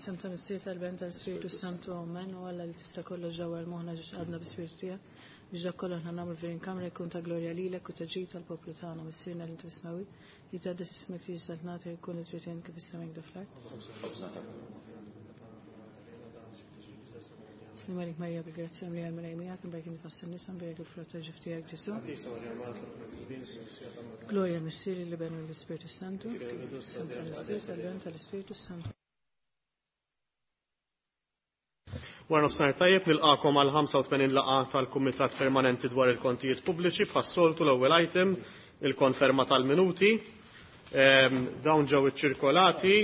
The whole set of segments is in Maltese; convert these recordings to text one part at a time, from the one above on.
F'isem ta' Missier tal-Ben tal-Spiritu Santu Amen u Alla li tista' kollox ġewwa l-moħħna ġiex qalbna bi-Spiritu tiegħek biex dak kollu aħna nagħmlu f'din il-kamra jkun ta' glorja lilek u ta' ġid tal-poplu tagħna Missierna li inti fis-smewwiet jitqaddes ismek tiġi saltnatek jkun li trid int kif is-sema hekk fl-art. Slim għalik Marija bil-grazzja mlija l-Mulej miegħek imbarek inti fost in-nisa mbierek il-frott ta' ġuf tiegħek Ġesù. Glorja l-Missier l-Iben u l-Ispirtu Santu. Santa tal-Missier tal-Ben tal-Ispirtu Santu. Wara nofsinhar tajjeb nilqakom għal 85 laqgħa tal-Kumitat Permanenti dwar il-Kontijiet Pubbliċi bħas-soltu l-ewwel item il-konferma tal-minuti. Dawn ġew iċċirkolati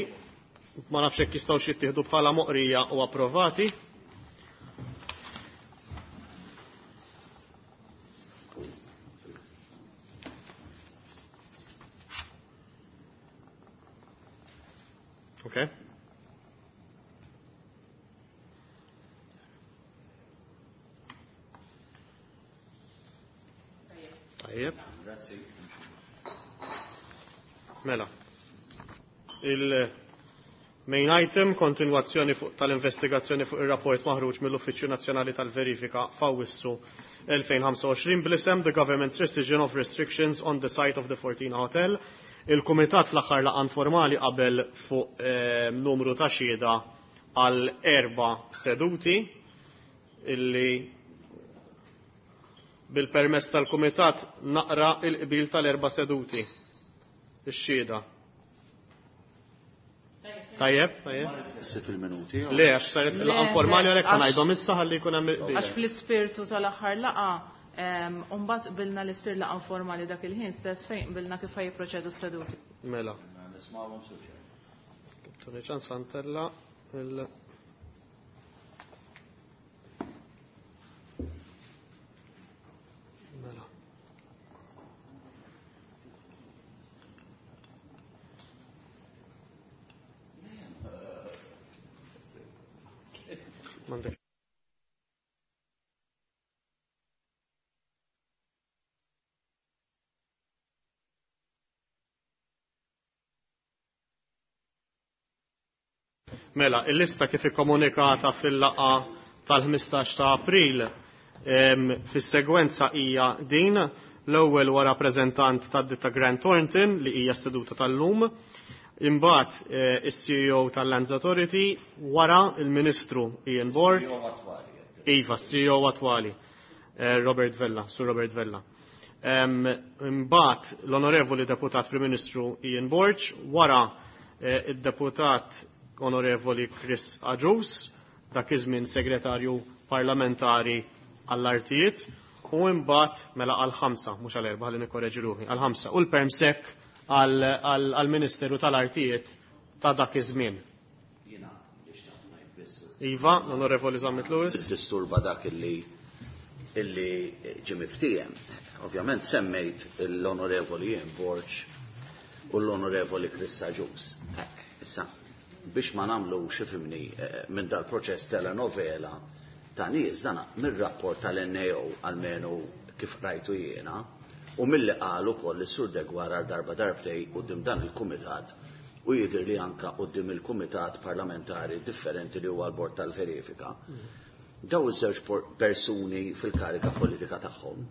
ma nafx hekk jistgħux jittieħdu bħala moqrija u approvati. Okay. Tajjeb. Grazzi. Mela. Il-main item, kontinwazzjoni fuq tal-investigazzjoni fuq ir-rapport maħruġ mill-Uffiċċju Nazzjonali tal-Verifika f'Awwissu 2025 bl-isem The Government's Rescission of Restrictions on the Site of the Fortina Hotel. Il-Kumitat fl-aħħar laqgħa informali qabel fuq numru ta' xhieda għal erba' seduti illi bil-permess tal-Kumitat naqra il-qbil tal-erba' seduti. Ix-xhieda. Tajjeb, tajjeb. Issi fil-minuti. Le, għax saret laqgħa informali għalhekk ngħidhom issa ħalli jkun hemm il-qbil. Għax fl-ispirtu tal-aħħar laqgħa mbagħad qbilna li ssir laqgħa informali dak il-ħin stess fejn qbilna kif jipproċedu s-seduti. Mela. Nismawhom suċer. Tony ċans ħantella il- Mela. M'għandek. Mela, il-lista kif ikkomunikata fil-laqgħa tal-15 ta' April fis-segwenza hija din l-ewwel huwa rappreżentant tad-ditta Grant Thornton li hija s-seduta tal-lum, imbagħad is-CEO tal-Lands Authority, wara il-Ministru Ian Borg. Iva, CEO attwali, Robert Vella, Sur Robert Vella. Imbagħad l-Onorevoli Deputat Prim Ministru Ian Borg, wara id-Deputat Onorevoli Chris Agius, dak iż-żmien Segretarju Parlamentari għall-Artijiet, u imbagħad mela għal ħamsa, mhux għal erba' ħalli nikkoreġi ruħi, għal ħamsa, u l-Permsec għall-Ministeru tal-Artijiet ta' dak iż-żmien. Jiena li xtaqt ngħid biss. Iva, l-Onorevoli Zammit Lewis. Disturba dak illi illi ġie miftiehem. Ovvjament semmejt l-Onorevoli Ian Borg u l-Onorevoli Chris Agius. Issa, biex ma nagħmlux ifhimni minn dal-proċess telenovela ta' nies dan mir-rapport tal-NAO almenu kif rajtu jiena u milli qal ukoll is-Sur Degwar għal darba darbtej quddiem dan il-kumitat u jidher li anka quddiem il-kumitat parlamentari differenti li huwa l-Bord tal-Verifika. Daw iż-żewġ persuni fil-kariga politika tagħhom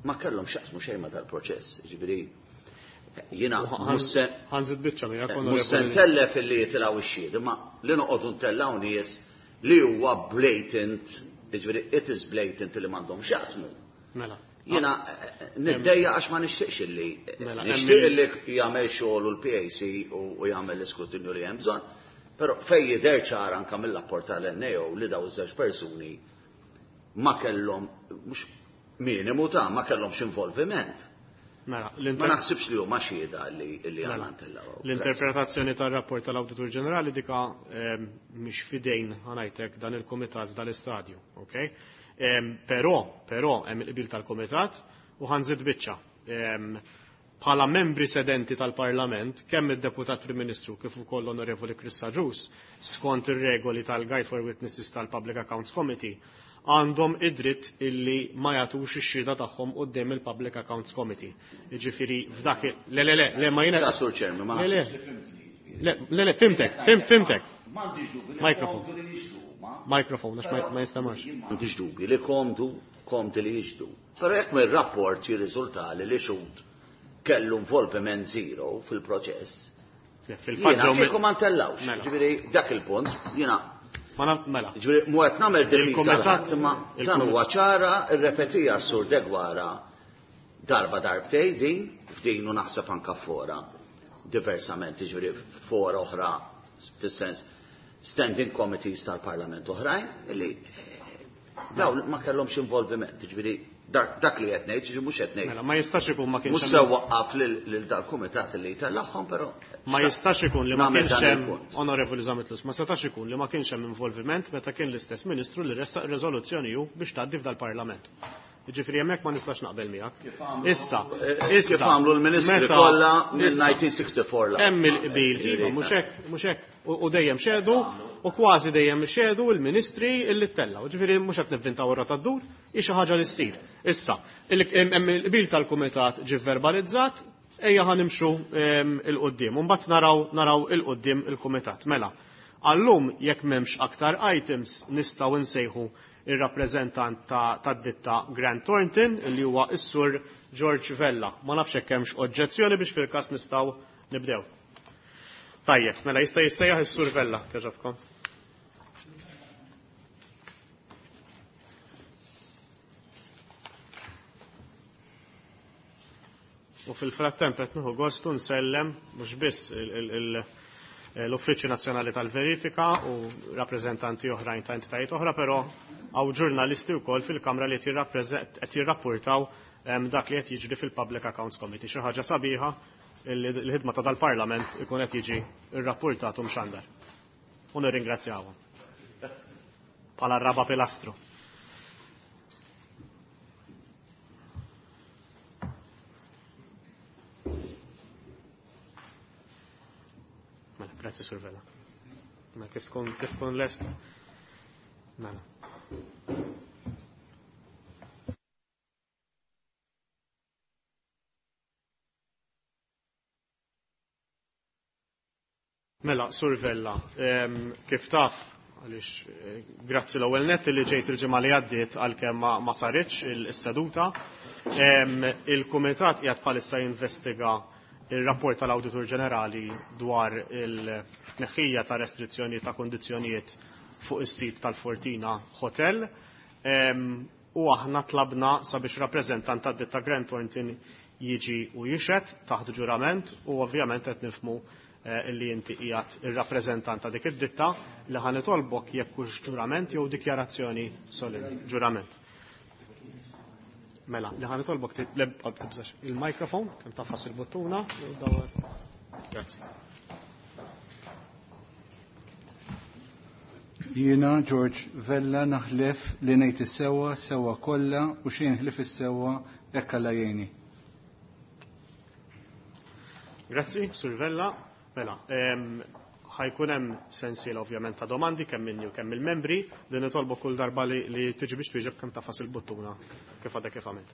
ma kellhom x'jaqsmu xejn ma' dal-proċess. Ġifieri jiena mhux se Ħanżid biċċa miegħek mhux se ntellef illi jitilgħu ix-xhied, imma li noqogħdu ntellgħu nies li huwa blatant, jiġifieri it is blatant li m'għandhom x'jaqsmu. Mela. Jiena niddejja għax ma nixtieqx illi nixtieq illi jagħmel xogħol u l-PAC u jagħmel l-iskrutinju li hemm bżonn, però fejn jidher ċar anke mill-rapport tal-NAO li daw iż-żewġ persuni ma kellhom mhux minimu ta' ma kellhomx involviment. Mela, Ma naħsibx li huma xhieda li li għandna ntellgħu. L-interpretazzjoni tar-rapport tal-Awditur Ġenerali dika mhix fidejn ħanajtek dan il-kumitat dal-istadju, okay? Però, però hemm il-qbil tal-kumitat u ħanżid biċċa. Bħala membri sedenti tal-Parlament, kemm id-Deputat Prim Ministru kif ukoll l-Onorevoli Chris Agius, skont ir-regoli tal-Guide for Witnesses tal-Public Accounts Committee, għandhom id-dritt illi ma jagħtux ix-xhieda tagħhom quddiem il-Public Accounts Committee. Jiġifieri f'dak le le le le ma jiena Ta' Sur Chairman, ma Le, le. naħsibx li fimtni. Le, le, le, fimtek, fimtek. M'għandix dubju li Microphone. komdu li jixhdu huma. Microphone, għax ma jistamax. M'għandix dubju li komdu komdi li jixhdu. Però jekk mir-rapport jirriżulta li xhud kellu involviment zero fil-proċess, Fil-fatt jiena ġew kieku ma ntellawx. Mela. Ġifieri dak il-punt, jiena Ma naf- mela. Ġifieri mhu qed nagħmel difiża Il-kumitat- l-ħadd, imma dan il-kumitat- huwa ċara rrepetija s-sur Degwara darba darbtej din, f'din u naħseb anka fora diversament, ġifieri fora oħra fis-sens standing committees tal-Parlament oħrajn illi dawn ma kellhomx involviment, ġifieri dak li qed ngħid, ġifieri mhux qed ngħid. Mela, ma jistax ikun ma kienx Mhux hemm se waqqaf lil dal-kumitat li jtellagħhom, però Ma jistax ikun li ma nagħmel kienx dan hemm il-punt. Onorevoli Zammit Lewis, ma setax ikun li ma kienx hemm involviment meta kien l-istess ministru li ressaq riżoluzzjoni hu biex tgħaddi f'dal-Parlament. Jiġifieri hemmhekk ma nistax naqbel miegħek. Issa, issa. Kif għamlu l-ministri meta- kollha minn issa, 1964 la. Hemm il-qbil, iva, mhux hekk, mhux hekk. U dejjem xedu, u kważi dejjem xedu l-ministri illi tellgħu. Ġifieri mhux qed nivvintaw ir-rota ddur, hi xi ħaġa li ssir. Issa, hemm il-qbil tal-kumitat ġie verbalizzat, ejja ħa nimxu il-qudiem. U mbagħad naraw il-qudiem il-kumitat. Mela, għallum jekk m'hemmx aktar items nistgħu nsejħu ir-rappreżentant tad-ditta Grant Thornton li huwa s-sur George Vella. Ma nafx hekk hemmx oġġezzjoni biex fil-każ nistgħu nibdew. Tajjeb, mela jista' jissejjaħ is-sur Vella, kieġobkom. U fil-frattemp qed nieħu gostu nsellem mhux biss l-Uffiċċju Nazzjonali tal-Verifika u rappreżentanti oħrajn ta' entitajiet oħra, però hawn ġurnalisti wkoll fil-Kamra li qed jirrapportaw dak li qed jiġri fil-Public Accounts Committee. Xi ħaġa sabiħa li l-ħidma ta' dal-Parlament ikun qed jiġi rrapportat u mxandar. U nirringrazzjawhom. Bħala raba pilastru. Mela, grazzi Sur Vella. Mela, kif tkun lest? Mela. Mela, Sur Vella, kif taf, għaliex grazzi l-ewwel nett li ġejt il-ġimgħa li għaddiet għalkemm ma saritx is-seduta. Il-Kumitat qiegħed bħalissa jinvestiga il-rapport tal-Awditur Ġenerali dwar il-tneħħija ta' restrizzjoni ta' kondizzjonijiet fuq is-sit tal-Fortina Hotel. U aħna tlabna sabiex rappreżentant tad-ditta Grant Thornton jiġi u jixhed taħt ġurament u ovvjament qed nifhmu illi inti qiegħed ir-rappreżentant ta' dik id-ditta li ħa nitolbok jekk hux ġurament jew dikjarazzjoni solenni. Ġurament. Mela, li ħa nitolbok tibżax il-mikrofon, kemm tafas il-buttuna, u dawar. Grazzi. Jiena George Vella naħlef li ngħid is-sewwa, sewwa kollha u xejn ħlif is-sewwa hekk Alla jgħinni. Grazzi, Sur Vella. Mela, ħajkun hemm sensiela ovvjament ta' domandi kemm minni u kemm il-membri li nitolbu kull darba li tiġi biex twieġeb kemm tafas il-buttuna kif għadha kif għamilt.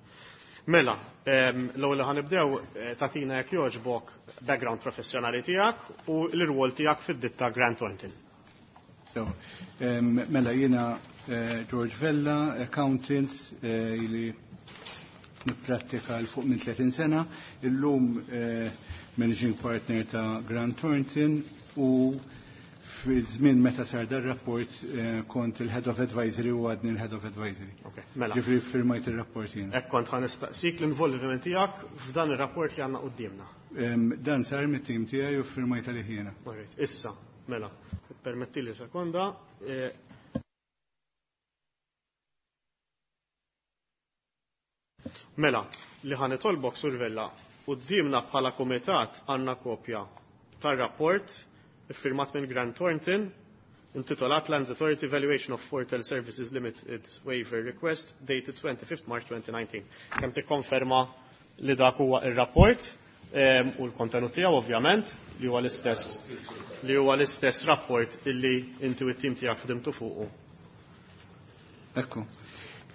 Mela, l-ewwel li ħanibdew tagħtina jekk jogħġbok background professjonali tiegħek u l-irwol tiegħek fid-ditta Grant Thornton. Mela jiena George Vella, accountant li nipprattika l fuq minn 30 sena, illum managing partner ta' Grant Thornton u fi żmien meta sar dar rapport kont il-Head of Advisory u għadni l-Head of Advisory. Ok, mela. Ġifri firmajt il-rapport jiena. Hekk kont ħa nistaqsik l-involviment tiegħek f'dan ir-rapport li għandna quddiemna. Dan sar mit-tim tiegħi u firmajt għalih jiena. Alright, issa, mela, permettili sekonda. Mela, li ħa nitolbok Sur Vella, quddiemna bħala kumitat għandna kopja tar-rapport iffirmat minn Grant Thornton intitolat Lands Authority Valuation of Fortel Services Limited Waiver Request dated 25 March 2019. Kemm tikkonferma li dak huwa ir-rapport u l-kontenut tiegħu ovvjament li huwa l-istess li huwa l-istess rapport illi inti u t-tim tiegħek ħdimtu fuqu. Ekku.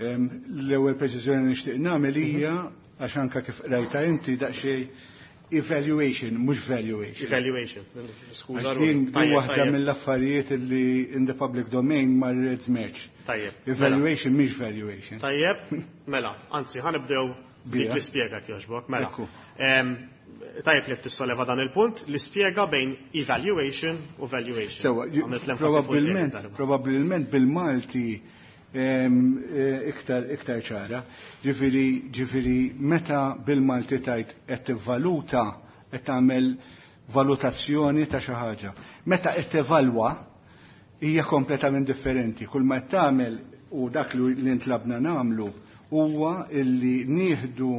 L-ewwel preċiżjoni nixtieq nagħmel hija għax anke kif qrajta inti daqsxejn Evaluation, mhux valuation. Evaluation. Skuża Għax din din waħda mill-affarijiet li in the public domain marret żmerġ. Tajjeb. Mela. Evaluation mhix valuation. Tajjeb, mela, anzi, ħa nibdew dik Bija. l-ispjega kjoġbok, mela. Ekku. Tajjeb li tissoleva dan il-punt, l-ispjega bejn evaluation u valuation. Sewa, Għamilt l-enfasi fuq probabbilment, il-darba. probabbilment bil-Malti iktar ċara. Ġifieri meta bil-Malti tajt qed tivvaluta, qed tagħmel valutazzjoni ta' xi ħaġa. Meta qed tevalwa hija kompletament differenti. Kull ma qed tagħmel u dak li ntlabna nagħmlu huwa illi nieħdu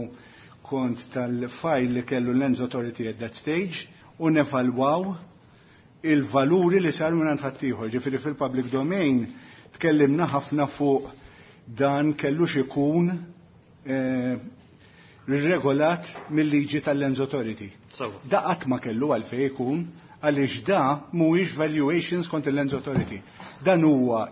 kont tal-file li kellu l-Lands Authority at that stage u nevalwaw il-valuri li saru minn ħaddieħor. Ġifieri fil-public domain tkellimna ħafna fuq dan kellux ikun regolat mill-liġi tal-Lands Authority. Sewa. Da qatt ma kellu għalfejn ikun għaliex da mhuwiex valuations kont il-Lands Authority. Dan huwa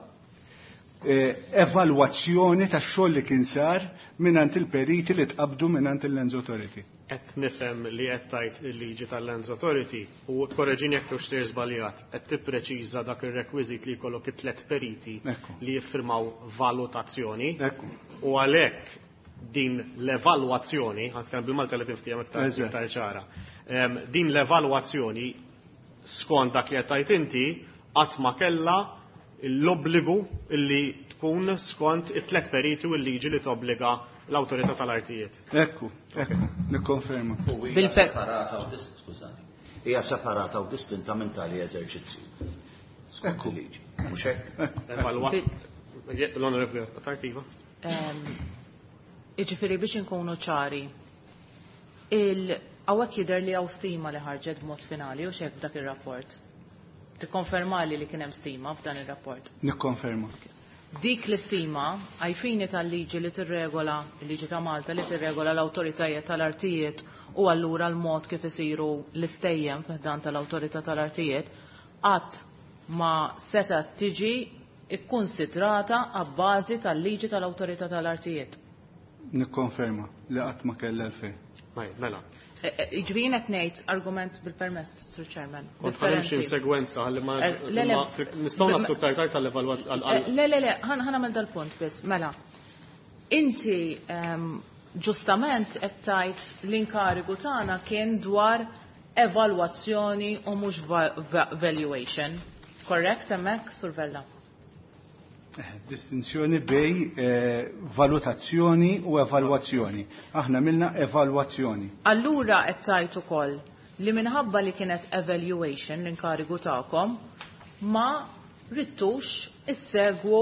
evalwazzjoni tax-xogħol li kien sar mingħand il-periti li tqabdu mingħand il-Lands Authority. Qed nifhem li qed tgħid il-liġi tal-Lands Authority u korreġini jekk hux sejr żbaljat, qed tippreċiża dak ir-rekwiżit li jkollok it-tlet periti Ekku. li jiffirmaw valutazzjoni. Ekku. U għalhekk din l-evalwazzjoni, ħa nitkellem bil-Malta li tinftiehem iktar Eżatt. iktar ċara. Din l-evalwazzjoni skont dak li qed tgħid inti qatt ma kellha l-obbligu li tkun skont it-tlet periti u l-liġi li tobbliga l-awtorità tal-artijiet. Ekku, ekku, nikkonferma. U hija separata u skużani. Hija separata u distinta minn tali eżerċizzju. Skont Ekku. il-liġi. Mhux hekk? Evalwa. L-Onorevoli Tartiva. Iġifieri biex inkunu ċari, il-għawek jidher li hawn stima li ħarġet b'mod finali u xek f'dak ir-rapport. Tikkonfermali li kien hemm stima f'dan ir-rapport. Nikkonferma. Dik l-istima għajfini tal-liġi li tirregola, il-liġi ta' Malta li tirregola l-awtoritajiet tal-artijiet u allura l-mod kif isiru l-istejjem f'dan tal-awtorità tal-artijiet, qatt ma setgħet tiġi ikkunsidrata għabbażi tal-liġi tal-awtorità tal-artijiet. Nikkonferma li qatt ma kellha l-fejn. Mela. Ġifieri qed ngħid argument bil-permess, Sir Chairman. Kont ħanimxi Differenti. segwenza ħalli ma Le, le. nistgħu naslu iktar tard tal-evalwazzjoni. Le, le, le, ħa nagħmel dal-punt biss, mela. Inti ġustament qed tgħid l-inkarigu tagħna kien dwar evalwazzjoni u mhux valuation. Correct hemmhekk, Sur Vella? Distinzjoni bej valutazzjoni u evalwazzjoni. Aħna milna evalwazzjoni. Allura qed tgħid ukoll li minħabba li kienet evaluation l-inkarigu tagħkom ma rittux issegwu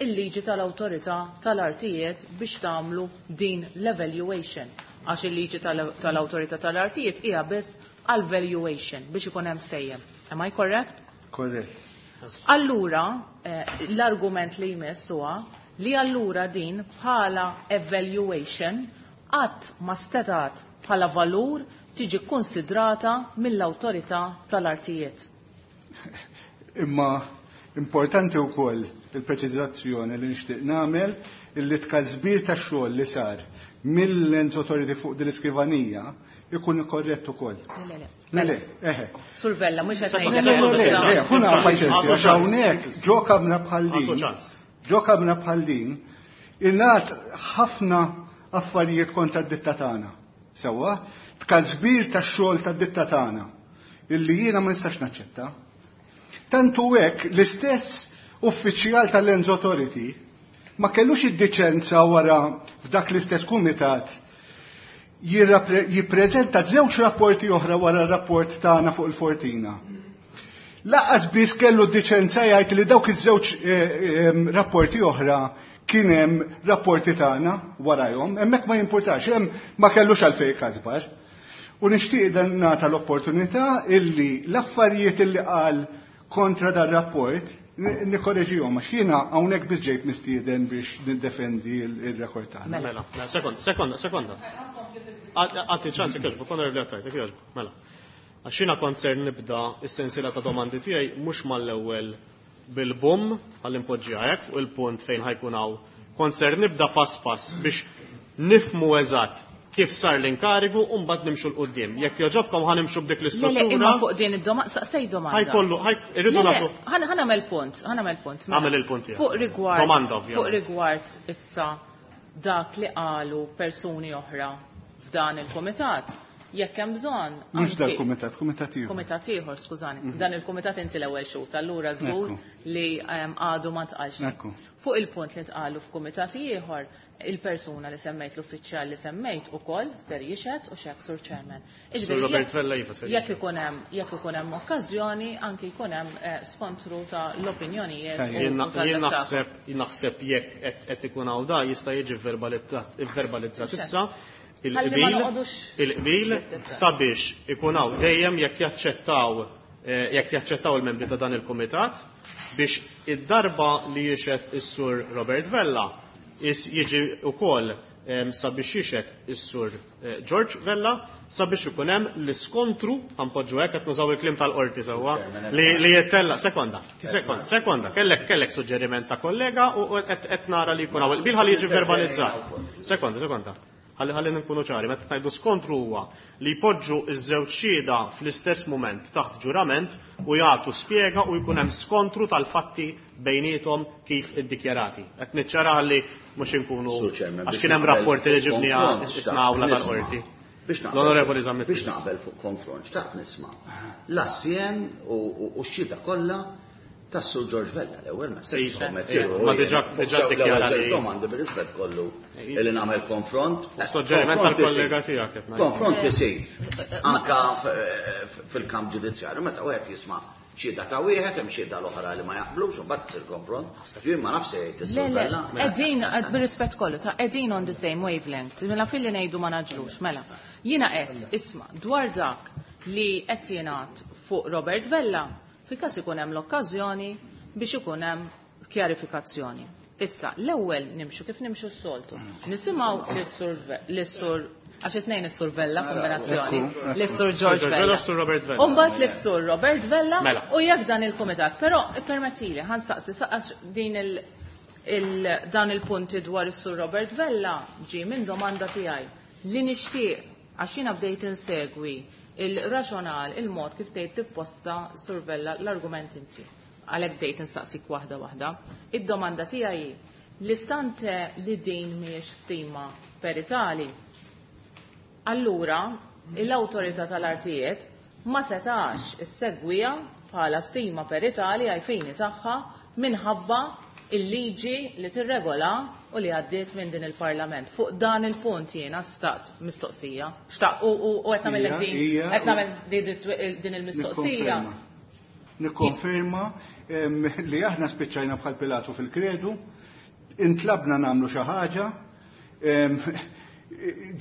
il-liġi tal-awtorità tal-artijiet biex tagħmlu din l-evaluation. Għax il-liġi tal-awtorità tal-artijiet hija biss għal-valuation biex ikun hemm stejjem. Am I correct? Korrett. Allura, l-argument li jmiss huwa li allura din bħala evaluation qatt ma stetat bħala valur tiġi konsidrata mill-awtorità tal-artijiet. Imma importanti wkoll il-preċiżazzjoni li nixtieq nagħmel illi tkażbir tax-xogħol li sar mill-Lands Authority fuq din l-iskrivanija ikun korrett ukoll. Le, le, le. Le, le, eħe. Sur Vella, mhux qed Le, ngħidlek le, le, issa. le, ħuna paċenzja, għax hawnhekk ġo kamra bħal din. Għandu ċans. Ġo kamra bħal din, ingħad ħafna affarijiet kontra d-ditta tagħna. Sewwa, tkażbir tax-xogħol tad-ditta tagħna illi jiena ma nistax naċċetta. Tantu hekk l-istess uffiċjal tal-Lands Authority ma kellux id-diċenza wara f'dak l-istess kumitat jippreżenta żewġ rapporti oħra wara r-rapport tagħna fuq il-Fortina. Laqas biss kellu d-diċenza jgħid li dawk iż-żewġ rapporti oħra kien hemm rapporti tagħna warajhom, hemmhekk ma jimpurtax, hemm ma kellux għalfejn każbar. U nixtieq dan nagħta l-opportunità illi l-affarijiet illi qal kontra dar rapport nikkoreġihom għax jiena hawnhekk biss ġejt mistieden biex niddefendi il-rekord tagħna. Mela, mela, sekonda, sekonda, sekonda. Għati ċans, jekk jogħġbok, onorevoli Attard, jekk jogħġbok, mela. Għax jiena kont ser nibda s-sensiela ta' domandi tiegħi mhux mal-ewwel bil-bum għall-impoġġija hekk fuq il-punt fejn ħajkun hawn. Kont ser nibda pass pass biex nifmu eżatt Kif sar l-inkarigu u mbagħad nimxu 'l quddiem. Jekk jogħġobkom ħa nimxu b'dik Le, le, l-istruttura. imma fuq din id-domanda, saqsej domanda. Ħajkollu, ħaj, irridu Le, le, nagħtu. ħa nagħmel punt, ħa nagħmel punt. Mela. Għamel il-punt tiegħek. Fuq rigward. Domanda, ovvjament. Fuq rigward issa dak li qalu persuni oħra f'dan il-kumitat, jekk hemm bżonn. Mhux anki- dal-kumitat, kumitat ieħor. Kumitat ieħor, skużani. Dan il-kumitat inti l-ewwel xhud, allura żgur Ekku. li għadu ma tqalx. Ekku. Fuq il-punt li tqalu f'kumitat ieħor, il-persuna li semmejt, l-uffiċjal li semmejt ukoll ser jixhed u xek sur chairman. Sur Robert Vella iva ser Jekk ikun hemm jekk ikun hemm okkażjoni, anki jkun hemm skontru ta' l-opinjonijiet. Tajjeb. u Jien tal-dak jien tagħkom. naħseb jien naħseb jekk qed ikun hawn da jista' jiġi verbalizzat issa Ħalli ma il-qbil noqogħdux il-qbil nittifra. sabiex ikun hawn dejjem jekk jaċċettaw jekk jaċċettaw il-membri ta' dan il-kumitat biex id-darba li jixhed is-sur Robert Vella jiġi wkoll sabiex jixhed is-sur George Vella sabiex ikun hemm l-iskontru ħanpoġġu hekk qed nużaw il-kliem tal-qorti sewwa li jittella sekonda sekonda sekonda kellek suġġeriment ta' kollega u qed nara li jkun hawn il-qbil ħalli jiġi verbalizzat. Sekonda, sekonda. Ħalli ħalli nkunu ċari, meta ngħidu skontru huwa li jpoġġu iż-żewġ xhieda fl-istess mument taħt ġurament u jagħtu spjega u jkun hemm skontru tal-fatti bejniethom kif iddikjarati. Qed niċċara ħalli mhux inkunu Sur Chairman, għax biex kien hemm naqbel rapporti li ġibniha konfront, isna awla xtaqt tal-qorti. nisma'. Biex naqbel- L-Onorevoli Zammit Biex Lewis. naqbel fuq konfront, xtaqt nisma'. L-assjem u x-xhieda kollha tas-Sur George Vella l-ewwel ma Iva, nikkommetti iva, ruħi ma jiena. diġà Fuq ddikjara l-ewwel li- domandi bir-rispett kollu Iva. li nagħmel konfront. Suġġeriment Konfront tal-kollega isir. tiegħek qed ngħid. Konfront isir. Anka fil-kamp ġudizzjarju meta wieħed jisma' xhieda ta' wieħed hemm xhieda l-oħra li ma jaqblux u mbagħad isir konfront. Jien ma nafx se jgħid Le, is-Sur le, Vella. qegħdin bir-rispett kollu ta' qegħdin on the same wavelength. Mela filli ngħidu ma naġlux, mela. Jiena qed isma' dwar dak li qed jingħad fuq Robert Vella, fil-każ ikun hemm l-okkażjoni biex ikun hemm kjarifikazzjoni. Issa, l-ewwel nimxu kif nimxu s-soltu. Nisimgħu lis-sur għax it-tnejn is-Sur Vella kombinazzjoni, lis-Sur George George Vella, Vella. s-Sur Robert Vella. U mbagħad lis-Sur Robert Vella Mela. u jekk dan il-kumitat, però ippermettili ħa nsaqsi għax din il, il dan il-punti dwar is-Sur Robert Vella ġi minn domanda tiegħi li nixtieq għax jiena bdejt insegwi il-raġonal, il-mod kif tgħid tipposta Sur Vella l-argument inti. Għalhekk bdejt insaqsik waħda waħda. Id-domanda tiegħi hi l-istante li din mhijiex stima peritali, allura l-awtorità tal-artijiet ma setax issegwija bħala stima peritali għaj-fini tagħha minħabba il-liġi li tirregola u li għaddiet minn din il-Parlament. Fuq dan il-punt jiena staqt mistoqsija. Xtaqt u qed nagħmel din qed nagħmel din il-mistoqsija. Nikkonferma li aħna spiċċajna bħal Pilatu fil-kredu, intlabna nagħmlu xi ħaġa,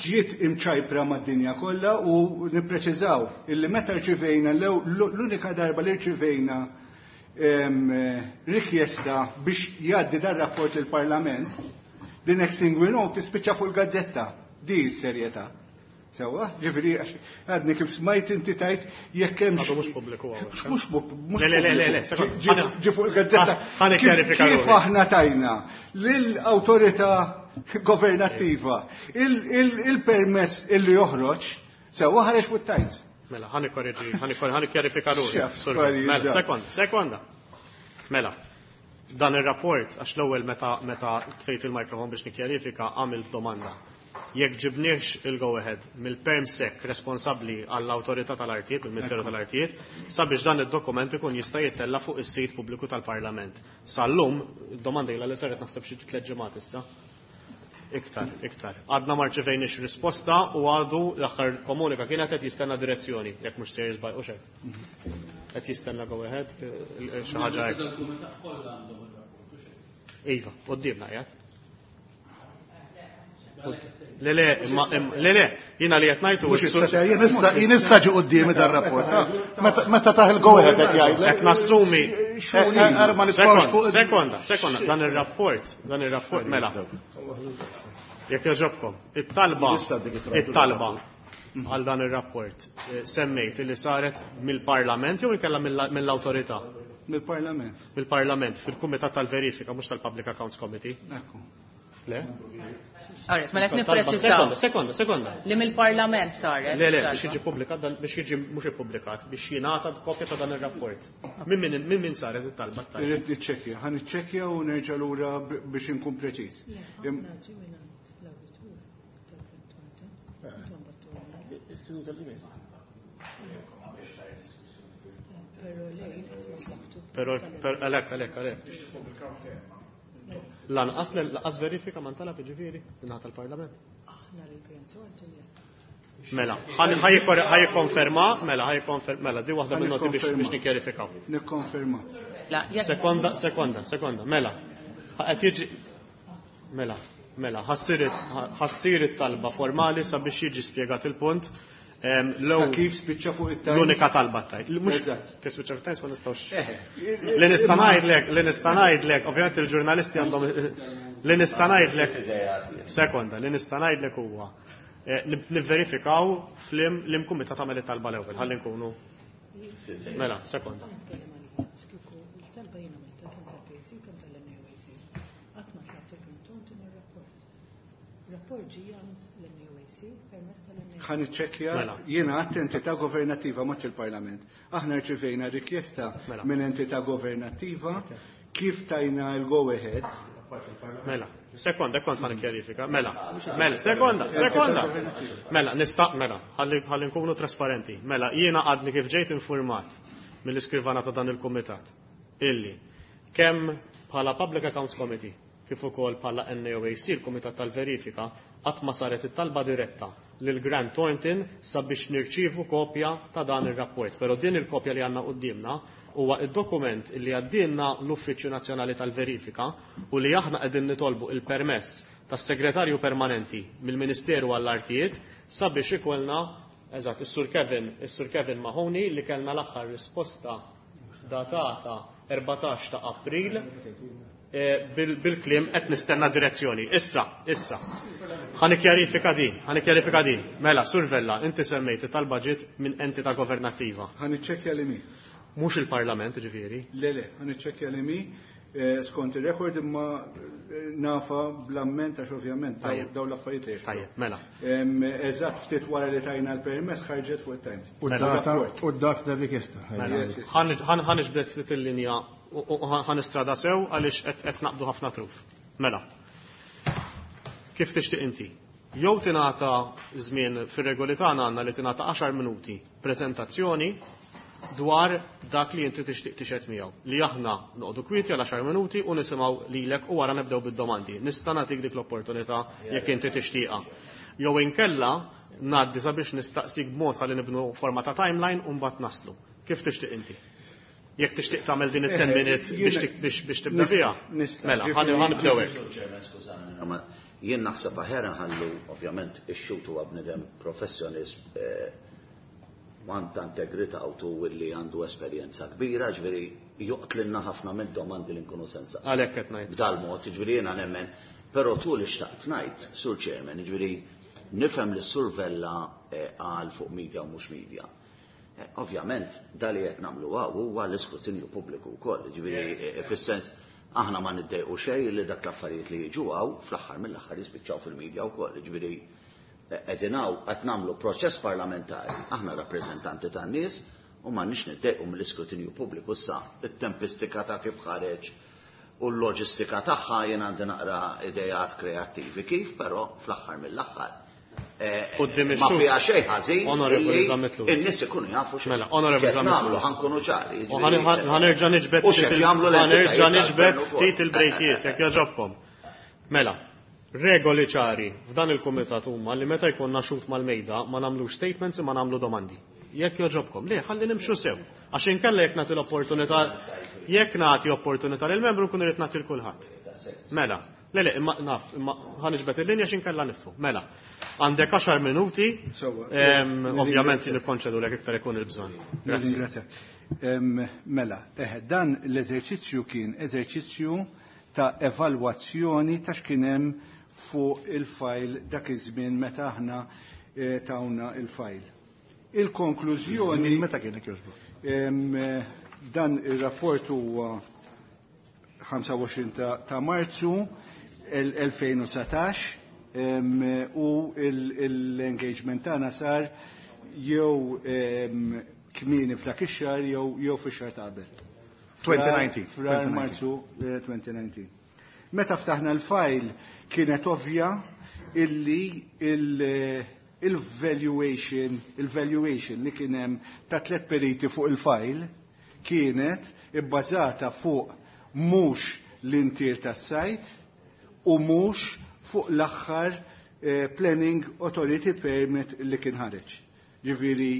ġiet imċajpra mad-dinja kollha u nippreċiżaw illi meta rċivejna l-unika darba li rċivejna rikjesta biex jgħaddi dar rapport il-Parlament, the next thing we know tispiċċa fuq il-gazzetta. Di s-serjetà. Sewwa, ġifieri għadni kif smajt inti tajt jekk hemm. Għadu mhux pubbliku hawnhekk. Mhux mhux Le, le, le, le, pubbliku. Ġi fuq il-gazzetta. Ħa nikkjarifika Kif ruħi. aħna tajna lill-awtorità governattiva il-permess illi joħroġ, sewwa ħareġ fuq Times. Mela, ħa nikkorreġi, ħa nikkjarifika ruħi. X'affarijiet Sur, Mela, da. sekonda, sekonda. Mela, dan ir-rapport, għax l-ewwel meta tfejt il-mikrofon biex nikkjarifika, għamilt domanda. Jekk ġibniex il-go ahead mill-permsec responsabbli għall-awtorità tal-artijiet, il-Ministeru tal-Artijiet, sabiex dan id-dokument ikun jista' jittella fuq is-sit pubbliku tal-Parlament. Sal-lum, id-domanda ilha li saret naħseb xi tliet ġimgħat issa. Iktar, iktar. Għadna ma rċevejniex risposta u għadu l-aħħar komunika kienet qed jistenna direzzjoni, jekk mhux sejjer żball u xejn. Qed jistenna go ahead, xi ħaġa hekk. Iva, quddiemna qiegħed. Le, le, imma, le, le, jiena li qed ngħidu Mhux issa Jien issa ġi quddiemi dar-rapport. Meta taħ il-go ahead qed jgħidlek. Qed nassumi. Ara ma nistgħux fuq. Sekonda, sekonda, dan ir-rapport, mela. Jekk jogħġobkom, it-talba għal dan ir-rapport semmejt li saret mill-Parlament jew inkella mill-awtorità? Mill-Parlament. Mill-Parlament, fil-Kumitat tal-Verifika, mhux tal-Public Accounts Committee. Ekku. Le? Alright, mela qed nippreċiżaw. Sekonda, sekonda, sekonda. Li mill-Parlament saret. Le, le, biex jiġi pubblikat dan biex jiġi mhux ippubblikat, biex jingħata kopja ta' dan ir-rapport. Min min min min saret it-talba t-tajba? Irrid niċċekkja, ħa niċċekkja u nerġa' lura biex inkun preċiż. Però għalhekk għalhekk għalhekk. Lanqas lanqas verifika ma ntalab jiġifieri mingħata tal-Parlament. Mela, ħa jikkonferma, mela ħa jikkonferma, mela di waħda minn noti biex nikkjarifikaw. Nikkonferma. Sekonda, sekonda, sekonda, mela. Qed jiġi mela, mela, ħassir it-talba formali sabiex jiġi spjegat il-punt. Ta' kif spiċċa fuq it-Times? L-unika talba tajt. Mhux kif spiċċa fuq it-Times ma nistgħux. Li nista' ngħidlek, li nista' ngħidlek, ovvjament il-ġurnalisti għandhom li nista' ngħidlek. Sekonda, li nista' ngħidlek huwa nivverifikaw flim li mkumitat tagħmel it-talba l-ewwel, ħalli nkunu. Mela, sekonda. Ħa niċċekkja jiena għadt entità governattiva mhux il-Parlament. Aħna rċivejna rikjesta minn entità governattiva kif tajna l-go ahead. Mela, sekonda, kont ħa nikkjarifika. Mela, mela, sekonda, sekonda. Mela, nista' mela, ħalli nkunu trasparenti. Mela, jiena għadni kif ġejt informat mill-iskrivana ta' dan il-kumitat illi kemm bħala Public Accounts Committee kif ukoll bħala NAOAC, il-Kumitat tal-Verifika, qatt ma saret it-talba diretta lil Grant Thornton sabiex nirċievu kopja ta' dan ir-rapport. Però din il-kopja li għandna quddiemna huwa id-dokument li għaddilna l-Uffiċċju Nazzjonali tal-Verifika u li aħna qegħdin nitolbu il-permess tas-Segretarju Permanenti mill-Ministeru għall-Artijiet sabiex ikollna eżatt is-Sur Kevin, is-Sur Kevin Mahoney li kellna l-aħħar risposta datata 14 ta' April bil-kliem qed nistenna direzzjoni. Issa, issa. Ħa nikkjarifika din, ħa nikkjarifika din. Mela, Sur Vella, inti semmejt it-talba ġiet minn entità governattiva. Ħa niċċekkja li mi. Mhux il-Parlament, ġifieri. Le, le, ħa niċċekkja li mi skont ir-rekord imma nafa bl-amment għax ovvjament daw l-affarijiet li Tajjeb, mela. Eżatt ftit wara li tajna l-permess ħarġet fuq it-Times. U d-data ta' rikjesta. Ħa niġbed ftit il-linja u ħa nistrada sew għaliex qed naqbdu ħafna truf. Mela. Kif tixtieq inti? Jew tingħata żmien fir-regoli tagħna għandna li tingħata 10 minuti preżentazzjoni dwar dak li inti tixtieq tixhed miegħu. Li aħna noqogħdu kwieti għal 10 minuti u nisimgħu lilek u wara nibdew bid-domandi. Nista' nagħtik dik l-opportunità jekk inti tixtieqha. Jew inkella ngħaddi sabiex nistaqsik b'mod ħalli nibnu forma ta' timeline u mbagħad naslu. Kif tixtieq inti? Jekk tixtieq tagħmel din it-10 minutes biex tibda fiha. Mela, ħa nibdew hekk. Jien naħseb aħjar nħallu ovvjament ix-xhud huwa bniedem professjonist għandha integrità u tu li għandu esperjenza kbira, ġifieri joqtlilna ħafna minn domandi li nkunu sensa. Għalhekk qed ngħid. B'dal mod, ġifieri jiena nemmen, però tu li xtaqt ngħid, Sur Chairman, ġifieri nifhem li Sur Vella għal fuq media u mhux media. Ovvjament, dali qed nagħmlu huwa l-iskrutinju pubbliku wkoll, ġifieri fis-sens aħna ma niddejqu xejn li dak l-affarijiet li jiġu hawn fl-aħħar mill-aħħar jispiċċaw fil-medja wkoll, ġifieri qegħdin hawn qed nagħmlu proċess parlamentari, aħna rappreżentanti tan-nies u m'għandniex niddejqu mill-iskrutinju pubbliku issa it-tempistika ta' kif ħareġ u l-loġistika tagħha jien għandi naqra idejat kreattivi kif, però fl-aħħar mill-aħħar ma fiha xejn ħażin. Onorevoli Zammit Lewis. In-nies ikunu jafu xejn. Mela, Onorevoli Zammit Lewis. Ħa nkunu ċari. Ħa nerġa' niġbed ħa nerġa' niġbed ftit il-brejkiet jekk jogħġobkom. Mela, regoli ċari f'dan il-kumitat huma li meta jkollna xhud mal-mejda ma nagħmlux statements imma nagħmlu domandi. Jekk jogħġobkom, le ħalli nimxu sew. Għax inkella jekk nagħti l-opportunità jekk nagħti opportunità lil membru nkun irid nagħti l kulħadd. Mela, le le, imma naf, imma ħa niġbed il-linja x'inkella niftħu. Mela, għandek 10 minuti, ovvjament nikkonċedu lek iktar ikun il-bżonn. Grazzi. Mela, dan l-eżerċizzju kien eżerċizzju ta' evalwazzjoni ta' x'kien hemm fuq il-fajl dak iż-żmien meta aħna tawna il-fajl. Il-konklużjoni meta kienet jogħġbu? Dan ir-rapport huwa 25 ta' Marzu. 2019 u l-engagement tagħna sar jew kmieni f'dak ix-xahar jew fix-xahar ta' qabel. 2019. Frar Marzu 2019. Meta ftaħna l-fajl kienet ovvja illi il-valuation il-valuation li kien hemm ta' tliet periti fuq il-fajl kienet ibbażata fuq mhux l-intier tas-sajt u mhux fuq l-aħħar Planning Authority Permit li kien ħareġ. Ġifieri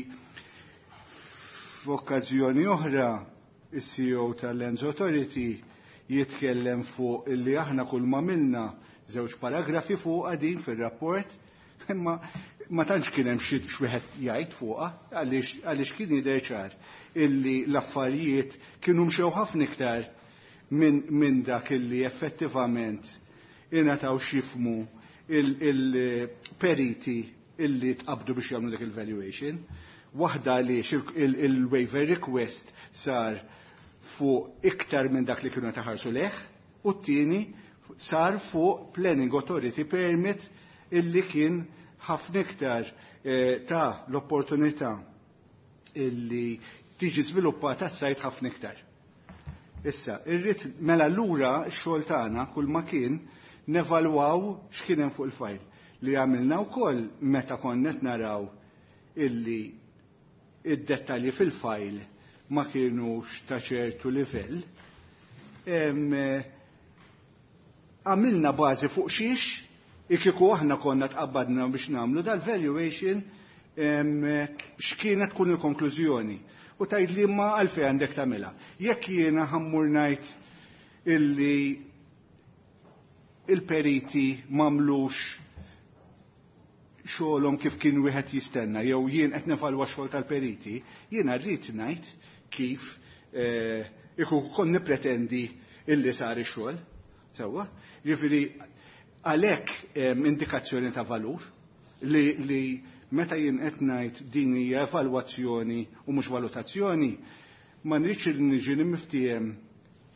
f'okkażjoni oħra is-CEO tal-Lands Authority jitkellem fuq illi aħna kull ma minna żewġ paragrafi fuq din fir-rapport, imma ma tantx kien hemm xi wieħed jgħid fuqha għaliex kien jidher ċar illi l-affarijiet kienu mxew ħafna iktar minn dak illi effettivament ingħataw x'jifhmu il-periti illi tqabdu biex jagħmlu dik il-valuation. Waħda għaliex il-waiver request sar fuq iktar minn dak li kienu taħarsu leħ, u t-tieni sar fuq Planning Authority Permit illi kien ħafna iktar ta' l-opportunità illi tiġi żviluppata s-sajt ħafna iktar. Issa, irrid mela lura x-xogħol tagħna kull ma kien nevalwaw x'kien hemm fuq il-fajl li għamilna wkoll meta konna qed naraw illi id-dettalji fil-fajl ma kienux ta' ċertu livell. Għamilna bażi fuq xiex, ikiku aħna konna tqabbadna biex nagħmlu dal-valuation x'kienet tkun il-konklużjoni. U tgħid li ma għalfejn għandek tagħmilha. Jekk jiena ħammur ngħid illi il-periti m'għamlux xogħolhom kif kien wieħed jistenna, jew jien qed nevalwa xogħol tal-periti, jiena rrid ngħid kif ikun kon nippretendi illi sar ix-xogħol. Sewwa? Jiġifieri għalhekk indikazzjoni ta' valur li meta jien qed ngħid din hija evalwazzjoni u mhux valutazzjoni, ma nridx li niġi niftiehem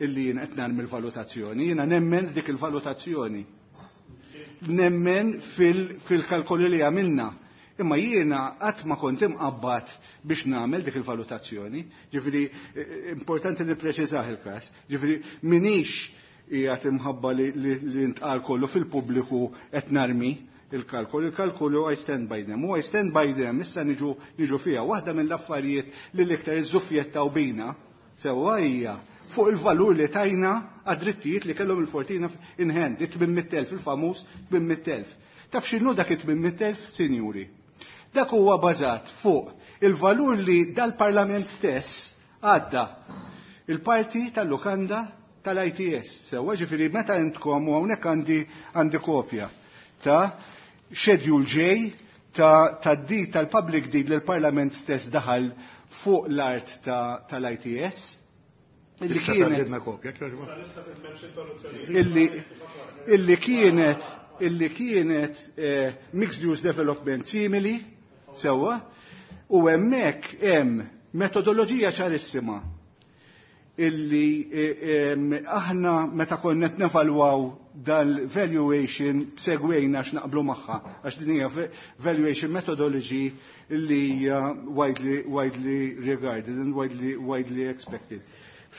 illi jien qed nagħmel valutazzjoni, jiena nemmen dik il-valutazzjoni. Nemmen fil-kalkoli li għamilna. Imma jiena qatt ma kont imqabbad biex nagħmel dik il-valutazzjoni. Ġifieri importanti li preċiżah il-każ. Ġifieri minix qiegħed imħabba li ntqal kollu fil-pubbliku qed narmi il-kalkolu. Il-kalkolu I stand by them. U I stand by them, issa niġu fiha. Waħda mill-affarijiet li l-iktar iżżuffjettaw bina sewwa hija fuq il-valur li tajna għad-drittijiet li kellhom il-Fortina in hand, it-800,000, il-famuż 800,000. Taf x'inhu dak it-800,000, sinjuri? Dak huwa bażat fuq il-valur li dal-Parlament stess għadda il-parti tal-lukanda tal-ITS. Sewwa ġifieri meta intkom u hawnhekk għandi kopja ta' Schedule J ta' deed tal-public deed li l-Parlament stess daħal fuq l-art tal-ITS. Illi kienet kopja, illi kienet mixed use development simili, sewwa, u hemmhekk hemm metodoloġija ċarissima illi aħna meta konna qed nevalwaw dal-valuation segwejna għax naqblu magħha, għax din hija valuation methodology illi hija widely regarded and widely expected.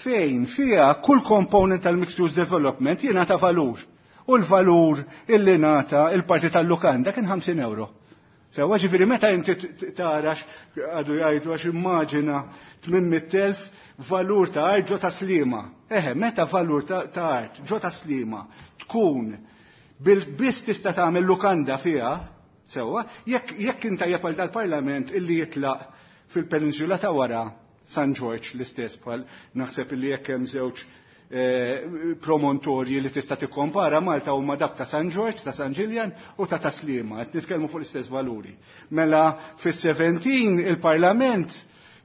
Fejn fiha kull component tal-mixed use development jingħata valur. U l-valur illi ngħata il-parti tal-lukanda kien 50 euro. Sewwa ġifieri meta inti tarax għadu jgħidu għax immaġina 800,000 valur ta' art ġo ta' Slima. Eħe, meta valur ta' art ġo ta' Slima tkun bil-biss tista' tagħmel lukanda fiha, sewwa, jekk inta jepal dal-Parlament illi jitlaq fil-peninsula ta' wara San Ġorġ l-istess bħal naħseb illi jekk hemm żewġ promontorji li tista' tikkompara Malta huma dak ta' San Ġorġ, ta' San Ġiljan u ta' Taslima, qed nitkellmu fuq l-istess valuri. Mela fis-17 il-Parlament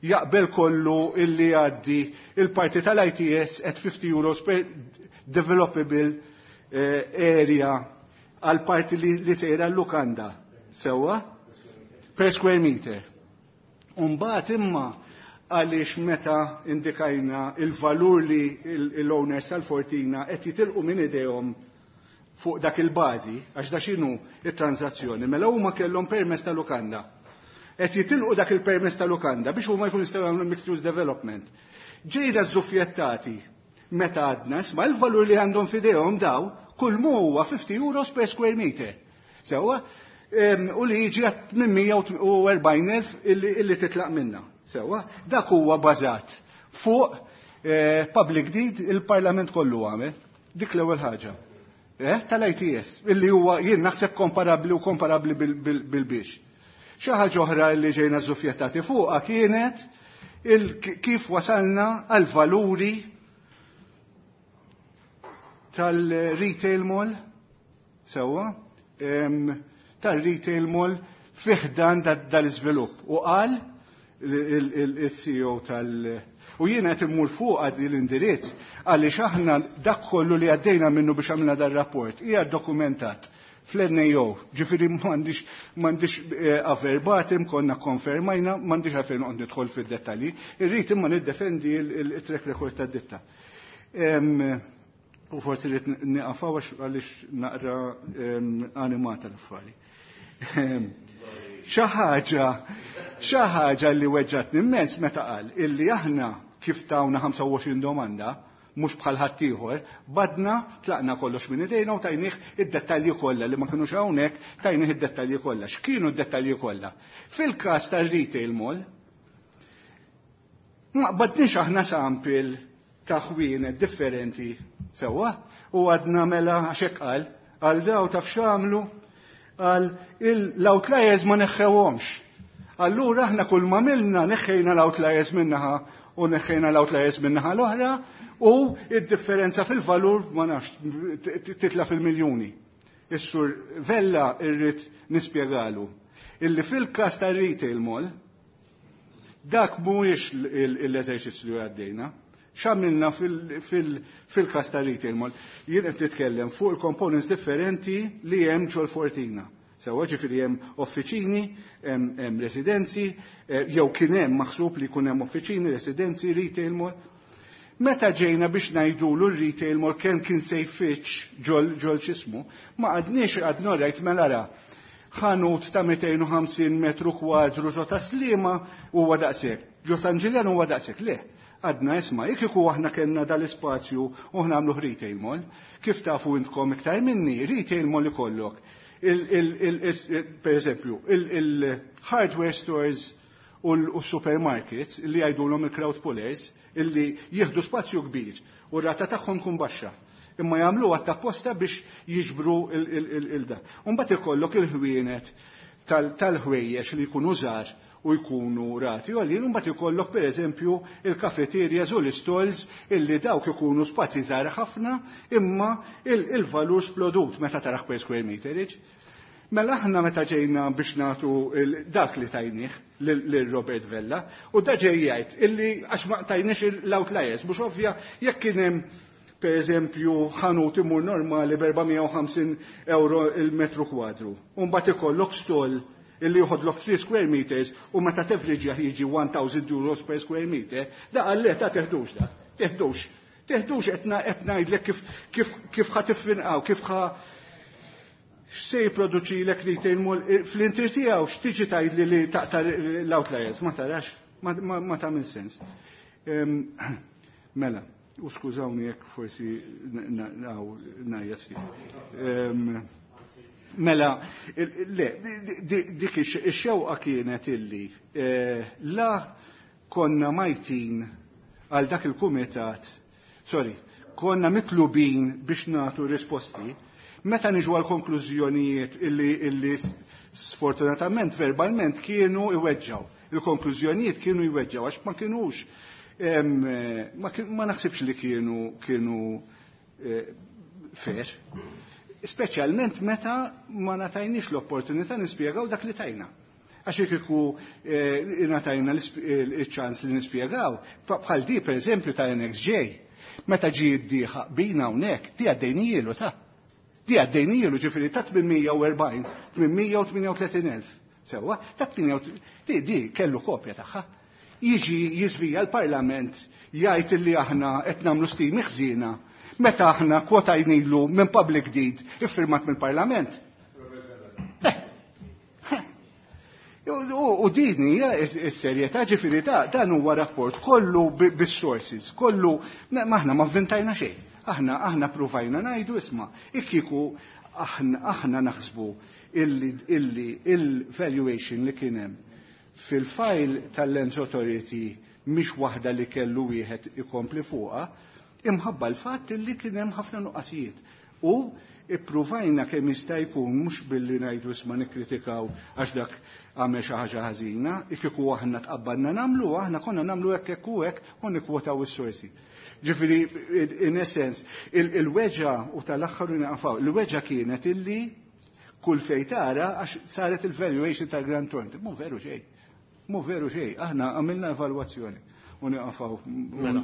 jaqbel kollu illi jgħaddi il-parti tal-ITS at 50 euros per developable area għal parti li sejra l-lukanda. Sewwa? Per square meter. Umbagħad imma għaliex meta indikajna il-valur li l-owners tal-Fortina qed jitilqu minn idejhom fuq dak il-bażi, għax da x'inhu it-transazzjoni, mela huma kellhom permess ta' lukanda. Qed jitilqu dak il-permess ta' lukanda biex huma jkunu jistgħu jagħmlu mixed use development. Ġejna żuffjettati meta għadna, isma' il-valur li għandhom f'idejhom daw, kull mu huwa 50 euros per square meter. Sewwa, u li jiġi għat 840,000 illi titlaq minna. Sewwa, dak huwa bażat fuq public deed il-Parlament kollu għamel. Dik l-ewwel ħaġa. Tal-ITS, illi huwa jien naħseb komparabbli u komparabbli bil-biex. Xi ħaġa oħra li ġejna żuffjettati fuqha kienet kif wasalna għal valuri tal-retail mall, sewwa, tal-retail mall fiħdan dal-iżvilupp. U qal il-CEO tal- U jiena qed immur fuq għad l-indirizz għaliex aħna dak kollu li għaddejna minnu biex għamilna dar-rapport hija dokumentat fl-NAO, ġifieri m'għandix verbatim, konna konfermajna, m'għandix għalfejn noqgħod nidħol fid-dettalji, irrid imma niddefendi il-track record tad-ditta. U forsi rrid nieqaf għaliex naqra animata l-affari. Xi ħaġa li weġġatni immens meta qal illi aħna kif tawna 25 domanda, mhux bħal ħaddieħor, badna tlaqna kollox minn idejna u tajnih id-dettalji kollha li ma kinux hawnhekk, tajnih id-dettalji kollha. X'kienu d-dettalji kollha? Fil-każ tar-retail mall, ma qbadniex aħna sample ta' ħwienet differenti sewwa u għadna mela għax hekk qal, għal daw taf x'għamlu, għal l-outliers ma neħħewhomx. Allura aħna kull ma milna neħħejna l-outliers minnaħa u neħħejna l-outliers minnaħa l-oħra u id-differenza fil-valur ma nafx titla fil-miljuni. Is-sur Vella irrid nispjegalu illi fil-każ tar-retail mall dak mhuwiex l-eżerċizzju li għaddejna. X'għamilna fil-każ tar-retail mall? Jien qed nitkellem fuq il-components differenti li hemm ġol Fortina. Sewwa ġifieri hemm offiċini, hemm residenzi, jew kien hemm maħsub li jkun hemm offiċini, residenzi, retail mall. Meta ġejna biex ngħidulu r-retail mall kemm kien se jfittx ġol x'ismu, ma għadniex għadna rajt mela ra. Ħanut ta' 250 metru kwadru ġo ta' Sliema huwa daqshekk, ġo San Ġiljan huwa daqshekk, le. Għadna isma' jekk iku aħna kellna dal-ispazju u nagħmlu retail mall, kif tafu intkom iktar minni, retail mall ikollok. Per eżempju, il-hardware stores u l-supermarkets li jgħidulhom il-crowd pullers illi jieħdu spazju kbir u r-rata tagħhom tkun baxxa. Imma jagħmlu għatta apposta biex jiġbru il-da. U mbagħad ikollok il-ħwienet tal-ħwejjeġ li jkunu żgħar u jkunu rati. U għalli mbagħad ikollok pereżempju il-kafeterias u l-istalls illi dawk ikunu spazji żgħar ħafna imma il-valur splodut meta taraħ per square meterage. Mela aħna meta ġejna biex nagħtu dak li tajnih lil Robert Vella u da ġej jgħid illi għax ma tajniex l-outliers, mhux ovvja jekk kien hemm per eżempju ħanut imur normali b'450 euro il-metru kwadru. U mbagħad ikollok stall illi joħodlok 3 square meters u meta tevriġja jiġi 1000 euros per square meter, da qal le ta' teħdux da, teħdux. Teħdux qed ngħidlek kif ħa tiffinqaw, kif ħa x'se jipproduċi lek retail mall fl-intir tiegħu x'tiġi tgħidli li taqta' l-outliers, ma tarax, ma tagħmel sens. Mela, u skużawni jekk forsi ngħajjat ftit. Mela, le, dik ix-xewqa kienet illi la konna majtin għal dak il-kumitat, sorry, konna mitlubin biex nagħtu risposti, meta niġu għal konklużjonijiet illi sfortunatament verbalment kienu iweġġaw. Il-konklużjonijiet kienu iweġġaw għax ma kienux, ma naħsibx li kienu fair. Speċjalment meta ma natajniex l-opportunità nispjegaw dak li tajna. Għax jekk iku natajna il-ċans li nispjegaw, bħal di per eżempju ta' NXJ, meta ġie d-dieħa bina hawnhekk, di għaddejnijielu ta'. Di għaddejnijielu ġifieri ta' 840, 838,000. Sewwa, ta' di kellu kopja tagħha. Jiġi jiżvija l-Parlament jgħid illi aħna qed nagħmlu stimi ħżiena. Meta aħna kwotajnilu minn public deed iffirmat mill-Parlament. U din hija s-serjetà, ġifieri dan huwa rapport kollu bis-sources, kollu aħna ma vvintajna xejn. Aħna pruvajna ngħidu isma' kieku aħna naħsbu illi il-valuation li kien hemm fil-file tal-Lands Authority mhix waħda li kellu wieħed ikompli fuqha, imħabba l-fatt illi kien hemm ħafna nuqqasijiet. U ippruvajna kemm jista' jkun mhux billi ngħidu isma' nikkritikaw għax dak għamel xi ħaġa ħażina, kieku aħna tqabbadna nagħmlu, aħna konna nagħmlu hekk hekk u hekk u nikkwotaw is-sorsi. Ġifieri in essence, il-weġa u tal-aħħar naqfaw, il-weġa kienet illi kull fejn tara għax saret il-valuation tal-Grant Thornton. Mhu veru xejn. Mhu veru xejn. Aħna għamilna evalwazzjoni u nieqafaw. Mela.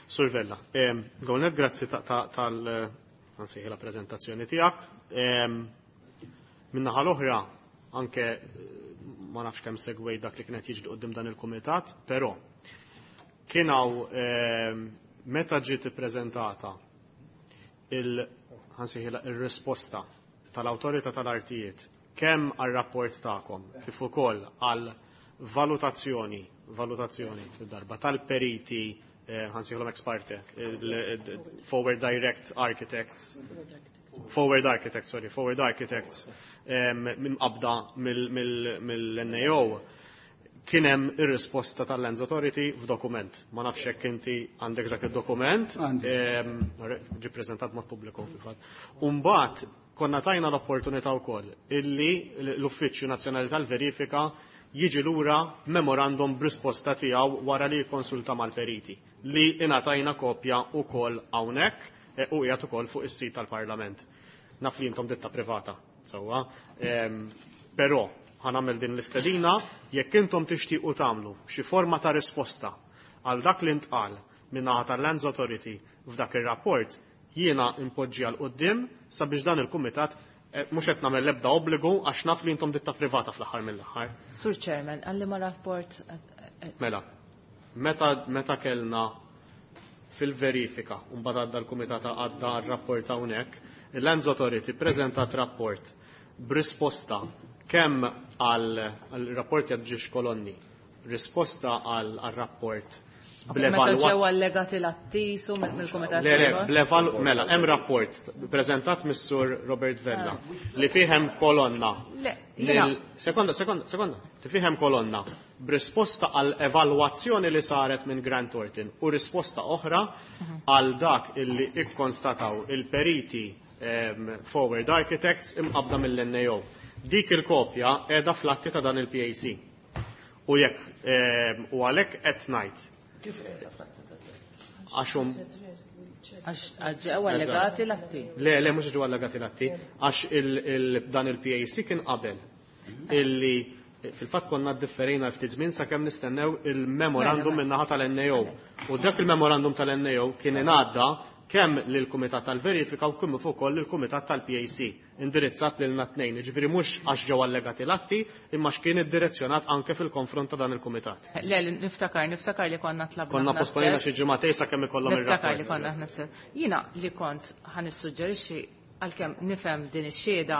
Sur Vella, Għonet, grazzi tal la prezentazzjoni tiegħek. Min-naħa l-oħra, anke ma nafx kemm segwej dak li kienet jiġri quddiem dan il-kumitat, però kien hawn meta ġiet ippreżentata il-risposta tal-Awtorità tal-Artijiet kemm għar-rapport tagħkom kif ukoll għal valutazzjoni fid-darba tal-periti ħansejħilhom ex parte, Forward Direct Architects, Forward Architects, sorry, Forward Architects minn qabda mill-NAO, kien hemm ir-risposta tal-Lands Authority f'dokument. Ma nafx hekk inti għandek dak id-dokument, ġie ppreżentat mod pubbliku fil-fatt. U mbagħad konna tajna l-opportunità wkoll illi l-Uffiċċju Nazzjonali tal-Verifika jiġi lura memorandum b'risposta tiegħu wara li jikkonsulta mal-periti li ingħatajna kopja wkoll hawnhekk u qiegħed ukoll fuq is-sit tal-Parlament. Naf li intom ditta privata, sewwa. Però ħanamel din l-istedina jekk intom tixtiequ tagħmlu xi forma ta' risposta għal dak li ntqal min-naħa tal-Lands Authority f'dak ir-rapport, jiena impoġġi għal quddiem sabiex dan il-kumitat mhux qed nagħmel l-ebda obbligu għax naf li intom ditta privata fl-aħħar mill-aħħar. Sur Chairman, għalli ma rapport. Mela, meta kellna fil-verifika, u mbagħad għadda l-kumitat għadda r-rapport hawnhekk, il-Lands Authority preżentat rapport b'risposta kemm għal rapport jadġiex kolonni, risposta għal rapport Meta ġew allegati l-attisu mill-Kumitat. Le, bl-eval, mela, hemm rapport preżentat mis-Sur Robert Vella li fih hemm kolonna. Sekonda, sekonda, li fih hemm kolonna b'risposta għal evalwazzjoni li saret minn Grant Thornton u risposta oħra għal dak illi ikkonstataw il-periti Forward Architects imqabda mill-NAO. Dik il-kopja qiegħda fl-atti ta' dan il-PAC. U jekk u għalhekk qed ngħid. Kif qiegħda fl-atti ta' Għaxhom Għax ġew allegati l-atti. Le, mhux ġew allegati l-atti, għax dan il-PAC kien qabel illi fil-fatt konna differejna ftit żmien sakemm nistennew il-memorandum min-naħa tal-NAO. U dak il-memorandum tal-NAO kien ingħadda kemm lill-Kumitat tal-Verifika u kemm ukoll lill-Kumitat tal-PAC, indirizzat lilna tnejn. Jiġifieri mhux għax ġew allegati l-atti, imma x'kien iddirezzjonat anke fil-konfront ta' dan il-kumitat. Le, niftakar li konna tlabna. Konna posponejna xi ġimagħtejn sakemm ikollhom ir-rapport. Niftakar li konna aħna stess. Jiena li kont ħa nissuġġerixxi għalkemm nifhem din ix-xhieda,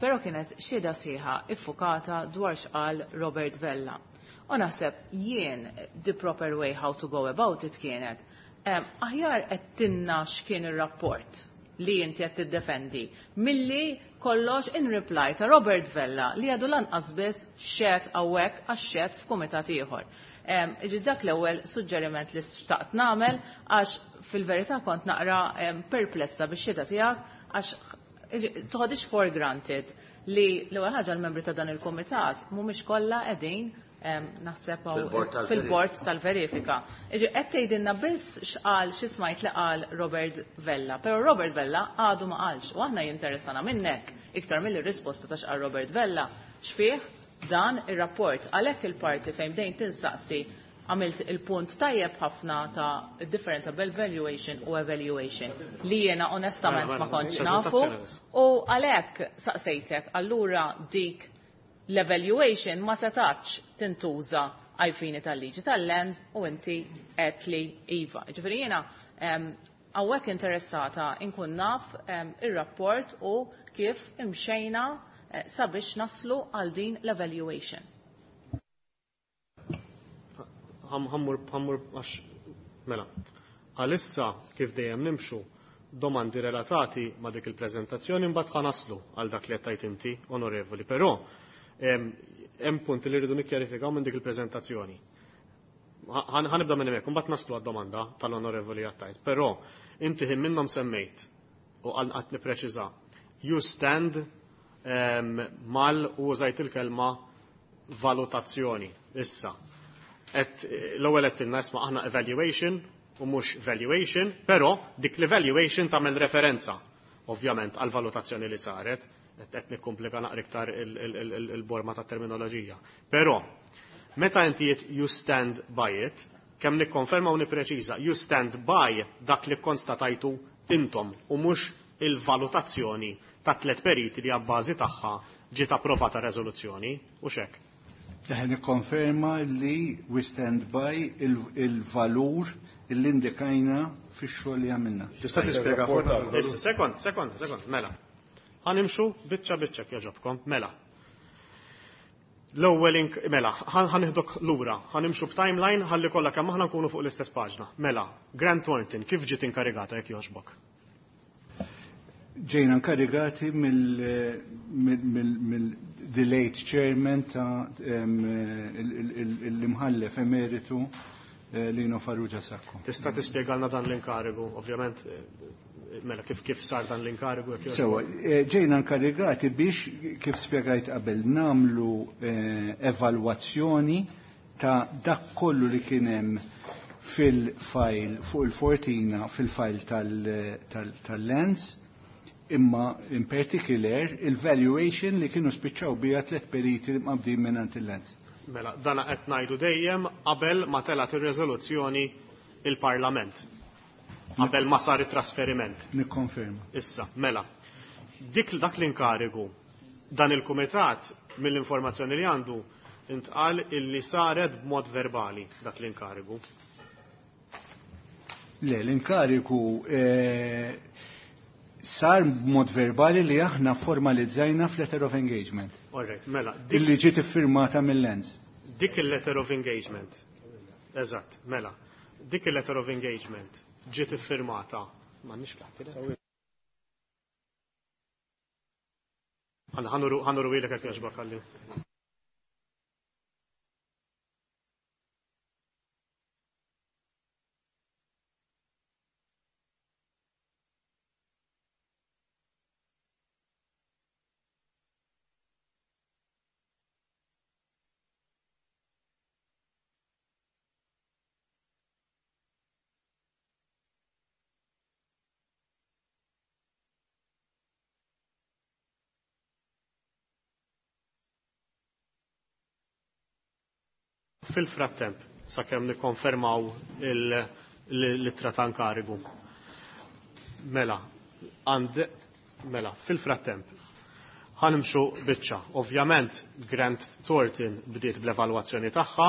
però kienet xhieda sħiħa iffukata dwar x'qal Robert Vella. U naħseb jien the proper way how to go about it kienet aħjar qed tinna x'kien ir-rapport li inti qed tiddefendi milli kollox in reply ta' Robert Vella li għadu lanqas biss xed hawnhekk għax xed f'kumitat ieħor. Iġi dak l-ewwel suġġeriment li xtaqt nagħmel għax fil-verità kont naqra perplessa bix-xhieda tiegħek għax toħodix for granted li l-ewwel ħaġa l-membri ta' dan il-kumitat mhumiex kollha qegħdin naħseb fil-bord tal-verifika. Iġi qed tgħidilna biss x'qal xi smajt li qal Robert Vella, però Robert Vella għadu ma qalx u aħna jinteressana minnek iktar mill-risposta ta' x'qal Robert Vella x'fih dan ir-rapport. Għalhekk il-parti fejn bdejn tinsaqsi għamilt il-punt tajjeb ħafna ta' differenza bel valuation u evaluation li jiena onestament ma kontx nafu u għalhekk saqsejtek allura dik l-evaluation ma setax tintuża għajfini tal-liġi tal-lands u inti qed li iva. Ġifieri jiena Hawnhekk interessata inkun naf ir-rapport u kif imxejna sabiex naslu għal din l-evaluation. Ħammur għax mela. Għalissa kif dejjem nimxu domandi relatati ma' dik il-preżentazzjoni mbagħad ħanaslu għal dak li qed tgħid inti, onorevoli, però hemm punti li rridu nikkjarifikaw minn dik il-preżentazzjoni. Ħanibda minn hemmhekk, imbagħad naslu għad-domanda tal-onorevoli għattajt. Però inti ħin minnhom semmejt u qatt nippreċiża. You stand mal u użajt il-kelma valutazzjoni. Issa. L-ewwel qed tilna isma' aħna evaluation u mhux valuation, però dik l-evaluation tagħmel referenza ovvjament għal valutazzjoni li saret, qed nikkomplika naqra iktar il-borma ta' terminoloġija. Però meta inti you stand by it, kemm nikkonferma u nippreċiża, you stand by dak li konstatajtu intom u mhux il-valutazzjoni ta' tliet periti li għabbażi tagħha ġiet approvata reżoluzzjoni u xek. Daħ nikkonferma li we stand by il-valur li indikajna fix-xogħol li għamilna. Tista' tispjega Issa, sekond, sekond, sekond, mela. Ħanimxu biċċa biċċa jogħġobkom, mela. L-ewwel mela, ħaniħdok lura, ħanimxu b'timeline ħalli kollha kemm aħna nkunu fuq l-istess paġna. Mela, Grant Thornton kif ġiet inkarigata jekk jogħġbok? Ġejna inkarigati mill the late chairman ta' l-imħallef emeritu Lino Farrugia Sacco. Tista' tispjegalna dan l-inkarigu, ovvjament, mela kif sar dan l-inkarigu? Sewa, ġejna inkarigati biex, kif spjegajt qabel, namlu evalwazzjoni ta' dak kollu li kien hemm fil-fajl fuq il-Fortina, fil-fajl tal-Lens, imma in particular il-valuation li kienu spiċċaw bija tliet periti li mqabdin minn il-Lens. Mela, dana qed ngħidu dejjem qabel ma telat ir-riżoluzzjoni il-Parlament. Qabel ma sar it-trasferiment. Nikkonferma. Issa, mela. Dik dak l-inkarigu dan il-kumitat mill-informazzjoni li għandu intqal illi saret b'mod verbali dak l-inkarigu. Le, l-inkarigu sar b'mod verbali li aħna formalizzajna f'letter of engagement. All right, mela. Illi ġiet iffirmata mill-Lens. Dik il-letter of engagement. Eżatt, mela. Dik il-letter of engagement ġiet iffirmata. M'għandniex fl Ħanuru ilek jekk jogħġbok għalli. Fil-frattemp, sakemm nikkonfermaw l-ittra ta' inkarigu. Mela, mela, fil-frattemp, ħanimxu biċċa. Ovvjament, Grant Thornton bdiet bl-evalwazzjoni tagħha,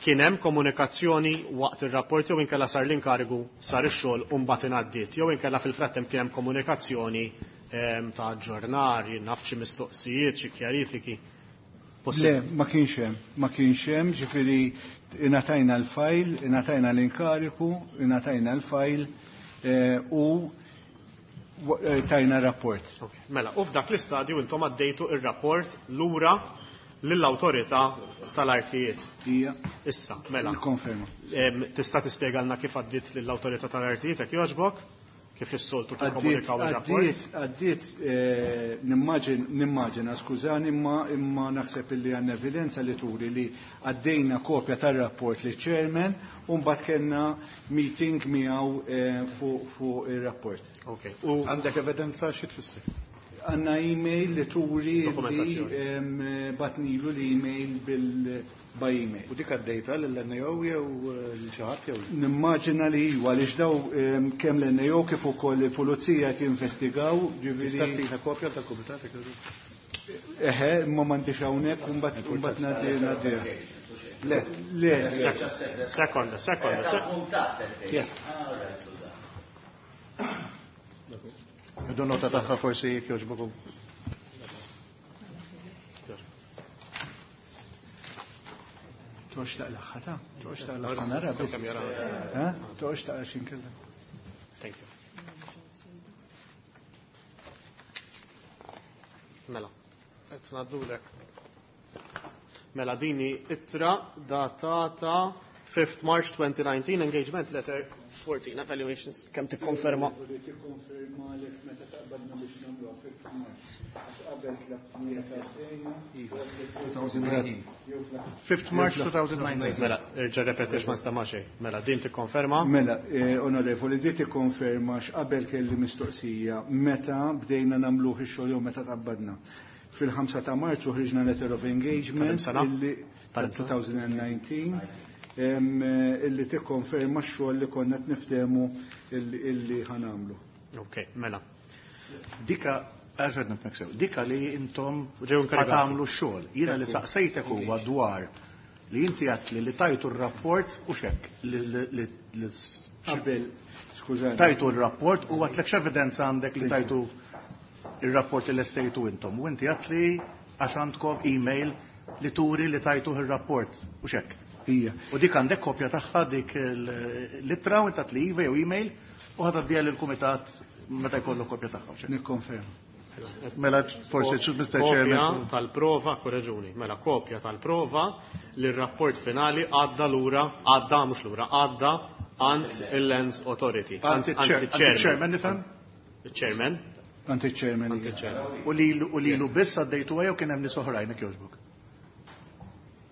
kien hemm komunikazzjoni waqt ir-rapport jew inkella sar l-inkarigu sar ix-xogħol u mbagħad ingħaddiet, jew inkella fil-frattemp kien hemm komunikazzjoni ta' aġġornar, naf xi mistoqsijiet, xi kjarifiki. Le, ma kienx hemm, ma kienx hemm, ġifieri ingħatajna l-fajl, ingħatajna l-inkariku, ingħatajna l-fajl u tajna rapport. Mela, u f'dak l-istadju intom għaddejtu ir-rapport lura lill-awtorità tal-artijiet. Ija. Issa, mela. Nikkonferma. Tista' tispjegalna kif għaddiet lill-awtorità tal-artijiet jekk jogħġbok? Kif is-soltu tikkomunikaw ir-rapport? Għaddiet, nimmaġina, skużani, imma naħseb illi għandna evidenza li turi li għaddejna kopja tar-rapport li chairman u mbagħad kellna meeting miegħu fuq ir-rapport. Okay. U għandek evidenza xi tfisser? Għandna email li turi li batnilu l-email by email. U dik għaddejta l-NAO jew l-xi ħadd jew? Nimmaġina li iwa għaliex daw kemm l-NAO kif ukoll il-pulizija qed jinvestigaw, ġifieri. Tista' tina kopja tal-kumitat jekk jogħġbok? Eħe, imma m'għandix hawnhekk u mbagħad ngħaddi. Le, le. Sekonda, sekonda. Yes. Idu nota tagħha forsi jekk jogħġbukom. Toqgħodx taqlaħħa ta' toqgħodx taqlaħħa nara biss. Ha? Toqgħodx taqla x'inkella. Thank you. Mela, qed ngħaddulek. Mela dini ittra datata 5th March 2019, engagement letter 14 evaluations. Kemm tikkonferma? Tikkonferma lek meta taqbadna biex nagħmluha 5th March. Għax qabel tlabtnija sa 2019. 5th March 2019. Mela, irġa' repetix ma nstema' xejn. Mela, din tikkonferma? Mela, onorevoli, di tikkonferma x'qabel kelli mistoqsija meta bdejna nagħmluh ix-xogħol jew meta tqabbadna. Fil-5 ta' Marzu ħriġna letter of engagement illi tal-2019 illi tikkonferma x-xogħol li konna qed niftehmu illi ħanamlu. Ok, mela. Dika, għax nifhmek sew, dika li intom Ġew inkarigati. tagħmlu x-xogħol. Jiena li saqsejtek huwa dwar li inti għedt li tajtu r-rapport u xek li Qabel, skużani. tajtu r-rapport u għedtlek x'evidenza għandek li tajtu il-rapport li lestejtu intom. U inti għedt li għax għandkom email li turi li tajtu il-rapport u xek. Ija. U dik għandek kopja tagħha dik l-ittra u inti li iva jew email u ħa tgħaddiha lill-kumitat meta jkollu kopja tagħha. u xek. Nikkonferma. Mela forsi Mr. Kopja Chairman. tal-prova, korreġuni, mela kopja tal-prova li r-rapport finali għadda lura, għadda mhux lura, għadda għand il-Lands Authority. Għand il-chairman nifhem? Il-chairman. Għand il-chairman. Għand il-chairman. U lilu biss għaddejtu jew kien hemm nies oħrajn jekk jogħġbok.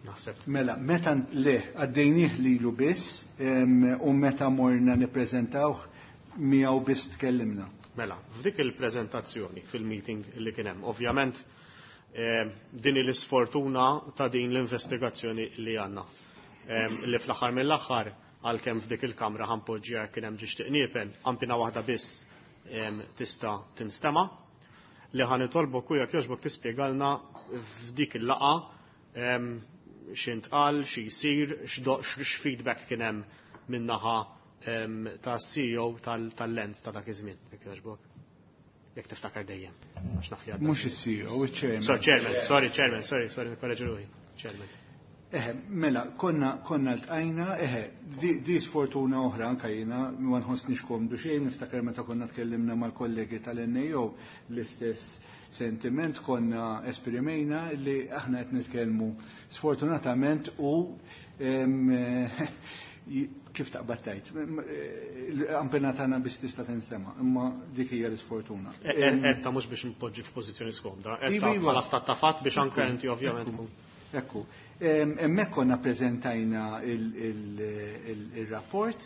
Naħseb. Mela, meta le, għaddejnieh lilu biss u meta morna nippreżentawh miegħu biss tkellimna. Mela, f'dik il-preżentazzjoni fil-meeting li kien hemm, ovvjament din l-isfortuna ta' din l-investigazzjoni li għandna. Li fl-aħħar mill-aħħar għalkemm f'dik il-kamra ħanpoġġja kien hemm ġiex tiqniepen, ampina waħda biss tista' tinstema'. Li ħa nitolbok u jekk jogħġbok tispjegalna f'dik il-laqgħa x'intqal, xi jsir, x'feedback kien hemm min-naħa ta' CEO tal-Lands ta' dak iż-żmien, jekk jogħġbok. Jekk tiftakar dejjem, għax naf li għadda. Mhux is-CEO, il-chairman. Sorry, chairman, sorry, chairman, sorry, sorry, nikkorreġi ruħi. Chairman. Eħe, mela, konna ltqajna, eħe, di sfortuna oħra anka jiena, ma nħossnix komdu xejn, niftakar meta konna tkellimna mal-kollegi tal-NAO, l-istess sentiment konna esprimejna li aħna qed nitkellmu sfortunatament u kif taqbad tajt, ampena tagħna biss tista' tinstema', imma dik hija l-isfortuna. Etta mhux biex npoġġi f'pożizzjoni skomda, etta Iva, iva. bħala stat ta' fatt biex anke inti ovvjament Ekku. Ekku. Hemmhekk konna preżentajna il-rapport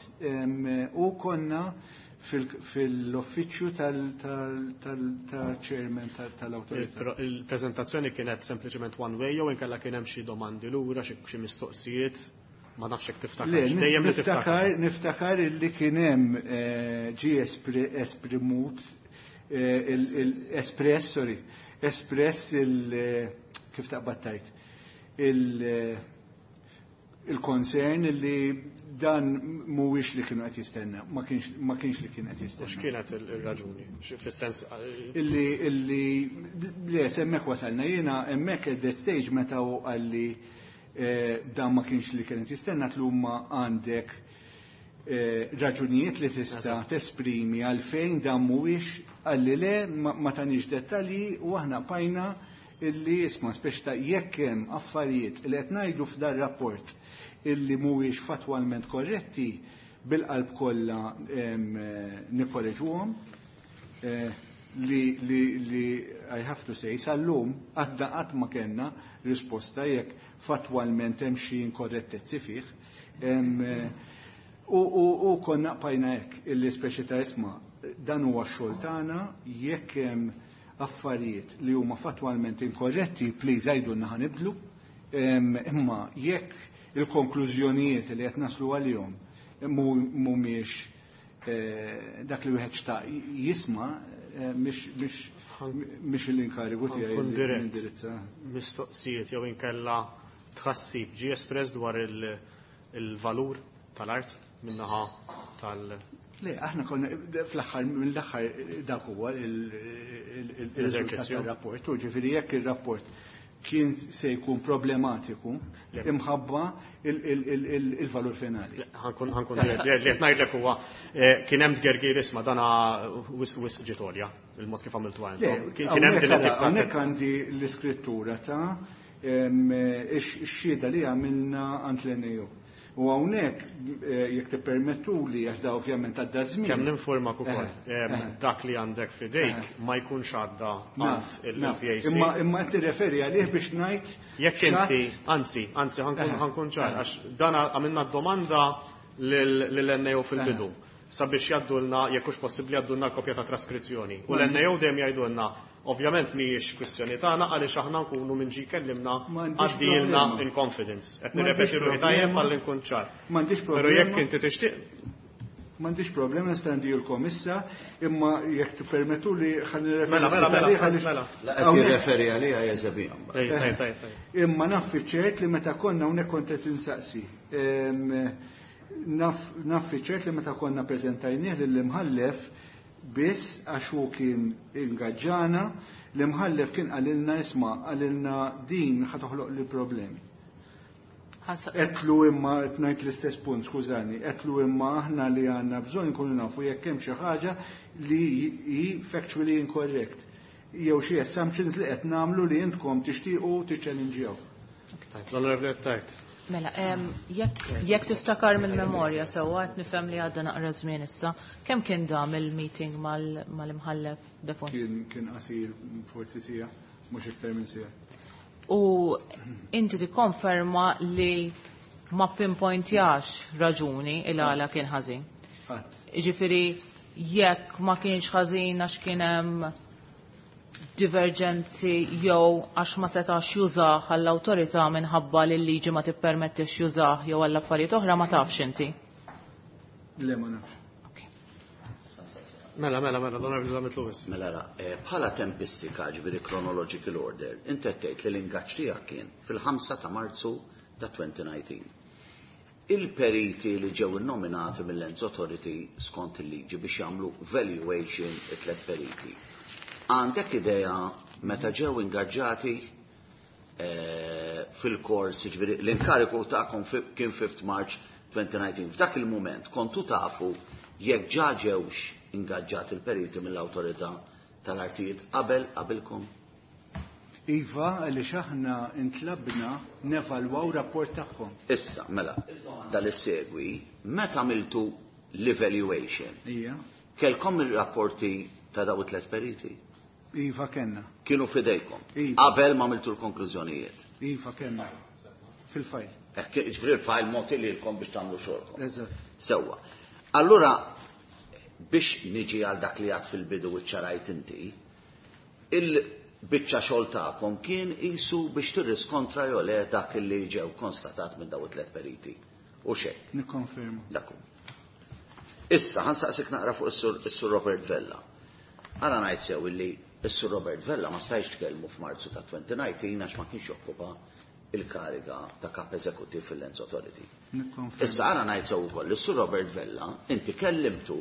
u konna fil-uffiċċju tal-chairman tal-awtorità. Il-preżentazzjoni kienet sempliċement one way jew inkella kien hemm xi domandi lura, xi mistoqsijiet, ma nafx hekk tiftakar. Le, Dejjem li tiftakar. niftakar illi kien hemm ġie esprimut, espress, sorry, espress il, kif taqbad tajt, il-concern li dan mhuwiex li kienu qed jistenna, ma kienx li kien qed jistenna. U x'kienet il-raġuni? Fis-sens, Illi, le, hemmhekk wasalna jiena hemmhekk at that stage meta hu qalli dan ma kienx li kien qed jistenna, tlumma għandek raġunijiet li tista' tesprimi għalfejn dan mhuwiex, qalli le, ma tanix dettalji u aħna bqajna illi isma' speċi ta' jekk hemm affarijiet li qed ngħidu f'dan rapport illi mhuwiex fatwalment korretti, bil-qalb kollha nikkoreġuhom, li I have to say sal-lum għadda qatt ma kellna risposta jekk fatwalment hemm xi inkorrettezzi fih. U konna bqajna hekk illi speċi ta' isma' dan huwa x-xogħol tagħna, jekk hemm affarijiet li huma fatwalment inkorretti, please għidulna ħa nibdlu. Imma jekk il-konklużjonijiet li qed naslu għalihom mhumiex dak li wieħed xtaq jisma', mhix l-inkarigu tiegħi Ħankun li dirett. nindirizza. Mistoqsijiet jew inkella tħassib ġie espress dwar il-valur tal-art minnaħa Le, aħna konna fl-aħħar mill-aħħar dak huwa il-riżultat tar-rapport. U ġifieri jekk ir-rapport kien se jkun problematiku imħabba il-valur finali. Ħankun ħankun li qed ngħidlek huwa kien hemm tgergir isma' dana wisq wisq ġiet għolja il-mod kif għamiltu intom. Kien hemm din it-tip ta' Hawnhekk għandi l-iskrittura ta' ix-xhieda li għamilna għand l-NAO. U hawnhekk jekk tippermettuli għax da ovvjament għadda żmien. Kemm ninformak ukoll dak li għandek f'idejk ma jkunx għadda għand il-PAC. Imma imma qed nirreferi għalih biex ngħid Jekk inti, anzi, anzi ħankun ċar, għax dan għamilna domanda lill-NAO fil-bidu sabiex jgħaddulna, jekk hux possibbli jgħaddulna l-kopja ta' traskrizzjoni. U l-NAO dejjem jgħidulna, ovvjament mhijiex kwistjoni tagħna għaliex aħna nkunu minn ġi kellimna M'għandix għaddilna problema. in confidence. Qed M'għandix nirrepeti ruħi tajjeb problema. ħalli nkun ċar. M'għandix Però problema. jekk inti tixtieq M'għandix problema nista' ndilkom issa, imma jekk tippermettu li ħa nirreferi Mela, mela, mela, għalih għaliex mela. La qed hawnhekk- jirreferi għaliha jeżebihom. Tajjeb, tajjeb, tajjeb, tajjeb. Imma naf ċert li meta konna hawnhekk kont qed insaqsi. Naf ċert li meta konna preżentajnieh lill-imħallef biss għax hu kien ingaġġana, l-imħallef kien qalilna isma' qalilna din ħa toħloq li problemi. Għedtlu imma qed ngħid l-istess punt, skużani, għedtlu imma aħna li għandna bżonn nkunu nafu jekk hemm xi ħaġa li hi factually incorrect jew xi assumptions li qed nagħmlu li intkom tixtiequ tiċċellinġjaw. Tajt, l-Onorevoli Tajt. Mela, jekk tiftakar mill-memorja sewwa qed nifhem li għadda naqra żmien issa, kemm kien dam il-meeting mal-imħallef Defun? Kien qasir forsi siegħa, mhux iktar minn siegħa. U inti tikkonferma li ma pinpointjax raġuni il għala kien ħażin. Qatt. Jiġifieri jekk ma kienx ħażin għax kien hemm divergenzi jew għax ma setax jużah għall-awtorità minħabba li l-liġi ma tippermettix jużah jew għall affarijiet oħra ma tafx inti. Le ma nafx. Mela, mela, mela, l-Onorevoli Zammit Lewis. Mela ra, bħala tempistika ġifieri chronological order, inti qed tgħid li l-ingaġġ tiegħek kien fil-5 ta' Marzu ta' 2019. Il-periti li ġew innominati mill-Lands Authority skont il-liġi biex jagħmlu valuation it-tlet periti. Għandek idea meta ġew ingaġġati fil-kors, ġifieri l-inkariku tagħkom kien 5 March 2019. F'dak il-moment kontu tafu jekk ġa ġewx ingaġġati il-periti mill-awtorità tal-artijiet qabel qabilkom? Iva, għaliex aħna intlabna nevalwaw rapport tagħhom. Issa, mela, dal-segwi, meta għamiltu l-evaluation, Ija. kelkom il-rapporti ta' daw it-tlet periti? Iva kenna. Kienu fidejkom. Iva. Qabel ma għamiltu l-konklużjonijiet. Iva kenna. Fil-fajl. Ġifieri il-fajl mogħti lilkom biex tagħmlu xogħolkom. Eżatt. Sewwa. Allura, biex niġi għal dak li għad fil-bidu u ċarajt inti, il-biċċa xogħol tagħkom kien isu biex tirriskontra jew le dak li ġew konstatat minn daw it-tlet periti. U xejn. Nikkonferma. Dak hu. Issa, ħansaqsik naqra fuq is-Sur Robert Vella. Għara ngħid sew illi is-Sur Robert Vella ma stajx tkellmu f'Marzu ta' 2019 għax ma kienx jokkupa il-kariga ta' kap eżekutiv fil-Lands Authority. Nikkonferma. Issa għara ngħid sew ukoll is-Sur Robert Vella inti kellimtu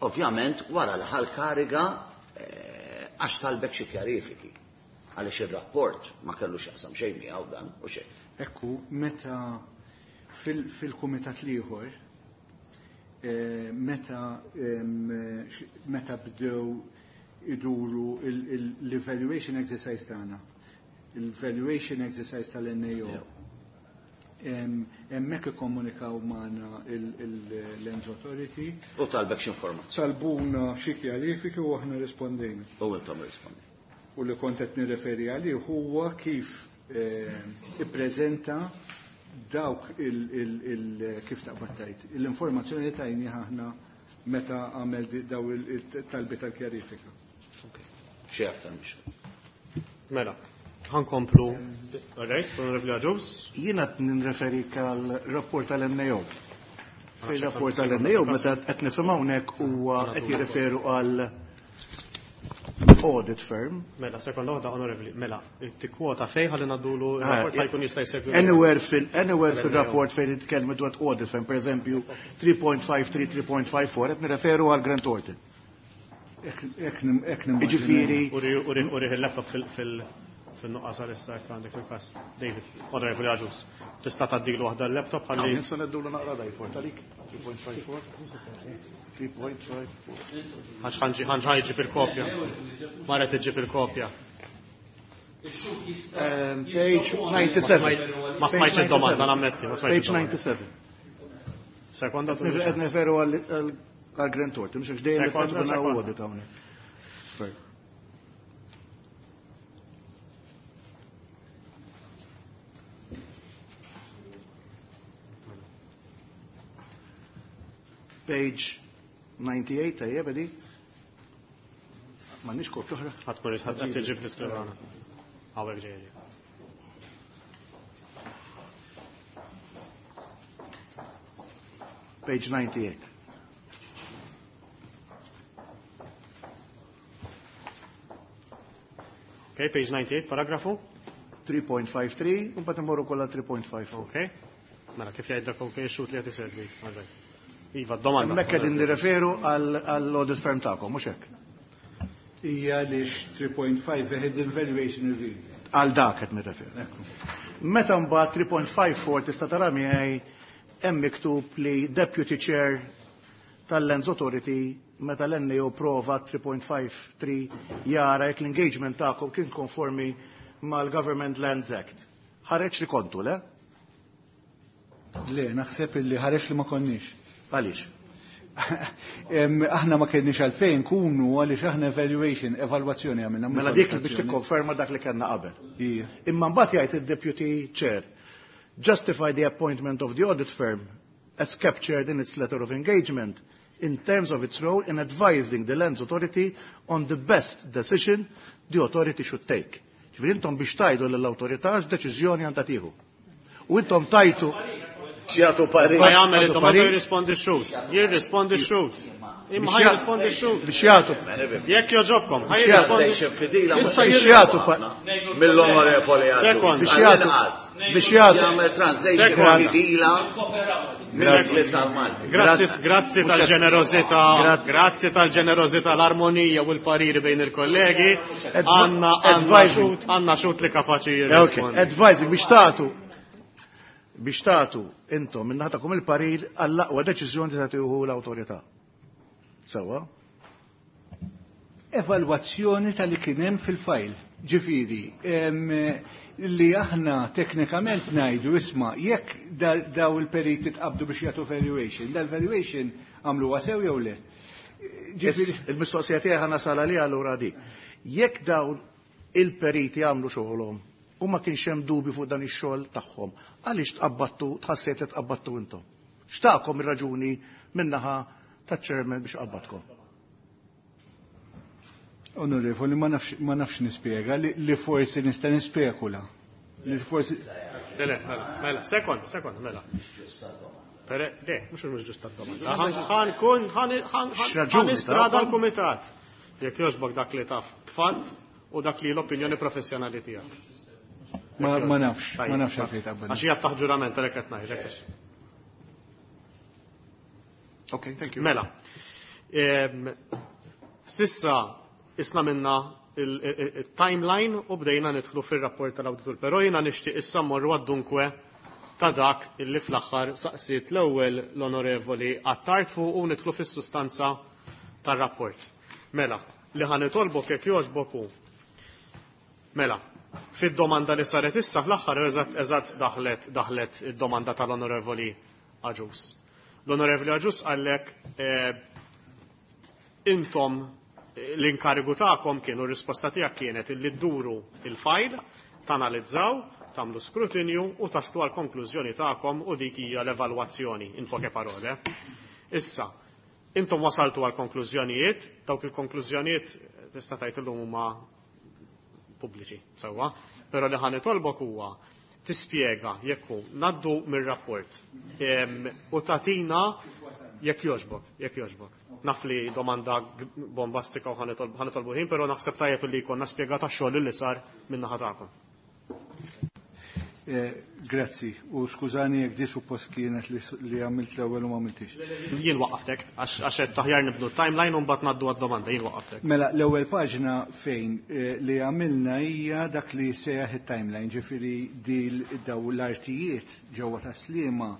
ovvjament wara li ħal kariga għax talbek xi kjarifiki. Għaliex ir-rapport ma kellux jaqsam xejn miegħu dan u xejn. Ekku, meta fil-kumitat l-ieħor, meta bdew iduru l-evaluation exercise tagħna, l-evaluation exercise tal-NAO, hemmhekk ikkomunikaw magħna l-Lands Authority. U talbek x'informazzjoni. Talbuna xi kjarifiki u aħna rispondejna. U intom rispondi. U li kont qed nirreferi għalih huwa kif ippreżenta dawk kif taqbad tgħid, l-informazzjoni li tajni aħna meta għamel daw il-talbi tal-kjarifika. Xi aktar mhix. Mela, ħankomplu. All right, Onorevoli Agius. Jiena qed nirreferi għal rapport tal-NAO. Fil-rapport tal-NAO meta qed nifhem hawnhekk huwa qed jirreferu għal audit firm. Mela, sekonda waħda onorevoli, mela, tikkwota fejn ħalli ngħaddulu rapport ħajkun jista' jsegwi. Anywhere fil anywhere fil-rapport fejn jitkellmu dwar audit firm, per eżempju 3.53, 3.54, qed nirreferu għal Grant Thornton. Ek Jiġifieri Uri il-laptop fil-nuqqas għal-issa jekk għandek fil-kas. David, onorevoli Agius, tista' tgħaddilu waħda l-laptop ħalli. Nista' ngħaddulu naqra da jport għalik 3.54. 3.54. Għax ħanġi ġib il-kopja. Marret iġib il-kopja. Page 97. Ma smajtx id-domanda, nammetti, ma smajtx Page id-domanda. 97. Sekonda tu. Qed nirreferu għal Grant Thornton, mhux għax dejjem Sekonda, qed sekonda. audit hawnhekk. Sorry. Page 98, tajjeb, edi? M'għandniex kopja oħra. Ħadd ħadd iġib l-iskrivana. Hawnhekk ġejja. Page 98. Okay, page 98, paragrafu. 3.53, u mbagħad immorru kollha 3.54. Okay. Mela, kif jgħidlek ok, xut li qed isegwi. All right. Iva, domanda. Hemmhekk qegħdin nirreferu għall-audit firm tagħkom, mhux hekk? Hija għaliex 3.5 hidden valuation review. Għal dak qed nirreferu. Meta mbagħad 3.54 tista' tara miegħi hemm miktub li deputy chair tal-Lands Authority meta l-NAO prova 3.53 jara jekk l-engagement tagħkom kien konformi mal-Government Lands Act. Ħareġ li kontu, le? Le, naħseb illi ħareġ li ma konniex. Għaliex? Aħna ma kenniex għalfejn kunu għaliex aħna evaluation, evalwazzjoni għamilna. mhux Mela dik biex valutazzjoni. tikkonferma dak li kellna qabel. Ija. Imma mbagħad jgħid id-deputy chair justify the appointment of the audit firm as captured in its letter of engagement in terms of its role in advising the Lands Authority on the best decision the authority should take. Ġifieri intom biex tajdu lill-awtorità x'deċiżjoni għandha tieħu. U intom tajtu X'jagħtu parir. Ma jagħmel id-domanda Parir. jirrispondi x-xut. Jirrispondi x-xut. Imma Biex ħaj jirrispondi x-xut. biex jagħtu Jekk joġobkom, ħaj Biex jagħtu- jirrispondi. Translation fidila Issa biex jagħtu mill-onorevoli Agius. Sekond. Biex jagħtu biex jagħtu Jagħmel translation Sekond. fidila mill-Ingliż għal-Malti. Grazzi, grazzi tal-ġenerozità, Grazzi. grazzi tal-ġenerozità, l-armonija u l-pariri bejn il-kollegi. Għanna, għanna Advising. xut, għanna xut li kapaċi Okay, jirrispondi. advising biex tagħtu biex tagħtu intom minn naħatakom il-parir għall-aqwa deċiżjoni li tagħtihu l-awtorità. Sewwa? Evalwazzjoni tal-li kien hemm fil-fajl. Ġifieri, li aħna teknikament ngħidu isma' jekk daw il-periti tqabdu biex jagħtu valuation, dal-valuation għamluha sew jew le. Ġifieri, Il-mistoqsija tiegħi ħa nasal għaliha allura di. Jekk dawn il-periti għamlu xogħolhom u ma kienx hemm dubju fuq dan ix-xogħol tagħhom, għaliex tqabbattu tħassejt li tqabbattu intom? X'taqkom ir-raġuni min-naħa taċ-chairman biex qabbatkom? Onorevoli, ma nafx nispjega li forsi nista' nispekula. Li forsi Le, le, mela, mela, sekond, sekond, mela. Pere, le, mux mux ġusta d-domanda. Ħan kun, ħan X'raġuni istrada tagħkom? l-kumitat. Jekk jogħġbok dak li taf b'fatt u dak li l-opinjoni professjonali tiegħek. ma nafx, ma nafx għalfejn taqbad. Għax hija taħt ġurament għalhekk qed ngħidlek. Okay, thank you. Mela. Sissa isna minna il-timeline u bdejna nidħlu fir-rapport tal-awditur, però jiena nixtieq issa mmorru għad-dunkwe ta' dak illi fl-aħħar saqsiet l-ewwel l-onorevoli Attard fuq u nidħlu fis-sustanza tar-rapport. Mela, li ħa nitolbok jekk jogħġbok hu. Mela, fid-domanda li saret issa fl-aħħar eżatt eżatt daħlet daħlet id-domanda tal-onorevoli Agius. L-onorevoli Agius qallek intom l-inkarigu tagħkom kienu r-risposta tiegħek kienet illi dduru il-fajl, tanalizzaw, tagħmlu skrutinju u taslu għal konklużjoni tagħkom u dik hija l-evalwazzjoni in poche parole. Issa, intom wasaltu għal konklużjonijiet, dawk il-konklużjonijiet tista' tgħid illum huma pubbliċi, sewwa, però li ħa nitolbok huwa tispjega jekk hu ngħaddu mir-rapport u tagħtina jekk jogħġbok, jekk jogħġbok. Naf li domanda bombastika u ħa nitolbu ħin, però naħseb tajjeb li jkollna spjegata x-xogħol li sar min-naħa tagħkom. Grazzi, u skużani jekk di suppost kienet li għamilt l-ewwel u ma għamiltix. Jien waqqaftek, għax qed aħjar nibnu timeline u mbagħad ngħaddu għad-domanda, jien waqqaftek. Mela, l-ewwel paġna fejn li għamilna hija dak li sejjaħ it-timeline, ġifieri di daw l-artijiet ġewwa Tas-Sliema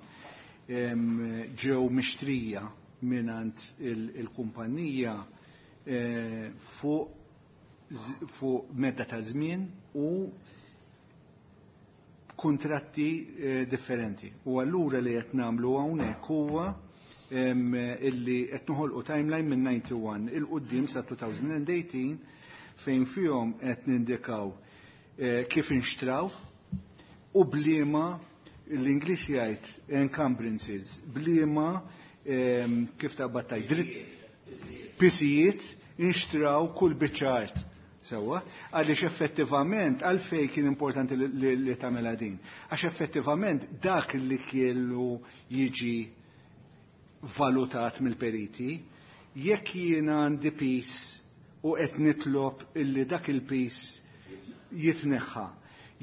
ġew mixtrija mingħand il-kumpanija fuq medda ta' żmien u kontratti differenti. U allura li qed nagħmlu hawnhekk huwa illi qed noħolqu timeline minn 91 il quddiem sa 2018 fejn fihom qed nindikaw kif inxtraw u bliema l-Ingliż jgħid encumbrances, bliema kif taqbad tgħid pisijiet inxtraw kull biċċa art. Sewwa, għaliex effettivament għalfejn kien importanti li tagħmilha din. Għax effettivament dak li kellu jiġi valutat mill-periti, jekk jiena għandi pis u qed nitlob illi dak il-pis jitneħħa,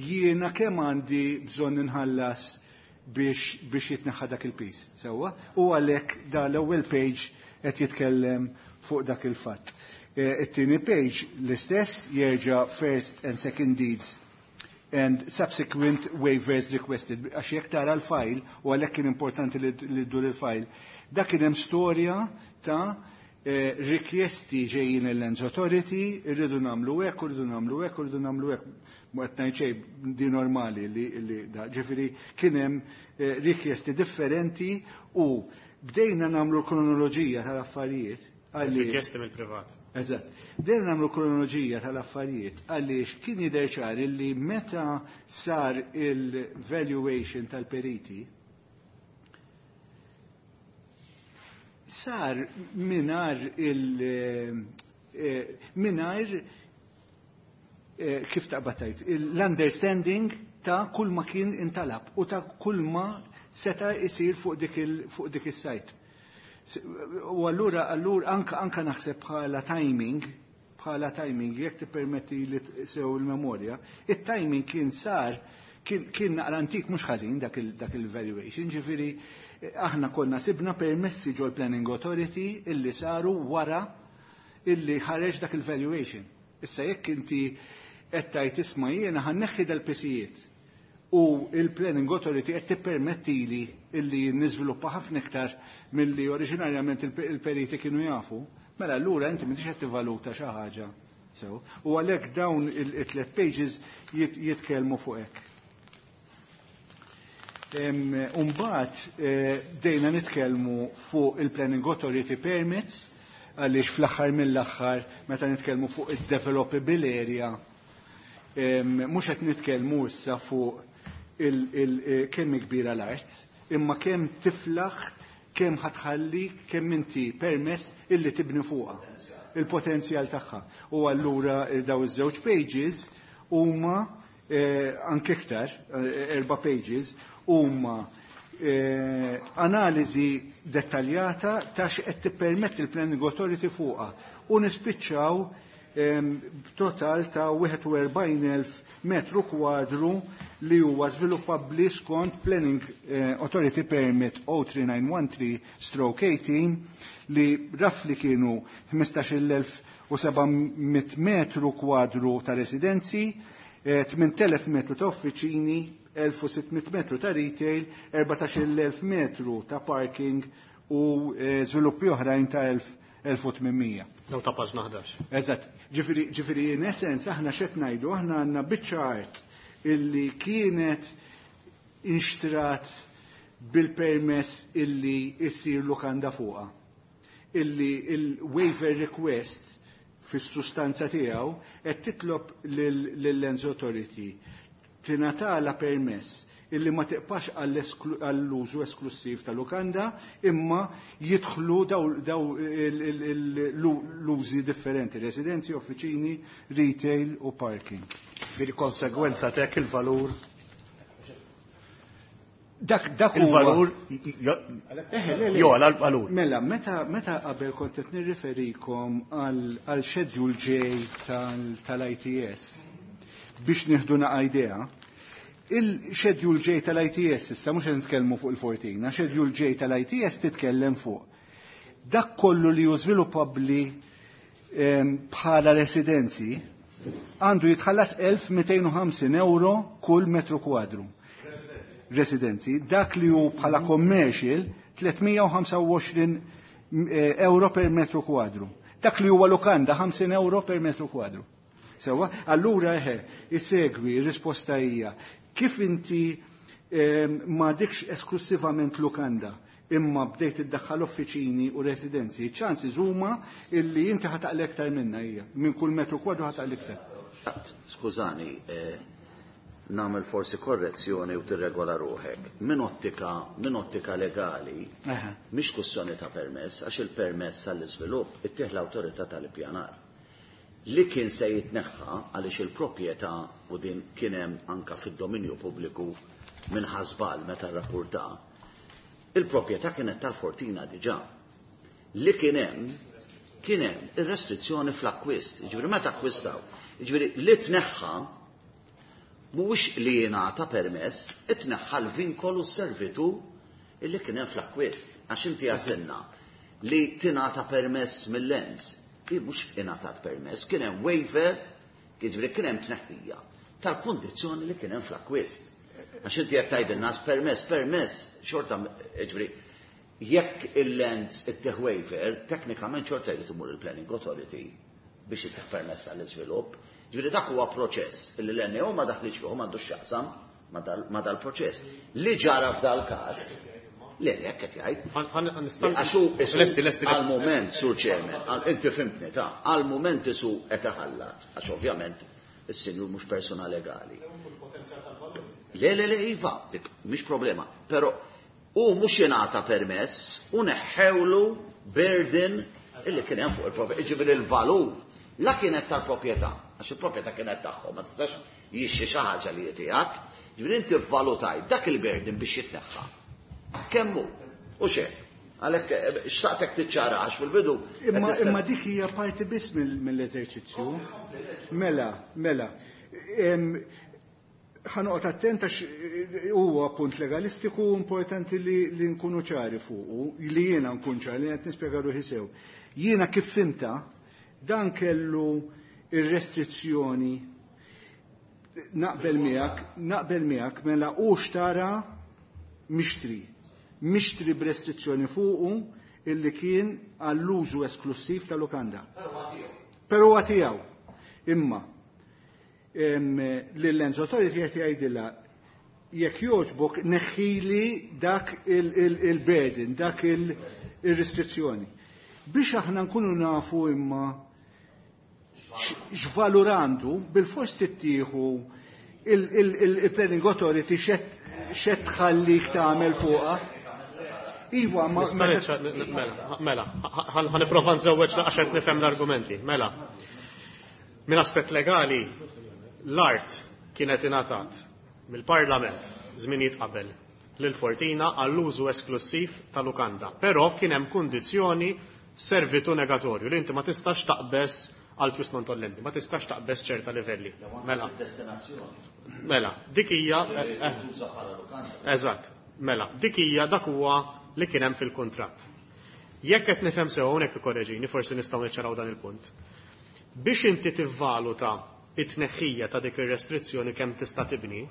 jiena kemm għandi bżonn inħallas biex jitneħħa dak il-pis. Sewwa, u għalhekk da l-ewwel page qed jitkellem fuq dak il-fatt. It-tieni page l-istess jerġa' first and second deeds and subsequent waivers requested. Għax jekk tara l-file, u għalhekk kien importanti li ddur il-file, dak kien hemm storja ta' rikjesti ġejjin il-Lands Authority, irridu nagħmlu hekk, irridu nagħmlu hekk, irridu nagħmlu hekk. Mhu qed ngħid xejn di normali li da. Ġifieri kien hemm rikjesti differenti u bdejna nagħmlu l-kronoloġija tal-affarijiet. Rikjesti mill-privat. Eżatt. Bdejna nagħmlu kronoloġija tal-affarijiet għaliex kien jidher ċar illi meta sar il-valuation tal-periti sar mingħajr kif taqbad tgħid, l-understanding ta' kull ma kien intalab u ta' kull ma seta' isir fuq dik is-sajt. U allura anka naħseb bħala timing, jekk tippermetti li sew il-memorja, it-timing kien sar, kien naqra antik mhux ħażin dak il-valuation, ġifieri aħna konna sibna permessi ġol Planning Authority illi saru wara illi ħareġ dak il-valuation. Issa jekk inti qed tgħid isma' jiena ħanneħħi dal-pisijiet u il-Planning Authority qed tippermettili illi niżviluppa ħafna iktar milli oriġinarjament il-periti kienu jafu, mela allura inti m'intix qed tivvaluta xi ħaġa. Sew, u għalhekk dawn it-tliet pages jitkellmu fuq hekk. Umbagħad bdejna nitkellmu fuq il-Planning Authority permits, għaliex fl-aħħar mill-aħħar meta nitkellmu fuq id-developable area, mhux qed nitkellmu issa fuq kemm kbira l-art, imma kemm tiflaħ, kemm ħatħalli, kemm inti permess illi tibni fuqha, il-potenzjal tagħha. U allura daw iż-żewġ pages huma anke iktar, 4 pages, huma analiżi dettaljata ta' x'qed tippermetti l-Planning Authority fuqha u nispiċċaw b'total ta' 41,000 metru kwadru li huwa żviluppabbli skont Planning Authority Permit 03913/18 li rafli kienu 15,700 metru kwadru ta' residenzi, 8,000 metru ta' uffiċini, 1,600 metru ta' retail, 14,000 metru ta' parking u żviluppi oħrajn ta' 1,800. Daw ta' paġna 11. Eżatt. Ġifieri in essence aħna x'qed ngħidu, aħna għandna biċċa art illi kienet inxtrat bil-permess illi issir lukanda fuqha. Illi il-waiver request fis-sustanza tiegħu qed titlob lill-Lands Authority tingħatala permess illi ma tiqpax għall-użu esklusiv ta' lukanda, imma jidħlu daw l-użi differenti, residenzi, uffiċini, retail u parking. Bil-konsegwenza tek il-valur? Dak dak Il-valur jola l-valur. Mela, meta qabel kont qed nirriferikom għal schedule J tal-ITS biex nieħdu naqa' idea, il-schedule J tal-ITS issa mhux qed nitkellmu fuq il-Fortina, schedule J tal-ITS titkellem fuq dak kollu li hu żviluppabbli bħala residenzi għandu jitħallas 1250 euro kull metru kwadru. Residenzi, dak li hu bħala commercial 325 euro per metru kwadru. Dak li huwa lukanda 50 euro per metru kwadru. Sewa, allura eħe, isegwi, risposta hija, kif inti ma dikx esklusivament lukanda, imma bdejt iddaħħal uffiċini u residenzi, ċansi huma illi inti ħataqli iktar minna hija, minn kull metru kwadru ħataqli iktar. Skużani, nagħmel forsi korrezzjoni u tirregola ruħek. Min ottika legali, mhix kwestjoni ta' permess, għax il-permess għall-iżvilupp ittieħ l-awtorità tal-ippjanar. Li kien se jitneħħa għaliex il-proprjetà u din kien hemm anka fid-dominju pubbliku minn ħasbal meta rrapporta, il-proprjetà kienet tal-Fortina diġà. Li kien hemm ir-restrizzjoni fl-akkwist, jiġifieri meta akkwistaw, jiġifieri li tneħħa mhuwiex li jingħata permess, itneħħa l-vinkolu s-servitu illi kien hemm fl-akkwist. Għax inti għażilna li tingħata permess mill-Lands. Hi mhux ingħatat permess, kien hemm waiver, jiġifieri kien hemm tneħħija tal-kundizzjoni li kien hemm fl-akkwist. Għax inti qed tgħidilna permess, permess, xorta, jiġifieri jekk il-Lands ittieħ waiver, teknikament xorta jrid imur il-Planning Authority biex ittieħ permess għall-iżvilupp. Ġifieri dak huwa proċess illi l-NAO ma daħlitx fih, m'għandux x'jaqsam ma dal-proċess. Li ġara f'dal-każ, le, le, qed jgħid. Għax hu Lesti, lesti. Għal-moment, Sur Chairman, inti fimtni ta' għal-moment isu qed iħallat, għax ovvjament is-sinjur mhux persona legali. Le, le, le, iva, dik mhix problema, però u mhux jingħata permess u neħħewlu burden illi kien hemm fuq il-proprjetà, jiġifieri il-valur la kienet tal-proprjetà, għax il-proprjetà kienet tagħhom, ma tistax jixxi xi ħaġa li tiegħek, jiġifieri inti vvalutaj dak il-burden biex jitneħħa. Kemm hu? U xejn. Għalhekk xtaqtek tiċċara għax fil-bidu. Imma dik hija parti biss mill-eżerċizzju. Mela, mela. Ħa noqgħod attent għax huwa punt legalistiku importanti li nkunu ċari fuqu, li jiena nkun ċari, li qed nispjega ruħi sew. Jiena kif fimta, dan kellu ir-restrizzjoni naqbel miegħek mela u xtara mixtri. Mixtri b'restrizzjoni fuqu illi kien għall-użu esklusiv ta' lukanda. Però huwa tiegħu. Imma l-Lands Authority qed jgħidilha jekk jogħġbok neħħili dak il-burden, dak il-restrizzjoni. Biex aħna nkunu nafu imma x'valur għandu, bil-fors tittieħu il-Planning Authority xed tħallik tagħmel fuqha. Iva, ma Nista' mela, mela, ħa nipprova nżewweġ għax qed nifhem l-argumenti. Mela, minn aspett legali, l-art kienet ingħatat mill-Parlament żminijiet qabel lil Fortina għall-użu esklusiv ta' lukanda. Però kien hemm kundizzjoni servitu negatorju li inti ma tistax taqbeż għal twist non tollendi, ma tistax taqbeż ċerta livelli. Mela. Mela, dik hija Eżatt, mela, dik hija dak huwa li kien hemm fil-kuntratt. Jekk qed nifhem sew hawnhekk ikkorreġini, forsi nistgħu niċċaraw dan il-punt. Biex inti tivvaluta it-tneħħija ta' dik ir-restrizzjoni kemm tista' tibni,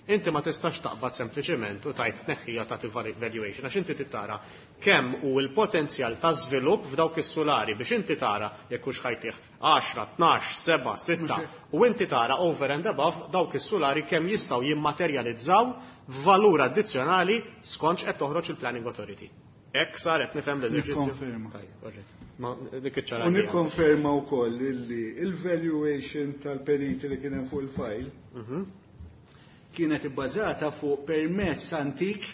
inti ma tistax taqbad sempliċement u tajt tneħħija ta' valuation, għax inti tittara kemm hu l-potenzjal ta' żvilupp f'dawk is-sulari biex inti tara jekk hux ħajtih 10, 12, 7, 6 u inti tara over and above dawk is-sulari kemm jistgħu jimmaterjalizzaw valur addizzjonali skont qed toħroġ il-Planning Authority. Hekk saret nifhem l-eżerċizzju. Nikkonferma. Tajjeb, alright. Ma dik iċ-ċara U hija. nikkonferma wkoll illi il-valuation tal-periti li kien hemm fuq il-file kienet ibbażata fuq permess antik